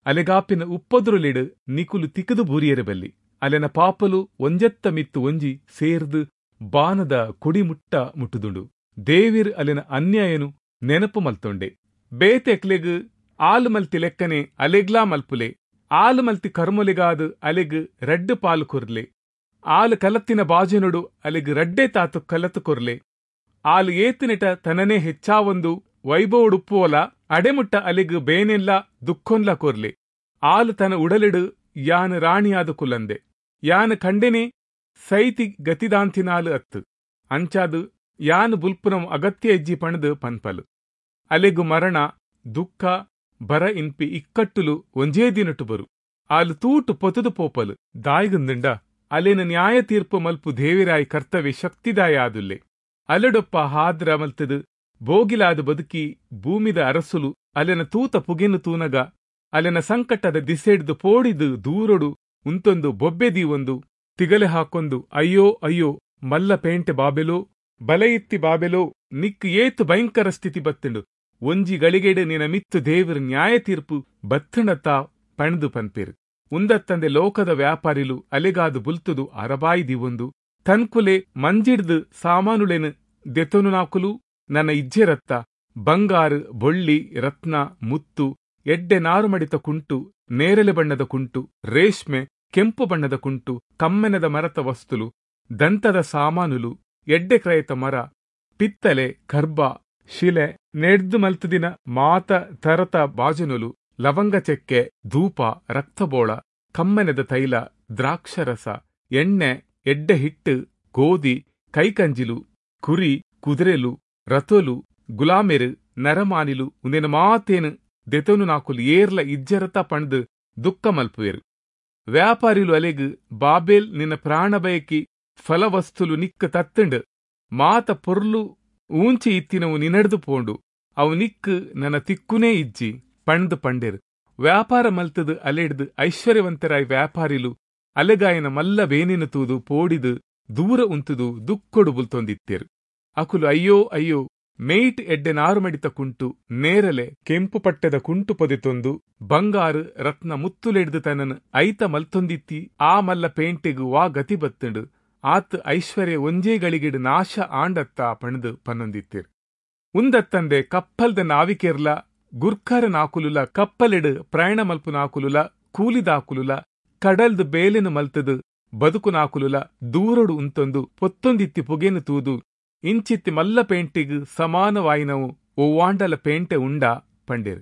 ಅಲೆಗಾಪಿನ ಉಪ್ಪದುರುಲೆಡು ನಿಕುಲು ತಿಕ್ಕದು ಬೂರಿಯರಬಲ್ಲಿ. ಅಲೆನ ಪಾಪಲು ಒಂಜೆತ್ತ ಮಿತ್ತು ಒಂಜಿ ಸೇರ್ದು ಬಾನದ ಕೊಡಿಮುಟ್ಟ ಮುಟ್ಟುದುಂಡು. ದೇವಿರ್ ಅಲೆನ ಅನ್ಯಾಯನು ನೆನಪು ಮಲ್ತೊಂಡೆ. ಬೇತೆಕ್ಲೆಗ್ ಆಲು ಮಲ್ತಿ ಲೆಕ್ಕನೆ ಅಲೆಗ್ಲಾ ಮಲ್ಪುಲೆ. ಆಲು ಮಲ್ತಿ ಕರ್ಮೊಲೆಗಾದು ಅಲೆಗ್ ರಡ್ಡು ಪಾಲು ಕೊರ್ಲೆ. ಆಲು ಕಲತ್ತಿನ ಬಾಜನುಡು ಅಲೆಗ್ ರಡ್ಡೆ ತಾತು ಕಲತು ಕೊರ್ಲೆ. ಆಲು ಏತಿನೆಟ ತನನೇ ಹೆಚ್ಚಾವೊಂದು ವೈಭವಡುಪ್ಪುವಲ ಅಡೆಮುಟ್ಟ ಅಲೆಗ್ ಬೇನೆಲ್ಲ ದುಃಖೊನ್ಲ ಕೊರ್ಲೆ. ಆಲು ತನ ಉಡಲಿಡು ಯಾನ್ ರಾಣಿಯಾದ ಕುಲ್ಲಂದೆ. ಯಾನ್ ಖಂಡೆನೆ ಸೈತಿ ಗತಿದಾಂತಿನಾಲು ಅತ್ತು ಅಂಚಾದು ಯಾನ್ ಬುಲ್ಪುನಂ ಅಗತ್ಯ ಎಜ್ಜಿ ಪಣದು ಪನ್ಪಲು. ಅಲೆಗು ಮರಣ ದುಃಖ ಬರ ಇನ್ಪಿ ಇಕ್ಕಟ್ಟುಲು ಒಂಜೇ ದಿನಟು ಬರು. ಆಲು ತೂಟು ಪೊತುದು ಪೋಪಲು. ದಾಯಿಗುಂದುಂಡ ಅಲೆನ ನ್ಯಾಯ ತೀರ್ಪು ಮಲ್ಪು ದೇವಿರಾಯ್ ಕರ್ತವ್ಯ ಶಕ್ತಿದಾಯ ಆದುಲ್ಲೆ. ಅಲೆಡೊಪ್ಪ ಹಾದ್ರ ಮಲ್ತದು ಬೋಗಿಲಾದ ಬದುಕಿ ಭೂಮಿದ ಅರಸುಲು ಅಲೆನ ತೂತ ಪುಗೆನು ತೂನಗ ಅಲೆನ ಸಂಕಟದ ದಿಸೆಡ್ದು ಪೋಡಿದು ದೂರೊಡು ಉಂತೊಂದು ಬೊಬ್ಬೆ ದೀವೊಂದು ತಿಗಲೆ ಹಾಕೊಂದು, ಅಯ್ಯೋ ಅಯ್ಯೋ ಮಲ್ಲ ಪೇಂಟೆ ಬಾಬೆಲೋ, ಬಲಯಿತ್ತಿ ಬಾಬೆಲೋ, ನಿಕ್ ಏತು ಭಯಂಕರ ಸ್ಥಿತಿ ಬತ್ತುಂಡು, ಒಂಜಿ ಗಳಿಗೆಡೆ ನಿನ ಮಿತ್ತು ದೇವರ ನ್ಯಾಯ ತೀರ್ಪು ಬತ್ತುಂಡತ್ತ ಪಣದು ಪನ್ಪೇರು. ಉಂದತ್ತಂದೆ ಲೋಕದ ವ್ಯಾಪಾರಿಲು ಅಲೆಗಾದು ಬುಲ್ತುದು ಅರಬಾಯಿ ದಿವೊಂದು ತನ್ಕುಲೆ ಮಂಜಿಡ್ದು ಸಾಮಾನುಲೆನು ದೆತೊನು ನಾಕುಲು ನನ್ನ ಇಜ್ಜೆರತ್ತ ಬಂಗಾರು ಬೊಳ್ಳಿ ರತ್ನ ಮುತ್ತು ಎಡ್ಡೆ ನಾರುಮಡಿತ ಕುಂಟು ನೇರಳೆ ಬಣ್ಣದ ಕುಂಟು ರೇಷ್ಮೆ ಕೆಂಪು ಬಣ್ಣದ ಕುಂಟು ಕಮ್ಮೆನದ ಮರತ ವಸ್ತುಲು ದಂತದ ಸಾಮಾನುಲು ಎಡ್ಡೆ ಕ್ರಯತ ಮರ ಪಿತ್ತಲೆ ಕರ್ಬ ಶಿಲೆ ನೆಡ್ದು ಮಲ್ತುದಿನ ಮಾತ ತರತ ಬಾಜನುಲು ಲವಂಗ ಚೆಕ್ಕೆ ಧೂಪ ರಕ್ತಬೋಳ ಕಮ್ಮೆನದ ತೈಲ ದ್ರಾಕ್ಷರಸ ಎಣ್ಣೆ ಎಡ್ಡೆ ಹಿಟ್ಟು ಗೋಧಿ ಕೈಕಂಜಿಲು ಕುರಿ ಕುದುರೆಲು ರಥೋಲು ಗುಲಾಮೆರು ನರಮಾನಿಲು ಉಂದಿನ ಮಾತೇನು ದೆತೊನು ನಾಕುಲು ಏರ್ಲ ಇಜ್ಜರತ ಪಣ್ದು ದುಃಖ ಮಲ್ಪುವೆರು. ವ್ಯಾಪಾರಿಲು ಅಲೆಗು ಬಾಬೆಲ್ ನಿನ್ನ ಪ್ರಾಣ ಬಯಕಿ ಫಲವಸ್ತುಲು ನಿಕ್ಕ ತತ್ತುಂಡು ಮಾತ ಪೊರ್ಲು ಊಂಚಿ ಇತ್ತಿನವು ನಿನಡ್ದು ಪೋಂಡು ಅವು ನಿಕ್ಕು ನನ್ನ ತಿಕ್ಕುನೇ ಇಜ್ಜಿ ಪಣ್ದು ಪಂಡೇರು. ವ್ಯಾಪಾರ ಮಲ್ತದು ಅಲೆಡ್ದು ಐಶ್ವರ್ಯವಂತರಾಯ್ ವ್ಯಾಪಾರಿಲು ಅಲೆಗಾಯನ ಮಲ್ಲ ವೇನಿನ ತೂದು ಪೋಡಿದು ದೂರ ಉಂತುದು ದುಕ್ಕೊಡು ಬುಲ್ತೊಂದಿತ್ತೇರು. ಅಕುಲು ಅಯ್ಯೋ ಅಯ್ಯೋ ಮೇಟ್ ಎಡ್ಡೆ ನಾರುಮಡಿತ ಕುಂಟು ನೇರಲೆ ಕೆಂಪು ಪಟ್ಟೆದ ಕುಂಟು ಪೊದೆತೊಂದು ಬಂಗಾರು ರತ್ನ ಮುತ್ತುಲೆಡ್ದು ತನ್ನನು ಐತ ಮಲ್ತೊಂದಿತ್ತಿ ಆ ಮಲ್ಲ ಪೇಂಟೆಗು ವಾ ಗತಿ ಬತ್ತುಂಡು ಆತ್ ಐಶ್ವರ್ಯ ಒಂಜೇ ಗಳಿಗೆಡು ನಾಶ ಆಂಡತ್ತ ಪಣದು ಪನ್ನೊಂದಿತ್ತೇರು. ಉಂದತ್ತಂದೆ ಕಪ್ಪಲ್ದ ನಾವಿಕೆರ್ಲ ಗುರ್ಖರ ನಾಕುಲುಲ ಕಪ್ಪಲೆಡು ಪ್ರಯಾಣ ಮಲ್ಪು ನಾಕುಲುಲ ಕೂಲಿದಾಕುಲುಲ ಕಡಲ್ದು ಬೇಲೆನು ಮಲ್ತದು ಬದುಕು ನಾಕುಲುಲ ದೂರೊಡು ಉಂತೊಂದು ಪೊತ್ತೊಂದಿತ್ತಿ ಪುಗೆನು ತೂದು ಇಂಚಿತ್ತಿ ಮಲ್ಲ ಪೇಂಟೆಗು ಸಮಾನವಾಯಿನವು ಒವ್ವಾಂಡಲ ಪೇಂಟೆ ಉಂಡಾ ಪಂಡೇರು.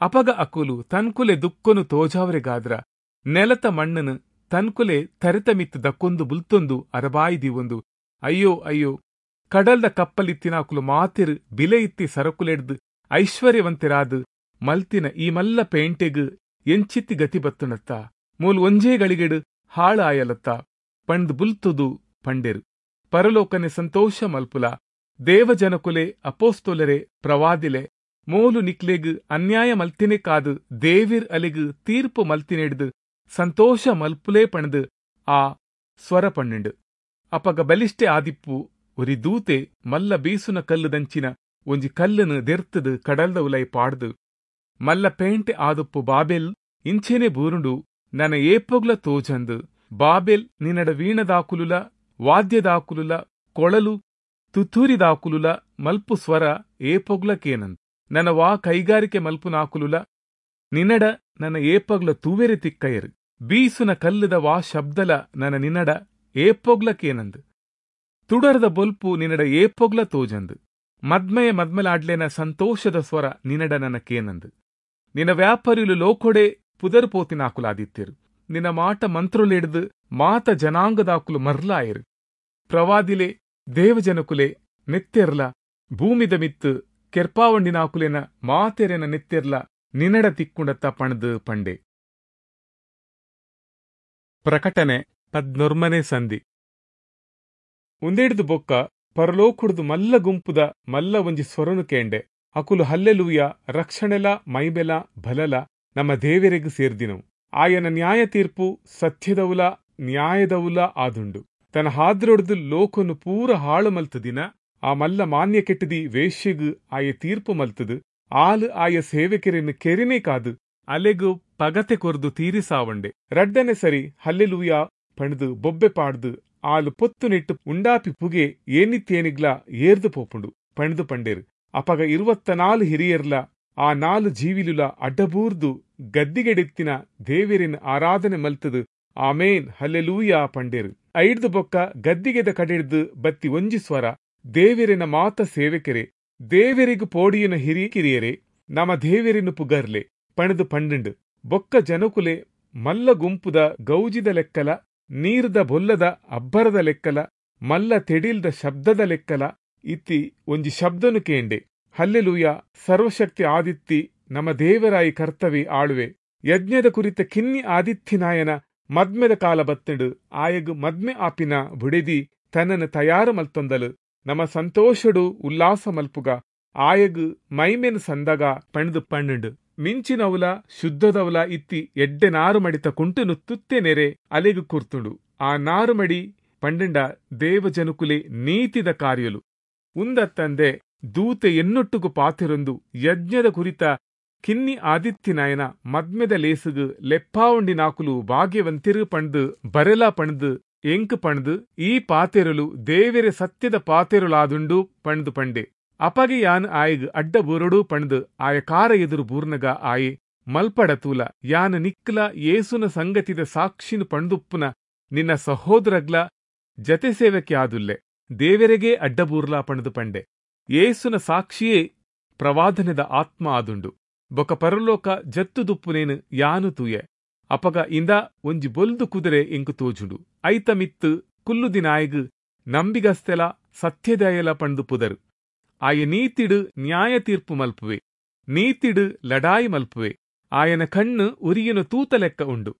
ಅಪಗ ಅಕುಲು ತನ್ಕುಲೆ ದುಕ್ಕೊನು ತೋಜಾವರೆಗಾದ್ರ ನೆಲತ ಮಣ್ಣನು ತನ್ಕುಲೆ ತರಿತ ಮಿತ್ತು ದಕ್ಕೊಂದು ಬುಲ್ತೊಂದು ಅರಬಾಯಿ ದೀವೊಂದು ಅಯ್ಯೋ ಅಯ್ಯೋ ಕಡಲ್ದ ಕಪ್ಪಲಿತ್ತಿನಾಕುಲು ಮಾತಿರು ಬಿಲೆ ಇತ್ತಿ ಸರಕುಲೆಡ್ದು ಐಶ್ವರ್ಯವಂತರಾದು ಮಲ್ತಿನ ಈ ಮಲ್ಲ ಪೇಂಟೆಗು ಎಂಚಿತ್ತಿ ಗತಿ ಬತ್ತುಣತ್ತ ಮೂಲು ಒಂಜೇ ಗಳಿಗೆಡು ಹಾಳಾಯಲತ್ತ ಪಂಡ್ ಬುಲ್ತುದು ಪಂಡೇರು. ಪರಲೋಕನೆ ಸಂತೋಷ ಮಲ್ಪುಲ ದೇವಜನಕುಲೆ ಅಪೋಸ್ತೋಲರೆ ಪ್ರವಾದಿಲೆ ಮೋಲು ನಿಕ್ಲೆಗ್ ಅನ್ಯಾಯ ಮಲ್ತಿನೆ ಕಾದು ದೇವಿರ್ ಅಲೆಗ್ ತೀರ್ಪು ಮಲ್ತಿನೆಡ್ದು ಸಂತೋಷ ಮಲ್ಪುಲೇ ಪಣದು ಆ ಸ್ವರ ಪಣ್ಣೆಂಡು. ಅಪಗ ಬಲಿಷ್ಠೆ ಆದಿಪ್ಪು ಒರಿ ದೂತೆ ಮಲ್ಲ ಬೀಸುನ ಕಲ್ಲುದಂಚಿನ ಒಂಜಿ ಕಲ್ಲನ್ನು ದೆರ್ತದು ಕಡಲ್ದ ಉಲೈ ಪಾಡ್ದು ಮಲ್ಲ ಪೇಂಟೆ ಆದುಪ್ಪು ಬಾಬೆಲ್ ಇಂಚೇನೆ ಬೂರುಂಡು ನನ ಏಪೊಗ್ಲ ತೋಜಂದು ಬಾಬೆಲ್ ನಿನ್ನಡ ವೀಣದಾಕುಲುಲ ವಾದ್ಯದಾಕುಲುಲ ಕೊಳಲು ತುತ್ತೂರಿದಾಕುಲುಲ ಮಲ್ಪು ಸ್ವರ ಏಪೊಗ್ಲ ಕೇನಂದ್ ನನ್ನ ವಾ ಕೈಗಾರಿಕೆ ಮಲ್ಪುನಾಕುಲುಲ ನಿನ್ನಡ ನನ್ನ ಏಪಗ್ಲ ತೂವೆರೆ ತಿಕ್ಕಯರು ಬೀಸುನ ಕಲ್ಲುದ ವಾ ಶಬ್ದಲ ನನ್ನ ನಿನ್ನಡ ಏಪೊಗ್ಲ ಕೇನಂದ್ ತುಡರದ ಬೊಲ್ಪು ನಿನ್ನಡ ಏಪೊಗ್ಲ ತೋಜಂದು ಮದ್ಮಯ ಮದ್ಮಲಾಡ್ಲೇನ ಸಂತೋಷದ ಸ್ವರ ನಿನ್ನಡ ನನ್ನ ಕೇನಂದು ನಿನ್ನ ವ್ಯಾಪಾರಿಲು ಲೋಕೊಡೆ ಪುದರ್ ಪೋತಿನಾಕುಲಾದಿತ್ತಿರು ನಿನ್ನ ಮಾಟ ಮಂತ್ರೊಲೆಡ್ದು ಮಾತ ಜನಾಂಗದಾಕುಲು ಮರ್ಲಾಯರು. ಪ್ರವಾದಿಲೆ ದೇವಜನಕುಲೆ ನೆತ್ತೆರ್ಲ ಭೂಮಿದ ಮಿತ್ತು ಕೆರ್ಪಾವಂಡಿನಾಕುಲೆನ ಮಾತೆರೆನ ನೆತ್ತೆರ್ಲ ನಿನ್ನಡ ತಿಕ್ಕುಂಡತ್ತ ಪಣದು ಪಂಡೆ. ಪ್ರಕಟಣೆ ಪದ್ನೊರ್ಮನೆ ಸಂಧಿ. ಉಂದೆಡ್ದು ಬೊಕ್ಕ ಪರಲೋಕುಡ್ದು ಮಲ್ಲ ಗುಂಪುದ ಮಲ್ಲ ಒಂಜಿ ಸ್ವರನು ಕೇಂಡೆ. ಅಕುಲು ಹಲ್ಲೆಲೂಯ ರಕ್ಷಣೆಲ ಮೈಬೆಲ ಬಲಲ ನಮ್ಮ ದೇವೆರೆಗ್ ಸೇರ್ದಿನವು, ಆಯನ ನ್ಯಾಯ ತೀರ್ಪು ಸತ್ಯದವುಲ ನ್ಯಾಯದವುಲ ಆದುಂಡು. ತನ್ನ ಹಾದ್ರೊಡ್ದು ಲೋಕನು ಪೂರ ಹಾಳು ಮಲ್ತದಿನ ಆ ಮಲ್ಲ ಮಾನ್ಯ ಕೆಟ್ಟದಿ ವೇಶ್ಯಗು ಆಯ ತೀರ್ಪು ಮಲ್ತದು ಆಲು ಆಯ ಸೇವಕರನ್ನು ಕೆರಿನೇ ಕಾದು ಅಲೆಗು ಪಗತೆ ಕೊರ್ದು ತೀರಿಸಾವಂಡೆ. ರಡ್ಡನೆ ಸರಿ ಹಲ್ಲೆಲೂಯ ಪಣದು ಬೊಬ್ಬೆ ಪಾಡ್ದು ಆಲು ಪೊತ್ತು ನೆಟ್ಟು ಉಂಡಾಪಿ ಪುಗೆ ಏನಿತ್ತೇನಿಗ್ಲಾ ಏರ್ದು ಪೋಪುಂಡು ಪಣದು ಪಂಡೇರು. ಅಪಗ ಇರುವತ್ತ ನಾಲು ಹಿರಿಯರ್ಲ ಆ ನಾಲು ಜೀವಿಲುಲ ಅಡ್ಡಬೂರ್ದು ಗದ್ದಿಗೆಡೆತ್ತಿನ ದೇವರಿನ ಆರಾಧನೆ ಮಲ್ತದು ಆಮೇನ್ ಹಲ್ಲೆಲೂಯಾ ಪಂಡೇರು. ಐಡ್ದು ಬೊಕ್ಕ ಗದ್ದಿಗೆದ ಕಡೆಡ್ದು ಬತ್ತಿ ಒಂಜಿ ಸ್ವರ, ದೇವರಿನ ಮಾತ ಸೇವಕರೇ ದೇವರಿಗು ಪೋಡಿಯನ ಹಿರಿ ಕಿರಿಯರೇ ನಮ ದೇವರಿನ ಪುಗರ್ಲೆ ಪಣದು ಪಂಡುಂಡು. ಬೊಕ್ಕ ಜನಕುಲೆ ಮಲ್ಲ ಗುಂಪುದ ಗೌಜಿದ ಲೆಕ್ಕಲ ನೀರ್ದ ಬೊಲ್ಲದ ಅಬ್ಬರದ ಲೆಕ್ಕಲ ಮಲ್ಲ ತೆಡಿಲ್ದ ಶಬ್ದದ ಲೆಕ್ಕಲ ಇತ್ತಿ ಒಂಜಿ ಶಬ್ದನು ಕೇಂಡೆ, ಹಲ್ಲೆಲೂಯ ಸರ್ವಶಕ್ತಿ ಆದಿತ್ತಿ ನಮ ದೇವರಾಯಿ ಕರ್ತವಿ ಆಳುವೆ. ಯಜ್ಞದ ಕುರಿತ ಕಿನ್ನಿ ಆದಿತ್ಯನಾಯನ ಮದ್ಮೆದ ಕಾಲ ಬತ್ತಂಡು ಆಯಗ್ ಮದ್ಮೆ ಆಪಿನ ಬುಡೆದಿ ತನ್ನನ್ನು ತಯಾರು ಮಲ್ತೊಂದಲು ನಮ ಸಂತೋಷಡು ಉಲ್ಲಾಸ ಮಲ್ಪುಗ ಆಯಗ್ ಮೈಮೆನ್ ಸಂದಗ ಪಣ್ದು ಪಣ್ಣುಂಡು. ಮಿಂಚಿನವುಲ ಶುದ್ಧದವುಲ ಇತ್ತಿ ಎಡ್ಡೆ ನಾರು ಮಡಿತ ಕುಂಟುನು ತುತ್ತೆ ನೆರೆ ಅಲೆಗು ಕುರ್ತುಂಡು. ಆ ನಾರುಮಡಿ ಪಂಡಂಡ ದೇವಜನುಕುಲೆ ನೀತಿದ ಕಾರ್ಯಲು. ಉಂದತ್ತಂದೆ ದೂತೆ ಎನ್ನೊಟ್ಟುಗು ಪಾತಿರೊಂದು ಯಜ್ಞದ ಕುರಿತ ಕಿನ್ನಿ ಆದಿತ್ಯನಾಯನ ಮದ್ಮೆದ ಲೇಸುಗು ಲೆಪ್ಪಾವಂಡಿನಾಕುಲು ಭಾಗ್ಯವಂತಿರು ಪಣ್ದು ಬರೆಲ ಪಣ್ದು ಎಂಕು ಪಣ್ದು ಈ ಪಾತೆರಲು ದೇವೆರೆ ಸತ್ಯದ ಪಾತೆರುಲಾದುಂಡು ಪಣ್ದು ಪಂಡೆ. ಅಪಗೆ ಯಾನ್ ಆಯಗ್ ಅಡ್ಡ ಬೂರಡು ಪಣ್ದು ಆಯ ಕಾರ ಎದುರು ಬೂರ್ನಗ ಆಯೆ ಮಲ್ಪಡ ತೂಲ ಯಾನ್ ನಿಕ್ಲ ಯೇಸುನ ಸಂಗತಿದ ಸಾಕ್ಷಿನು ಪಣ್ದುಪ್ಪುನ ನಿನ್ನ ಸಹೋದರಗ್ಲ ಜತೆ ಸೇವಕೆ ಆದುಲ್ಲೆ ದೇವೆರೆಗೆ ಅಡ್ಡಬೂರ್ಲಾ ಪಣ್ದು ಪಂಡೆ. ಯೇಸುನ ಸಾಕ್ಷಿಯೇ ಪ್ರವಾದನೆದ ಆತ್ಮ ಆದುಂಡು. ಬೊಕ ಪರಲೋಕ ಜತ್ತುದುಪ್ಪುನೇನು ಯಾನು ತೂಯೆ. ಅಪಗ ಇಂದ ಒಂಜಿ ಬೊಲ್ದು ಕುದುರೆ ಎಂಕು ತೋಜುಂಡು. ಐತ ಮಿತ್ತು ಕುಲ್ಲುದಿನಾಯಗ್ ನಂಬಿಗಸ್ತೆಲ ಸತ್ಯದಯಲ ಪಂಡು ಪುದರು. ಆಯ ನೀತಿಡು ನ್ಯಾಯ ತೀರ್ಪು ಮಲ್ಪುವೆ, ನೀತಿಡು ಲಡಾಯಿ ಮಲ್ಪುವೆ. ಆಯನ ಕಣ್ಣು ಉರಿಯನು ತೂತ ಲೆಕ್ಕ ಉಂಡು.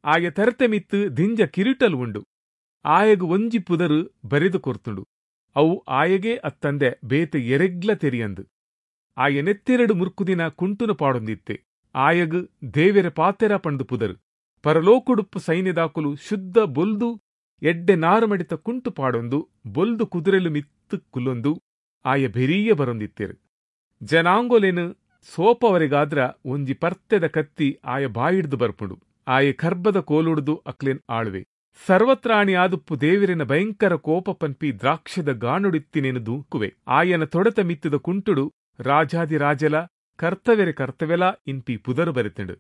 ಆಯ ತರತೆ ಮಿತ್ತು ದಿಂಜ ಕಿರೀಟಲು ಉಂಡು. ಆಯಗು ಒಂಜಿ ಪುದರು ಬರೆದು ಕೊರ್ತುಂಡು. ಅವು ಆಯಗೇ ಅತ್ತಂದೆ ಬೇತೆ ಎರೆಗ್ಲ ತೆರಿಯಂದು. ಆಯ ನೆತ್ತೆರಡು ಮುರ್ಕುದಿನ ಕುಂಟುನು ಪಾಡೊಂದಿತ್ತೆ. ಆಯಗು ದೇವೆರ ಪಾತೆರ ಪಂಡು ಪುದರು. ಪರಲೋಕುಡುಪ್ಪು ಸೈನ್ಯದಾಕುಲು ಶುದ್ಧ ಬೊಲ್ದು ಎಡ್ಡೆ ನಾರುಮಡಿತ ಕುಂಟು ಪಾಡೊಂದು ಬೊಲ್ದು ಕುದುರೆಲು ಮಿತ್ತು ಕುಲ್ಲೊಂದು ಆಯ ಬೆರಿಯ ಬರೊಂದಿತ್ತೇರು. ಜನಾಂಗೊಲೆನು ಸೋಪವರಿಗಾದ್ರ ಒಂಜಿ ಪರ್ತೆದ ಕತ್ತಿ ಆಯ ಬಾಯಿಡ್ದು ಬರ್ಪುಂಡು. ಆಯ ಕರ್ಬದ ಕೋಲುಡ್ದು ಅಕ್ಲೆನ್ ಆಳುವೆ. ಸರ್ವತ್ರಾಣಿ ಆದುಪ್ಪು ದೇವಿರಿನ ಭಯಂಕರ ಕೋಪ ಪನ್ಪಿ ದ್ರಾಕ್ಷದ ಗಾನುಡಿತ್ತಿನೇನು ದೂಕುವೆ. ಆಯನ ತೊಡತ ಮಿತ್ತದ ಕುಂಟುಡು ರಾಜಾದಿರಾಜಲ ಕರ್ತವೆರೆ ಕರ್ತವೆಲ ಇನ್ಪಿ ಪುದರು ಬರೆತಂಡು.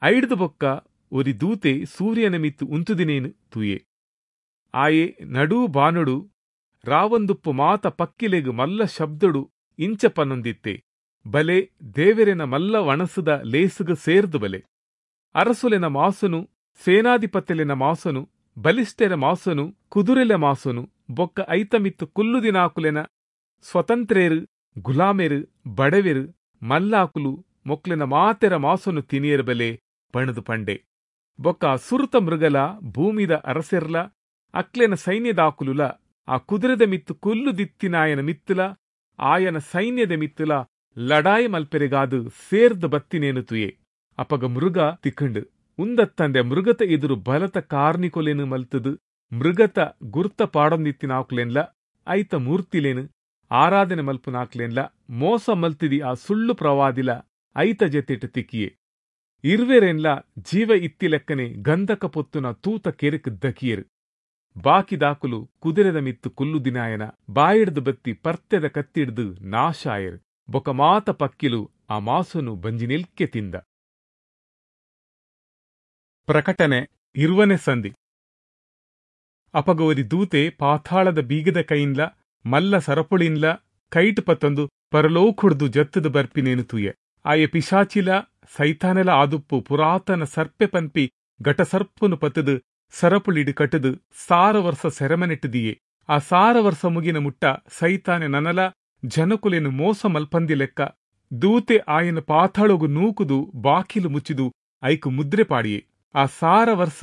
ಐಡ್ದು ಬೊಕ್ಕ ಒರಿ ದೂತೆ ಸೂರ್ಯನ ಮಿತ್ತು ಉಂತುದಿನೇನು ತೂಯೆ. ಆಯೆ ನಡೂ ಬಾನುಡು ರಾವಂದುಪ್ಪು ಮಾತ ಪಕ್ಕಿಲೆಗು ಮಲ್ಲ ಶಬ್ದಡು ಇಂಚ ಪನ್ನೊಂದಿತ್ತೆ, ಬಲೆ ದೇವೆರೆನ ಮಲ್ಲ ವಣಸುದ ಲೇಸುಗು ಸೇರ್ದು ಬಲೆ. ಅರಸುಲೆನ ಮಾಸುನು ಸೇನಾಧಿಪತಿಲೆನ ಮಾಸುನು ಬಲಿಷ್ಠೆರ ಮಾಸುನು ಕುದುರೆಲೆ ಮಾಸುನು ಬೊಕ್ಕ ಐತಮಿತ್ತು ಕುಲ್ಲುದಿನಾಕುಲೆನ ಸ್ವತಂತ್ರೇರು ಗುಲಾಮೆರು ಬಡವೆರು ಮಲ್ಲಾಕುಲು ಮೊಕ್ಲೆನ ಮಾತೆರ ಮಾಸುನು ತಿನಿಯರ್ ಬಲೆ ಪಣದು ಪಂಡೆ. ಬೊಕ್ಕ ಸುರುತ ಮೃಗಲ ಭೂಮಿದ ಅರಸೆರ್ಲ ಅಕ್ಲೆನ ಸೈನ್ಯದಾಕುಲುಲ ಆ ಕುದುರೆದ ಮಿತ್ತು ಕುಲ್ಲುದಿತ್ತಿನಾಯನ ಮಿತ್ತುಲ ಆಯನ ಸೈನ್ಯದ ಮಿತ್ತುಲ ಲಡಾಯಿ ಮಲ್ಪೆರೆಗಾದು ಸೇರ್ದು ಬತ್ತಿನೇನು ತುಯೆ. ಅಪಗ ಮೃಗ ತಿಕ್ಕಂಡು ಉಂದತ್ತಂದೆ ಮೃಗತ ಎದುರು ಬಲತ ಕಾರ್ನಿಕೊಲೆನು ಮಲ್ತದು ಮೃಗತ ಗುರ್ತ ಪಾಡೊಂದಿತ್ತಿನಾಕುಲೆನ್ಲ ಐತ ಮೂರ್ತಿಲೇನು ಆರಾಧನೆ ಮಲ್ಪುನಾಕ್ಲೆನ್ಲ ಮೋಸ ಮಲ್ತಿದಿ ಆ ಸುಳ್ಳು ಪ್ರವಾದಿಲ ಐತ ಜತೆಟ್ ತಿಕ್ಕಿಯೆ. ಇರ್ವೆರೆನ್ಲ ಜೀವ ಇತ್ತಿಲೆಕ್ಕನೆ ಗಂಧಕ ಪೊತ್ತುನ ತೂತ ಕೆರೆಕ್ ದಕಿಯರು. ಬಾಕಿದಾಕುಲು ಕುದುರೆದ ಮಿತ್ತು ಕುಲ್ಲುದಿನಾಯನ ಬಾಯಿಡ್ದು ಬತ್ತಿ ಪರ್ತೆದ ಕತ್ತಿಡ್ದು ನಾಶಾಯರು. ಬೊಕ ಮಾತ ಪಕ್ಕಿಲು ಆ ಮಾಸುನು ಬಂಜಿನಿಲ್ಕೆ ತಿಂದ. ಪ್ರಕಟಣೆ ಇರುವನೆ ಸಂಧಿ. ಅಪಗೋರಿ ದೂತೆ ಪಾತಾಳದ ಬೀಗದ ಕೈನ್ಲ ಮಲ್ಲ ಸರಪುಳಿನ್ಲ ಕೈಟ್ ಪತ್ತೊಂದು ಪರಲೋಕುಡ್ದು ಜತ್ತದ ಬರ್ಪಿನೇನು ತೂಯೆ. ಆಯೆ ಪಿಶಾಚಿಲ ಸೈತಾನೆಲ ಆದುಪ್ಪು ಪುರಾತನ ಸರ್ಪೆ ಪನ್ಪಿ ಘಟಸರ್ಪುನು ಪತ್ತದು ಸರಪುಳಿಡು ಕಟ್ಟದು ಸಾರ ವರ್ಷ ಸೆರೆಮನೆಟ್ಟುದಿಯೆ. ಆ ಸಾರ ವರ್ಷ ಮುಗಿನ ಮುಟ್ಟ ಸೈತಾನೆ ನನಲ ಜನಕುಲೆನು ಮೋಸ ಮಲ್ಪಂದಿ ಲೆಕ್ಕ ದೂತೆ ಆಯನ ಪಾತಾಳೊಗು ನೂಕುದು ಬಾಕಿಲು ಮುಚ್ಚಿದು ಐಕು ಮುದ್ರೆ ಪಾಡಿಯೆ. ಆ ಸಾರ ವರ್ಷ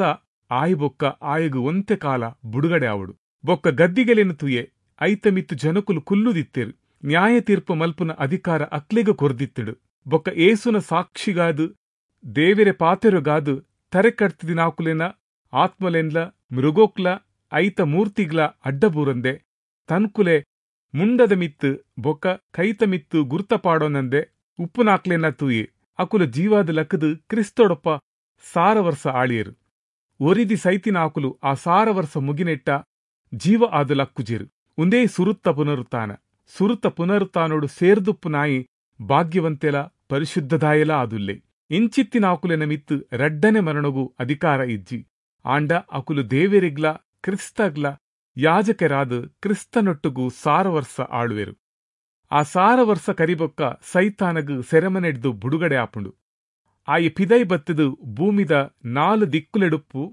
ಆಯಿ ಬೊಕ್ಕ ಆಯಗು ಒಂತೆ ಕಾಲ ಬುಡುಗಡೆ ಆವಡು. ಬೊಕ್ಕ ಗದ್ದಿಗೆಲೆನು ತೂಯೆ. ಐತ ಮಿತ್ತು ಜನಕುಲು ಕುಲ್ಲುದಿತ್ತೇರು. ನ್ಯಾಯ ತೀರ್ಪು ಮಲ್ಪುನ ಅಧಿಕಾರ ಅಕ್ಲೆಗು ಕೊರ್ದಿತ್ತಡು. ಬೊಕ್ಕ ಏಸುನ ಸಾಕ್ಷಿಗಾದು ದೇವೆರೆ ಪಾತೆರುಗಾದು ತರೆಕಡ್ತಿದಿನಾಕುಲೆನ ಆತ್ಮಲೆನ್ಲ ಮೃಗೋಕ್ಲ ಐತ ಮೂರ್ತಿಗ್ಲ ಅಡ್ಡಬೂರಂದೆ ತನ್ಕುಲೆ ಮುಂಡದ ಮಿತ್ತು ಬೊಕ್ಕ ಕೈತ ಮಿತ್ತು ಗುರ್ತ ಪಾಡೋನಂದೆ ಉಪ್ಪುನಾಕ್ಲೆನ ತೂಯೆ. ಅಕುಲ ಜೀವಾದ ಲಕ್ಕದು ಕ್ರಿಸ್ತೊಡಪ್ಪ ಸಾರ ವರ್ಷ ಆಳಿಯರು. ಒರಿದಿ ಸೈತಿನಾಕುಲು ಆ ಸಾರ ವರ್ಷ ಮುಗಿನೆಟ್ಟ ಜೀವ ಆದ ಲಕ್ಕುಜಿರು. ಉಂದೇ ಸುರುತ್ತ ಪುನರುತ್ತಾನ. ಸುರುತ್ತ ಪುನರುತ್ತಾನೋಡು ಸೇರ್ದುಪ್ಪು ನಾಯಿ ಭಾಗ್ಯವಂತೆಲ ಪರಿಶುದ್ಧದಾಯಲ ಆದುಲ್ಲೆ. ಇಂಚಿತ್ತಿನಾಕುಲೆನ ಮಿತ್ತು ರಡ್ಡನೆ ಮರಣಗು ಅಧಿಕಾರ ಇಜ್ಜಿ. ಆಂಡ ಅಕುಲು ದೇವೆರಿಗ್ಲ ಕ್ರಿಸ್ತಗ್ಲ ಯಾಜಕರಾದ ಕ್ರಿಸ್ತನೊಟ್ಟುಗು ಸಾರ ವರ್ಷ ಆಳುವೆರು. ಆ ಸಾರ ವರ್ಷ ಕರಿಬೊಕ್ಕ ಸೈತಾನಗು ಸೆರೆಮನೆಡ್ದು ಬುಡುಗಡೆ ಆಪುಂಡು. ಆಯ ಪಿದೈ ಬತ್ತದು ಭೂಮಿದ ನಾಲು ದಿಕ್ಕುಲೆಡುಪ್ಪು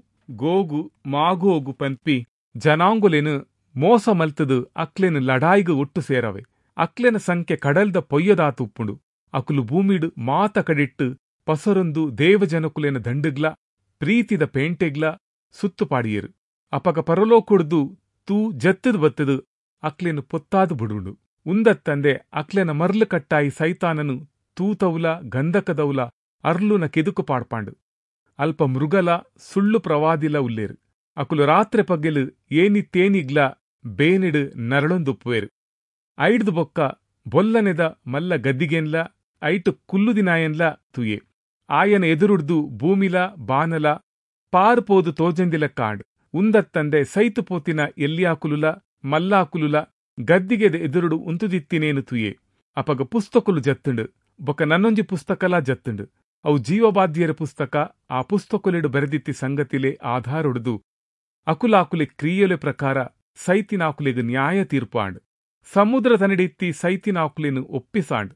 ಗೋಗು ಮಾಗೋಗು ಪನ್ಪಿ ಜನಾಂಗುಲೆನು ಮೋಸ ಮಲ್ತದು ಅಕ್ಲೆನು ಲಡಾಯಿಗು ಒಟ್ಟು ಸೇರವೆ. ಅಕ್ಲೆನ ಸಂಖ್ಯೆ ಕಡಲ್ದ ಪೊಯ್ಯದಾತು ಉಪ್ಪುಂಡು. ಅಕುಲು ಭೂಮಿಡು ಮಾತ ಕಡಿಟ್ಟು ಪಸರೊಂದು ದೇವಜನಕುಲೆನ ದಂಡುಗ್ಲ ಪ್ರೀತಿದ ಪೇಂಟೆಗ್ಲ ಸುತ್ತು ಪಾಡಿಯರು. ಅಪಗ ಪರಲೋಕೊಡ್ದು ತೂ ಜತ್ತದು ಬತ್ತದು ಅಕ್ಲೆನು ಪೊತ್ತಾದು ಬುಡುಂಡು. ಉಂದತ್ತಂದೆ ಅಕ್ಲೆನ ಮರ್ಲು ಕಟ್ಟಾಯಿ ಸೈತಾನನು ತೂತೌಲ ಗಂಧಕದೌಲ ಅರ್ಲುನ ಕೆದುಕು ಪಾಡ್ಪಾಂಡು. ಅಲ್ಪ ಮೃಗಲ ಸುಳ್ಳು ಪ್ರವಾದಿಲ ಉಲ್ಲೇರು. ಅಕುಲು ರಾತ್ರೆ ಪಗ್ಗೆಲು ಏನಿ ತೇನಿಗ್ಲ ಬೇನಿಡು ನರಳೊಂದುಪ್ಪುವೇರು. ಐಡ್ದು ಬೊಕ್ಕ ಬೊಲ್ಲನೆದ ಮಲ್ಲ ಗದ್ದಿಗೆನ್ಲ ಐಟು ಕುಲ್ಲುದಿನಾಯನ್ಲ ತೂಯೆ. ಆಯನ ಎದುರುಡ್ದು ಭೂಮಿಲ ಬಾನಲ ಪಾರು ಪೋದು ತೋಜಂದಿಲ ಕಾಂಡ್. ಉಂದತ್ತಂದೆ ಸೈತು ಪೋತಿನ ಎಲ್ಯಾಕುಲುಲ ಮಲ್ಲಾಕುಲುಲ ಗದ್ದಿಗೆದ ಎದುರುಡು ಉಂತುದಿತ್ತಿನೇನು ತೂಯೆ. ಅಪಗ ಪುಸ್ತಕಲು ಜತ್ತುಂಡು, ಬೊಕ್ಕ ನನ್ನೊಂಜಿ ಪುಸ್ತಕಲಾ ಜತ್ತುಂಡು. ಅವು ಜೀವಬಾಧ್ಯರ ಪುಸ್ತಕ. ಆ ಪುಸ್ತಕಲೆಡು ಬರೆದಿತ್ತಿ ಸಂಗತಿಲೆ ಆಧಾರೊಡುದು ಅಕುಲಾಕುಲೆ ಕ್ರಿಯೆಲೆ ಪ್ರಕಾರ ಸೈತಿನಾಕುಲೆಗ್ ನ್ಯಾಯ ತೀರ್ಪಾಂಡ್. ಸಮುದ್ರ ತನಡಿತ್ತಿ ಸೈತಿನಾಕುಲೆನು ಒಪ್ಪಿಸಾಂಡ್.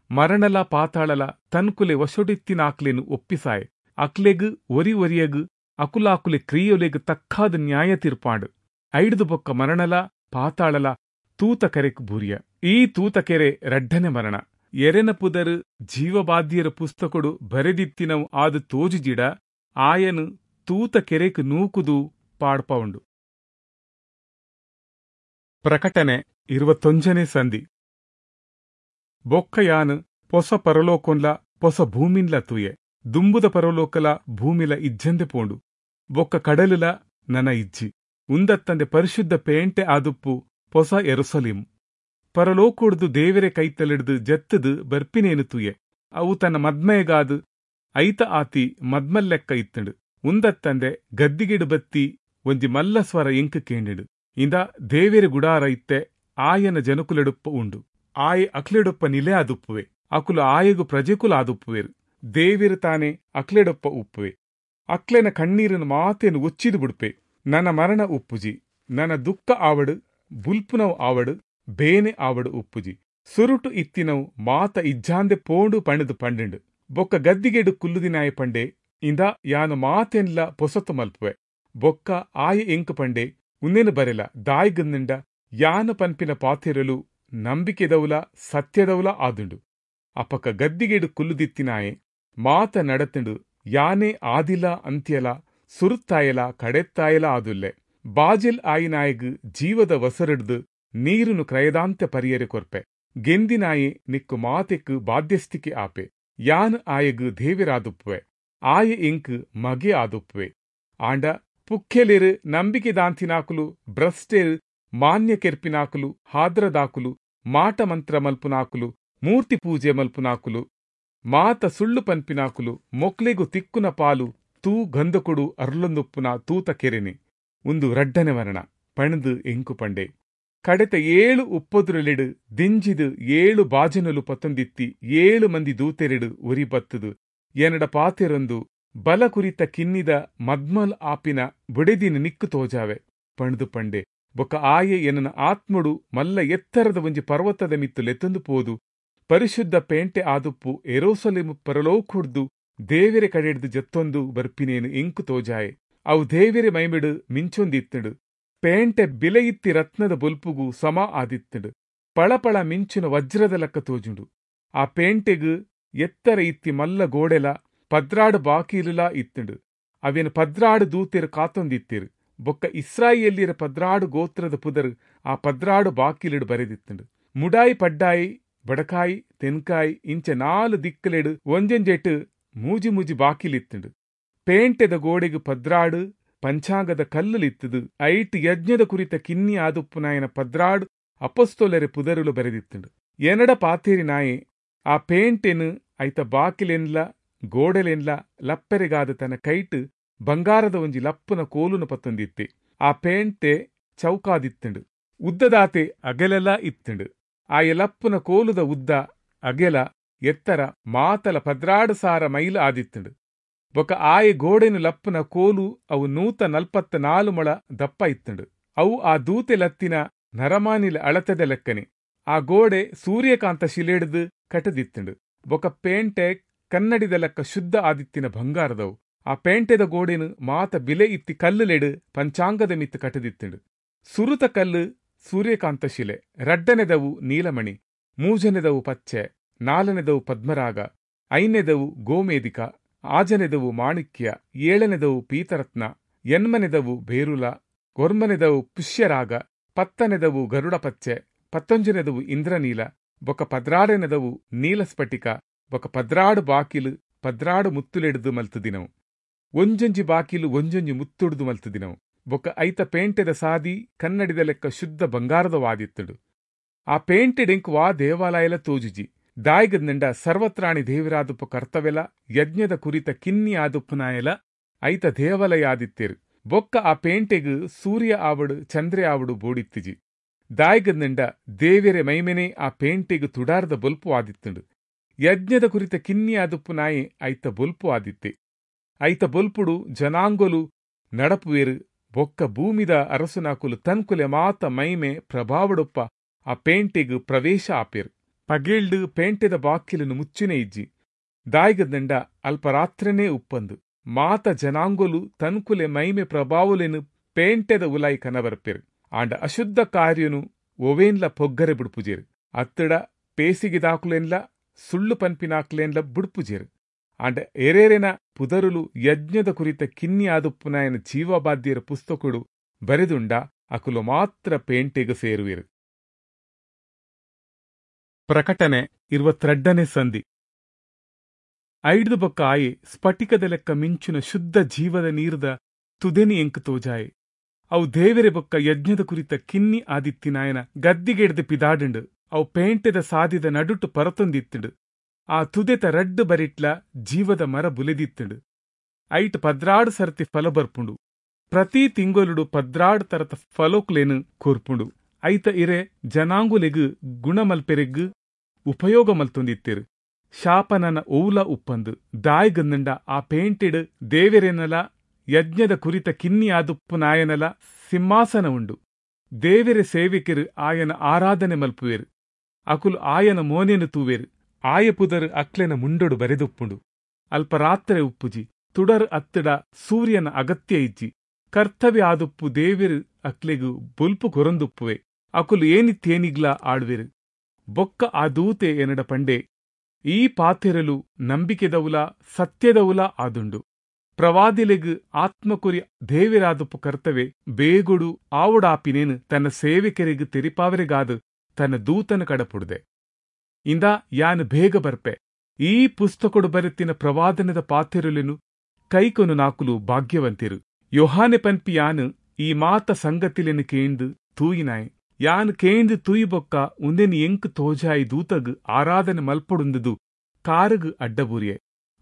ಮರಣಲ ಪಾತಾಳಲ ತನ್ಕುಲೆ ವಶೊಡಿತ್ತಿನಾಕ್ಲೆನು ಒಪ್ಪಿಸಾಯೆ. ಅಕ್ಲೆಗ್ ಒರಿ ಒರಿಯಗ್ ಅಕುಲಾಕುಲೆ ಕ್ರಿಯೊಲೆಗ್ ತಕ್ಕಾದ ನ್ಯಾಯ ತೀರ್ಪಾಂಡ್. ಐಡ್ದು ಬೊಕ್ಕ ಮರಣಲ ಪಾತಾಳಲ ತೂತ ಕೆರೆಕ್ ಬೂರಿಯ. ಈ ತೂತ ಕೆರೆ ರಡ್ಡನೆ ಮರಣ. ಎರೆನ ಪುದರ್ ಜೀವಬಾಧ್ಯರ ಪುಸ್ತಕೊಡು ಬರೆದಿತ್ತಿನವು ಆದು ತೋಜುಜಿಡ ಆಯನು ತೂತ ಕೆರೆಕ್ ನೂಕುದು ಪಾಡ್ಪವುಂಡು. ಪ್ರಕಟಣೆ ಇರುವತ್ತೊಂಜನೇ ಸಂಧಿ. ಬೊಕ್ಕಯಾನು ಪೊಸ ಪರಲೋಕೊಂಲ ಪೊಸ ಭೂಮಿನ್ಲ ತೂಯೆ. ದುಂಬುದ ಪರಲೋಕಲ ಭೂಮಿಲ ಇಜ್ಜಂದೆ ಪೋಂಡು, ಬೊಕ್ಕ ಕಡಲುಲ ನನ ಇಜ್ಜಿ. ಉಂದತ್ತಂದೆ ಪರಿಶುದ್ಧ ಪೇಂಟೆ ಆದುಪ್ಪು ಪೊಸ ಯೆರೂಸಲೇಮು ಪರಲೋಕೊಡ್ದು ದೇವರೆ ಕೈತಲಿಡ್ದು ಜತ್ತದು ಬರ್ಪಿನೇನು ತೂಯೆ. ಅವು ತನ್ನ ಮದ್ಮಯಗಾದು ಐತ ಆತಿ ಮದ್ಮಲ್ಲೆಕ್ಕ ಇತ್ತಂಡು. ಉಂದತ್ತಂದೆ ಗದ್ದಿಗೆಡು ಬತ್ತಿ ಒಂಜಿ ಮಲ್ಲ ಸ್ವರ ಎಂಕ್ ಕೇಂಡಿಡು, ಇಂದ ದೇವೆರೆ ಗುಡಾರ ಇತ್ತೆ ಆಯನ ಜನಕುಲೆಡುಪ್ಪ ಉಂಡು. ಆಯೆ ಅಕ್ಲೆಡೊಪ್ಪ ನಿಲೆ ಆದುಪ್ಪುವೆ, ಅಕುಲು ಆಯಗು ಪ್ರಜೆಕುಲು ಆದುಪ್ಪುವೆರು. ದೇವೆರು ತಾನೆ ಅಕ್ಲೆಡೊಪ್ಪ ಉಪ್ಪುವೆ. ಅಕ್ಲೆನ ಕಣ್ಣೀರನ್ನು ಮಾತೇನು ಒಚ್ಚಿದು ಬಿಡುಪೆ. ನನ್ನ ಮರಣ ಉಪ್ಪುಜಿ, ನನ್ನ ದುಃಖ ಆವಡು ಬುಲ್ಪುನವು ಆವಡು ಬೇನೆ ಆವಡು ಉಪ್ಪುಜಿ. ಸುರುಟು ಇತ್ತಿನವು ಮಾತ ಇಜ್ಜಾಂದೆ ಪೋಂಡು ಪಣದು ಪಂಡಿಂಡು. ಬೊಕ್ಕ ಗದ್ದಿಗೆಡು ಕುಲ್ಲುದಿನಾಯ ಪಂಡೆ, ಇಂದ ಯಾನು ಮಾತೆನ್ಲ ಪೊಸತ್ತು ಮಲ್ಪುವೆ. ಬೊಕ್ಕ ಆಯ ಎಂಕು ಪಂಡೆ, ಉನ್ನೇನು ಬರೆಲ ದಾಯಿಗಂದಿಂಡ ಯಾನು ಪನ್ಪಿನ ಪಾತೆರಲು ನಂಬಿಕೆದೌಲ ಸತ್ಯದೌಲ ಆದುಂಡು. ಅಪಕ ಗದ್ದಿಗೆಡು ಕುಲ್ಲುದಿತ್ತಿನಾಯೆ ಮಾತ ನಡತುಂಡು. ಯಾನೇ ಆದಿಲ ಅಂತ್ಯಲ ಸುರುತ್ತಾಯಲ ಕಡೆತ್ತಾಯಲ ಆದುಲ್ಲೆ. ಬಾಜಿಲ್ ಆಯಿನಾಯಗ್ ಜೀವದ ವಸರಡ್ದು ನೀರುನು ಕ್ರಯದಾಂತ ಪರಿಯರೆ ಕೊರ್ಪೆ. ಗೆಂದಿನಾಯೆ ನಿಕ್ಕು ಮಾತೆಕ್ಕು ಬಾಧ್ಯಸ್ಥಿಕೆ ಆಪೆ. ಯಾನ್ ಆಯಗ್ ದೇವಿರಾದುಪ್ಪುವೆ, ಆಯೆ ಎಂಕ್ ಮಗೆ ಆದುಪ್ಪುವೆ. ಆಂಡ ಪುಕ್ಕೆಲೆರು ನಂಬಿಕೆದಾಂತಿನಾಕುಲು ಭ್ರಷ್ಟೆರು ಮಾನ್ಯ ಕೆರ್ಪಿನಾಕುಲು ಹಾದ್ರದಾಕುಲು ಮಾಟ ಮಂತ್ರ ಮಲ್ಪುನಾಕುಲು ಮೂರ್ತಿ ಪೂಜೆ ಮಲ್ಪುನಾಕುಲು ಮಾತ ಸುಳ್ಳು ಪನ್ಪಿನಾಕುಲು ಮೊಕ್ಲೆಗು ತಿಕ್ಕುನ ಪಾಲು ತೂ ಗಂಧಕೊಡು ಅರ್ಲೊಂದುಪ್ಪುನ ತೂತ ಕೆರೆನೆ. ಉಂದು ರಡ್ಡನೆ ಮರಣ ಪಣದು ಎಂಕು ಪಂಡೆ. ಕಡೆತ ಏಳು ಉಪ್ಪೊದುರಲೆಡು ದಿಂಜಿದು ಏಳು ಬಾಜನಲು ಪತ್ತೊಂದಿತ್ತಿ ಏಳು ಮಂದಿ ದೂತೆರೆಡು ಒರಿ ಬತ್ತದು ಎನ್ನಡ ಪಾತೆರೊಂದು ಬಲ ಕುರಿತ ಕಿನ್ನಿದ ಮದ್ಮಲ್ ಆಪಿನ ಬುಡೆದಿನ ನಿಕ್ಕು ತೋಜಾವೆ ಪಣದು ಪಂಡೆ. ಬೊಕ್ಕ ಆಯೆ ಎನ್ನ ಆತ್ಮಡು ಮಲ್ಲ ಎತ್ತರದ ಒಂಜಿ ಪರ್ವತದ ಮಿತ್ತು ಲೆತ್ತೊಂದು ಪೋದು ಪರಿಶುದ್ಧ ಪೇಂಟೆ ಆದುಪ್ಪು ಎರೋಸಲೇಮು ಪರಲೋಕುಡ್ದು ದೇವೆರೆ ಕಡೆಡ್ದು ಜತ್ತೊಂದು ಬರ್ಪಿನೇನು ಎಂಕು ತೋಜಾಯೆ. ಅವು ದೇವೆರೆ ಮೈಮಿಡು ಮಿಂಚೊಂದಿತ್ತುಂಡು. ಪೇಂಟೆ ಬಿಲೆಯಿತ್ತಿ ರತ್ನದ ಬೊಲ್ಪುಗು ಸಮ ಆದಿತ್ತುಂಡು. ಪಳಪಳ ಮಿಂಚುನ ವಜ್ರದ ಲೆಕ್ಕ ತೋಜುಂಡು. ಆ ಪೇಂಟೆಗು ಎತ್ತರ ಇತ್ತಿ ಮಲ್ಲ ಗೋಡೆಲ ಪದ್ರಾಡು ಬಾಕೀಲುಲಾ ಇತ್ತುಂಡು. ಅವೇನು ಪದ್ರಾಡು ದೂತೆರು ಕಾತೊಂದಿತ್ತಿರು. ಬೊಕ್ಕ ಇಸ್ರಾಯೇಲ್ಯರ ಪದ್ರಾಡು ಗೋತ್ರದ ಪುದರ್ ಆ ಪದ್ರಾಡು ಬಾಕೀಲಿಡು ಬರೆದಿತ್ತುಂಡು. ಮುಡಾಯಿ ಪಡ್ಡಾಯಿ ಬಡಕಾಯಿ ತೆನ್ಕಾಯಿ ಇಂಚ ನಾಲು ದಿಕ್ಕಲೆಡು ಒಂಜೊಂಜೆಟು ಮೂಜಿ ಮೂಜಿ ಬಾಕಿಲಿತ್ತುಂಡು. ಪೇಂಟೆದ ಗೋಡೆಗು ಪದ್ರಾಡು ಪಂಚಾಂಗದ ಕಲ್ಲುಲಿತ್ತದು. ಐಟ್ ಯಜ್ಞದ ಕುರಿತ ಕಿನ್ನಿ ಆದುಪ್ಪುನಾಯನ ಪದ್ರಾಡು ಅಪಸ್ತೋಲರೆ ಪುದರುಲು ಬರೆದಿತ್ತುಂಡು. ಎನಡ ಪಾತೇರಿ ನಾಯೆ ಆ ಪೇಂಟೆನು ಐತ ಬಾಕಿಲೆನ್ಲ ಗೋಡೆಲೆನ್ಲ ಲಪ್ಪೆರೆಗಾದ ತನ್ನ ಕೈಟು ಬಂಗಾರದ ಒಂಜಿ ಲಪ್ಪುನ ಕೋಲುನ ಪತ್ತೊಂದಿತ್ತೆ. ಆ ಪೇಂಟೆ ಚೌಕಾದಿತ್ತುಂಡು. ಉದ್ದದಾತೆ ಅಗೆಲೆಲ್ಲ ಇತ್ತುಂಡು. ಆ ಲಪ್ಪುನ ಕೋಲುದ ಉದ್ದ ಅಗೆಲ ಎತ್ತರ ಮಾತಲ ಪದ್ರಾಡು ಸಾರ ಮೈಲು ಆದಿತ್ತುಂಡು. ಬೊಕ್ಕ ಆಯೆ ಗೋಡೆನು ಲಪ್ಪುನ ಕೋಲು ಅವು ನೂತ ನಲ್ಪತ್ತ ನಾಲು ಮೊಳ ದಪ್ಪ ಇತ್ತುಂಡು. ಅವು ಆ ದೂತೆ ಲತ್ತಿನ ನರಮಾನಿಲ ಅಳತೆದ ಲೆಕ್ಕನೆ. ಆ ಗೋಡೆ ಸೂರ್ಯಕಾಂತ ಶಿಲೆಡ್ದು ಕಟದಿತ್ತುಂಡು. ಬೊಕ್ಕ ಪೇಂಟೆ ಕನ್ನಡಿದ ಲೆಕ್ಕ ಶುದ್ಧ ಆದಿತ್ತಿನ ಬಂಗಾರದವು. ಆ ಪೇಂಟೆದ ಗೋಡೆನು ಮಾತ ಬಿಲೆ ಇತ್ತಿ ಕಲ್ಲುಲೆಡು ಪಂಚಾಂಗದ ಮಿತ್ತು ಕಟದಿತ್ತುಂಡು. ಸುರುತ ಕಲ್ಲು ಸೂರ್ಯಕಾಂತ ಶಿಲೆ, ರಡ್ಡನೆದವು ನೀಲಮಣಿ, ಮೂಜನೆದವು ಪಚ್ಚೆ, ನಾಲ್ನೆದವು ಪದ್ಮರಾಗ, ಐದನೆದವು ಗೋಮೇಧಿಕ, ಆಜನೆದವು ಮಾಣಿಕ್ಯ, ಏಳನೆದವು ಪೀತರತ್ನ, ಎನ್ಮನೆದವು ಬೇರುಲ, ಒರ್ಮನೆದವು ಪುಷ್ಯರಾಗ, ಪತ್ತನೆದವು ಗರುಡ ಪಚ್ಚೆ, ಪತ್ತೊಂಜನೆದವು ಇಂದ್ರನೀಲ, ಬೊಕ ಪದ್ರಾಡನೆದವು ನೀಲಸ್ಫಟಿಕ, ಬೊಕ ಪದ್ರಾಡು ಬಾಕಿಲು ಪದ್ರಾಡು ಮುತ್ತುಲೆಡ್ದು ಮಲ್ತುದಿನವು. ಒಂಜೊಂಜಿ ಬಾಕಿಲು ಒಂಜೊಂಜಿ ಮುತ್ತುಡ್ದು ಮಲ್ತುದಿನವು. ಬೊಕ ಐತ ಪೇಂಟೆದ ಸಾದಿ ಕನ್ನಡಿದ ಲೆಕ್ಕ ಶುದ್ಧ ಬಂಗಾರದ ವಾದಿತ್ತುಡು. ಆ ಪೇಂಟೆಡೆಂಕ್ ವಾ ದೇವಾಲಯಲ ತೋಜುಜಿ. ದಾಯಿಗದ್ನಿಂಡ ಸರ್ವತ್ರಾಣಿ ದೇವಿರಾದುಪ್ಪು ಕರ್ತವೆಲ ಯಜ್ಞದ ಕುರಿತ ಕಿನ್ನಿ ಆದುಪ್ಪುನಾಯಲ ಐತ ದೇವಾಲಯ ಆದಿತ್ತೇರು. ಬೊಕ್ಕ ಆ ಪೇಂಟೆಗ್ ಸೂರ್ಯ ಆವಡು ಚಂದ್ರೆ ಆವಡು ಬೋಡಿತ್ತಿಜಿ. ದಾಯಿಗದ್ನಿಂಡ ದೇವೆರೆ ಮೈಮೆನೆ ಆ ಪೇಂಟೆಗ್ ತುಡಾರದ ಬೊಲ್ಪು ಆದಿತ್ತುಂಡು. ಯಜ್ಞದ ಕುರಿತ ಕಿನ್ನಿ ಆದುಪ್ಪುನಾಯೆ ಐತ ಬೊಲ್ಪು ಆದಿತ್ತೆ. ಐತ ಬೊಲ್ಪುಡು ಜನಾಂಗೊಲು ನಡಪುವೇರು. ಬೊಕ್ಕ ಭೂಮಿದ ಅರಸುನಾಕುಲು ತನ್ಕುಲೆ ಮಾತ ಮೈಮೆ ಪ್ರಭಾವಡೊಪ್ಪ ಆ ಪೇಂಟೆಗ್ ಪ್ರವೇಶ ಆಪೇರು. ಪಗೇಲ್ಡ್ ಪೇಂಟೆದ ಬಾಕಿಲನ್ನು ಮುಚ್ಚಿನೇ ಇಜ್ಜಿ. ದಾಯಿಗದ್ನಿಂಡ ಅಲ್ಪರಾತ್ರನೇ ಉಪ್ಪಂದು ಮಾತ ಜನಾಂಗೊಲು ತನ್ಕುಲೆ ಮೈಮೆ ಪ್ರಭಾವಲೆನು ಪೇಂಟೆದ ಉಲಾಯಿ ಕನಬರ್ಪೇರು. ಆಂಡ ಅಶುದ್ಧ ಕಾರ್ಯನು ಒವೇನ್ಲ ಪೊಗ್ಗರೆ ಬುಡ್ಪುಜೇರು. ಅತ್ತಡ ಪೇಸಿಗೆದಾಕುಲೆನ್ಲ ಸುಳ್ಳು ಪನ್ಪಿನಾಕ್ಲೆನ್ಲ ಬುಡ್ಪುಜೇರು. ಆಂಡ ಎರೇರೆನ ಪುದರುಲು ಯಜ್ಞದ ಕುರಿತ ಕಿನ್ನಿ ಆದುಪ್ಪುನಾಯನ ಜೀವಬಾಧ್ಯರ ಪುಸ್ತಕಡು ಬರೆದುಂಡ ಅಕುಲು ಮಾತ್ರ ಪೇಂಟೆಗ್ ಸೇರುವೆರು. ಪ್ರಕಟಣೆ ಇರುವತ್ತೆರಡನೇ ಸಂಧಿ. ಐಡ್ದು ಬೊಕ್ಕ ಆಯೆ ಸ್ಫಟಿಕದ ಲೆಕ್ಕ ಮಿಂಚುನ ಶುದ್ಧ ಜೀವದ ನೀರ್ದ ತುದೆನಿ ಎಂಕ್ ತೋಜಾಯೆ. ಅವು ದೇವೆರೆ ಬೊಕ್ಕ ಯಜ್ಞದ ಕುರಿತ ಕಿನ್ನಿ ಆದಿತ್ತಿನಾಯನ ಗದ್ದಿಗೆಡ್ದು ಪಿದಾಡುಂಡು. ಅವು ಪೇಂಟೆದ ಸಾದಿದ ನಡುಟು ಪರತೊಂದಿತ್ತುಂಡು. ಆ ತುದೆತ ರಡ್ಡು ಬರಿಟ್ಲ ಜೀವದ ಮರ ಬುಲೆದಿತ್ತುಂಡು. ಐಟ್ ಪದ್ರಾಡು ಸರ್ತಿ ಫಲ ಬರ್ಪುಂಡು. ಪ್ರತಿ ತಿಂಗೊಲುಡು ಪದ್ರಾಡು ತರತ ಫಲೋಕ್ಲೇನು ಕೊರ್ಪುಂಡು. ಐತ ಇರೆ ಜನಾಂಗುಲೆಗ್ ಗುಣಮಲ್ಪೆರೆಗ್ ಉಪಯೋಗ ಮಲ್ತೊಂದಿತ್ತೇರು. ಶಾಪನನ ಓಲ ಉಪ್ಪಂದು. ದಾಯಿಗಂದಂಡ ಆ ಪೇಂಟೆಡ್ ದೇವೆರೆನಲ ಯಜ್ಞದ ಕುರಿತ ಕಿನ್ನಿ ಆದುಪ್ಪುನಾಯನಲ ಸಿಂಹಾಸನ ಉಂಡು. ದೇವೆರೆ ಸೇವಿಕೆರು ಆಯನ ಆರಾಧನೆ ಮಲ್ಪುವೇರು. ಅಕುಲು ಆಯನ ಮೋನೆನು ತೂವೇರು. ಆಯ ಪುದರ್ ಅಕ್ಲೆನ ಮುಂಡೊಡು ಬರೆದುಪ್ಪುಂಡು. ಅಲ್ಪ ರಾತ್ರೆ ಉಪ್ಪುಜಿ. ತುಡರ್ ಅತ್ತಡ ಸೂರ್ಯನ ಅಗತ್ಯ ಇಜ್ಜಿ. ಕರ್ತವ್ಯ ಆದುಪ್ಪು ದೇವೆರು ಅಕ್ಲೆಗು ಬೊಲ್ಪು ಕೊರೊಂದುಪ್ಪುವೆ. ಅಕುಲು ಏನಿತ್ತೇನಿಗ್ಲಾ ಆಡ್ವೆರು. ಬೊಕ್ಕ ಆ ದೂತೆ ಎನಡ ಪಂಡೆ, ಈ ಪಾತೆರಲು ನಂಬಿಕೆದವುಲ ಸತ್ಯದವುಲ ಆದುಂಡು. ಪ್ರವಾದಿಲೆಗ್ ಆತ್ಮಕುರಿ ದೇವೆರಾದುಪ್ಪು ಕರ್ತವೆ ಬೇಗೊಡು ಆವುಡಾಪಿನೇನು ತನ್ನ ಸೇವಕರಿಗೆ ತೆರಿಪಾವರೆಗಾದು ತನ್ನ ದೂತನ ಕಡಪುಡ್ದೆ. ಇಂದ ಯಾನು ಬೇಗ ಬರ್ಪೆ. ಈ ಪುಸ್ತಕೊಡು ಬರೆತಿನ ಪ್ರವಾದನದ ಪಾತೆರಲೆನು ಕೈಕೊನು ನಾಕುಲು ಭಾಗ್ಯವಂತಿರು. ಯೋಹಾನೆ ಪನ್ಪಿ ಯಾನು ಈ ಮಾತ ಸಂಗತಿಲೆನು ಕೇಂದು ತೂಯಿನಾಯ್. ಯಾನ್ ಕೇಂದು ತೂಯಿಬೊಕ್ಕ ಉಂದೆನ್ ಎಂಕ್ ತೋಜಾಯಿ ದೂತಗ್ ಆರಾಧನೆ ಮಲ್ಪೊಡುಂದುದು ಕಾರುಗು ಅಡ್ಡಬೂರಿಯೆ.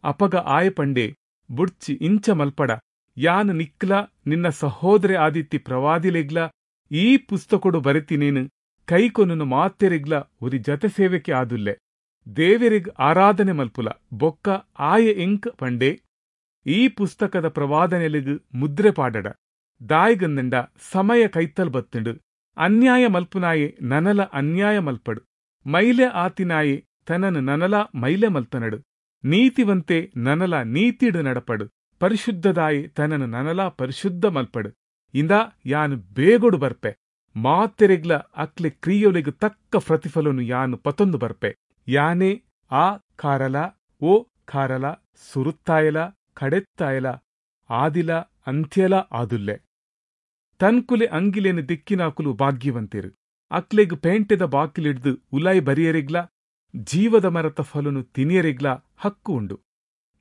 ಅಪಗ ಆಯ ಪಂಡೆ, ಬುಡ್ಚಿ ಇಂಚ ಮಲ್ಪಡ. ಯಾನ್ ನಿಕ್ಲ ನಿನ್ನ ಸಹೋದರಿ ಆದಿತ್ತಿ ಪ್ರವಾದಿಲೆಗ್ಲ ಈ ಪುಸ್ತಕೊಡು ಬರೆತಿನೇನು ಕೈಕೊನು ಮಾತೆರೆಗ್ಲ ಒರಿ ಜತೆ ಸೇವೆಕೆ ಆದುಲ್ಲೆ. ದೇವೆರೆಗ್ ಆರಾಧನೆ ಮಲ್ಪುಲ. ಬೊಕ್ಕ ಆಯ ಎಂಕ್ ಪಂಡೆ, ಈ ಪುಸ್ತಕದ ಪ್ರವಾದನೆಲೆಗ್ ಮುದ್ರೆ ಪಾಡಡ. ದಾಯಿಗಂದಂಡ ಸಮಯ ಕೈತಲ್ ಬತ್ತುಂಡು. ಅನ್ಯಾಯ ಮಲ್ಪುನಾಯೆ ನನಲ ಅನ್ಯಾಯ ಮಲ್ಪಡು. ಮೈಲೆ ಆತಿನಾಯೆ ತನನು ನನಲ ಮೈಲೆ ಮಲ್ತನಡು. ನೀತಿವಂತೆ ನನಲ ನೀತಿಡು ನಡಪಡು. ಪರಿಶುದ್ಧದಾಯೆ ತನನು ನನಲ ಪರಿಶುದ್ಧ ಮಲ್ಪಡು. ಇಂದ ಯಾನು ಬೇಗೊಡು ಬರ್ಪೆ. ಮಾತೆರೆಗ್ಲ ಅಕ್ಲೆ ಕ್ರಿಯೊಲೆಗ್ ತಕ್ಕ ಪ್ರತಿಫಲನು ಯಾನು ಪತೊಂದು ಬರ್ಪೆ. ಯಾನೇ ಆ ಕಾರಲ ಓ ಕಾರಲ ಸುರುತ್ತಾಯಲ ಕಡೆತ್ತಾಯಲ ಆದಿಲ ಅಂತ್ಯಲ ಆದುಲ್ಲೆ. ತನ್ಕುಲೆ ಅಂಗಿಲೇನು ದಿಕ್ಕಿನಾಕುಲು ಭಾಗ್ಯವಂತೇರು. ಅಕ್ಲೆಗ್ ಪೇಂಟೆದ ಬಾಕಿಲಿಡ್ದು ಉಲಾಯಿ ಬರಿಯರೆಗ್ಲ ಜೀವದ ಮರತ ಫಲನು ತಿನಿಯರೆಗ್ಲ ಹಕ್ಕು ಉಂಡು.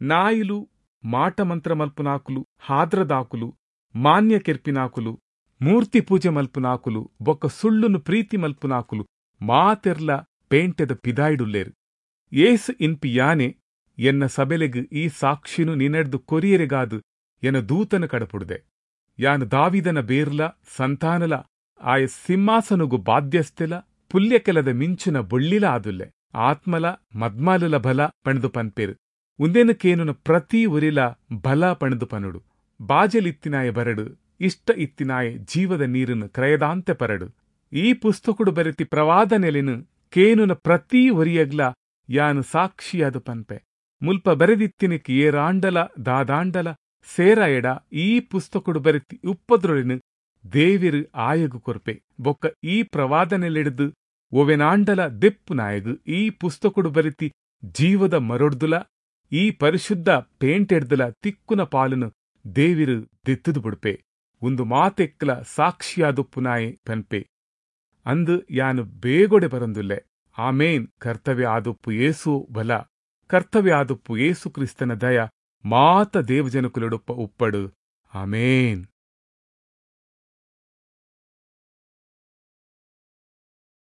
ನಾಯಿಲು ಮಾಟಮಂತ್ರ ಮಲ್ಪುನಾಕುಲು, ಹಾದ್ರದಾಕುಲು, ಮಾನ್ಯ ಕೆರ್ಪಿನಾಕುಲು, ಮೂರ್ತಿ ಪೂಜೆ ಮಲ್ಪುನಾಕುಲು, ಬೊಕ್ಕ ಸುಳ್ಳುನು ಪ್ರೀತಿ ಮಲ್ಪುನಾಕುಲು ಮಾತೆರ್ಲ ಪೇಂಟೆದ ಪಿದಾಯಿಡುಲ್ಲೇರು. ಏಸು ಇನ್ಪಿ ಯಾನೆ ಎನ್ನ ಸಬೆಲೆಗ್ ಈ ಸಾಕ್ಷಿನು ನಿನೆಡ್ದು ಕೊರಿಯರೆಗಾದು ಎನ ದೂತನ ಕಡಪುಡ್ದೆ. ಯಾನು ದಾವಿದನ ಬೇರ್ಲ ಸಂತಾನಲ ಆಯ ಸಿಂಹಾಸನುಗು ಬಾಧ್ಯಸ್ಥೆಲ ಪುಲ್ಯಕೆಲದ ಮಿಂಚಿನ ಬೊಳ್ಳಿಲ ಆದುಲ್ಲೆ. ಆತ್ಮಲ ಮದ್ಮಾಲುಲ ಬಲ ಪಣದು ಪನ್ಪೇರು. ಉಂದೆನು ಕೇನುನ ಪ್ರತಿ ಒರಿಲ ಬಲ ಪಣದು ಪನುಡು. ಬಾಜಲಿತ್ತಿನಾಯ ಬರಡು, ಇಷ್ಟ ಇತ್ತಿನಾಯ ಜೀವದ ನೀರನ್ನು ಕ್ರಯದಾಂತೆ ಪರಡು. ಈ ಪುಸ್ತಕಡು ಬರೆತಿ ಪ್ರವಾದನೆಲೆನು ಕೇನುನ ಪ್ರತಿ ಒರಿಯಗ್ಲ ಯಾನು ಸಾಕ್ಷಿಯಾದ ಪನ್ಪೆ. ಮುಲ್ಪ ಬರೆದಿತ್ತಿನಕ್ಕೆ ಏರಾಂಡಲ ದಾದಾಂಡಲ ಸೇರ ಎಡ ಈ ಪುಸ್ತಕಡು ಬರೆತಿ ಉಪ್ಪದ್ರೊಳಿನ ದೇವಿರು ಆಯಗು ಕೊರ್ಪೆ. ಬೊಕ್ಕ ಈ ಪ್ರವಾದನೆಲೆಡ್ದು ಒವೆನಾಂಡಲ ದೆಪ್ಪುನಾಯಗ್ ಈ ಪುಸ್ತಕೊಡು ಬರೆತಿ ಜೀವದ ಮರೊಡ್ದುಲಾ ಈ ಪರಿಶುದ್ಧ ಪೇಂಟೆಡ್ದ್ಲಾ ತಿಕ್ಕುನ ಪಾಲ್ನ್ ದೇವೆರ್ ದೆತ್ತ್ದ್ ಬುಡ್ಪೆ. ಉಂದು ಮಾತೆಕ್ಲಾ ಸಾಕ್ಷಿಯಾದುಪ್ಪುನಾಯೆ ಪನ್ಪೆ, ಅಂದ್ ಯಾನ್ ಬೇಗೊಡೆ ಬರೊಂದುಲ್ಲೆ. ಆಮೆನ್, ಕರ್ತವೆ ಆದುಪ್ಪು ಯೇಸು ಬಲ. ಕರ್ತವೆ ಆದುಪ್ಪು ಯೇಸು ಕ್ರಿಸ್ತನ ದಯ ಮಾತ ದೇವಜನೊಕುಲೆಡೊಪ್ಪ ಉಪ್ಪಡ್. ಆಮೆನ್.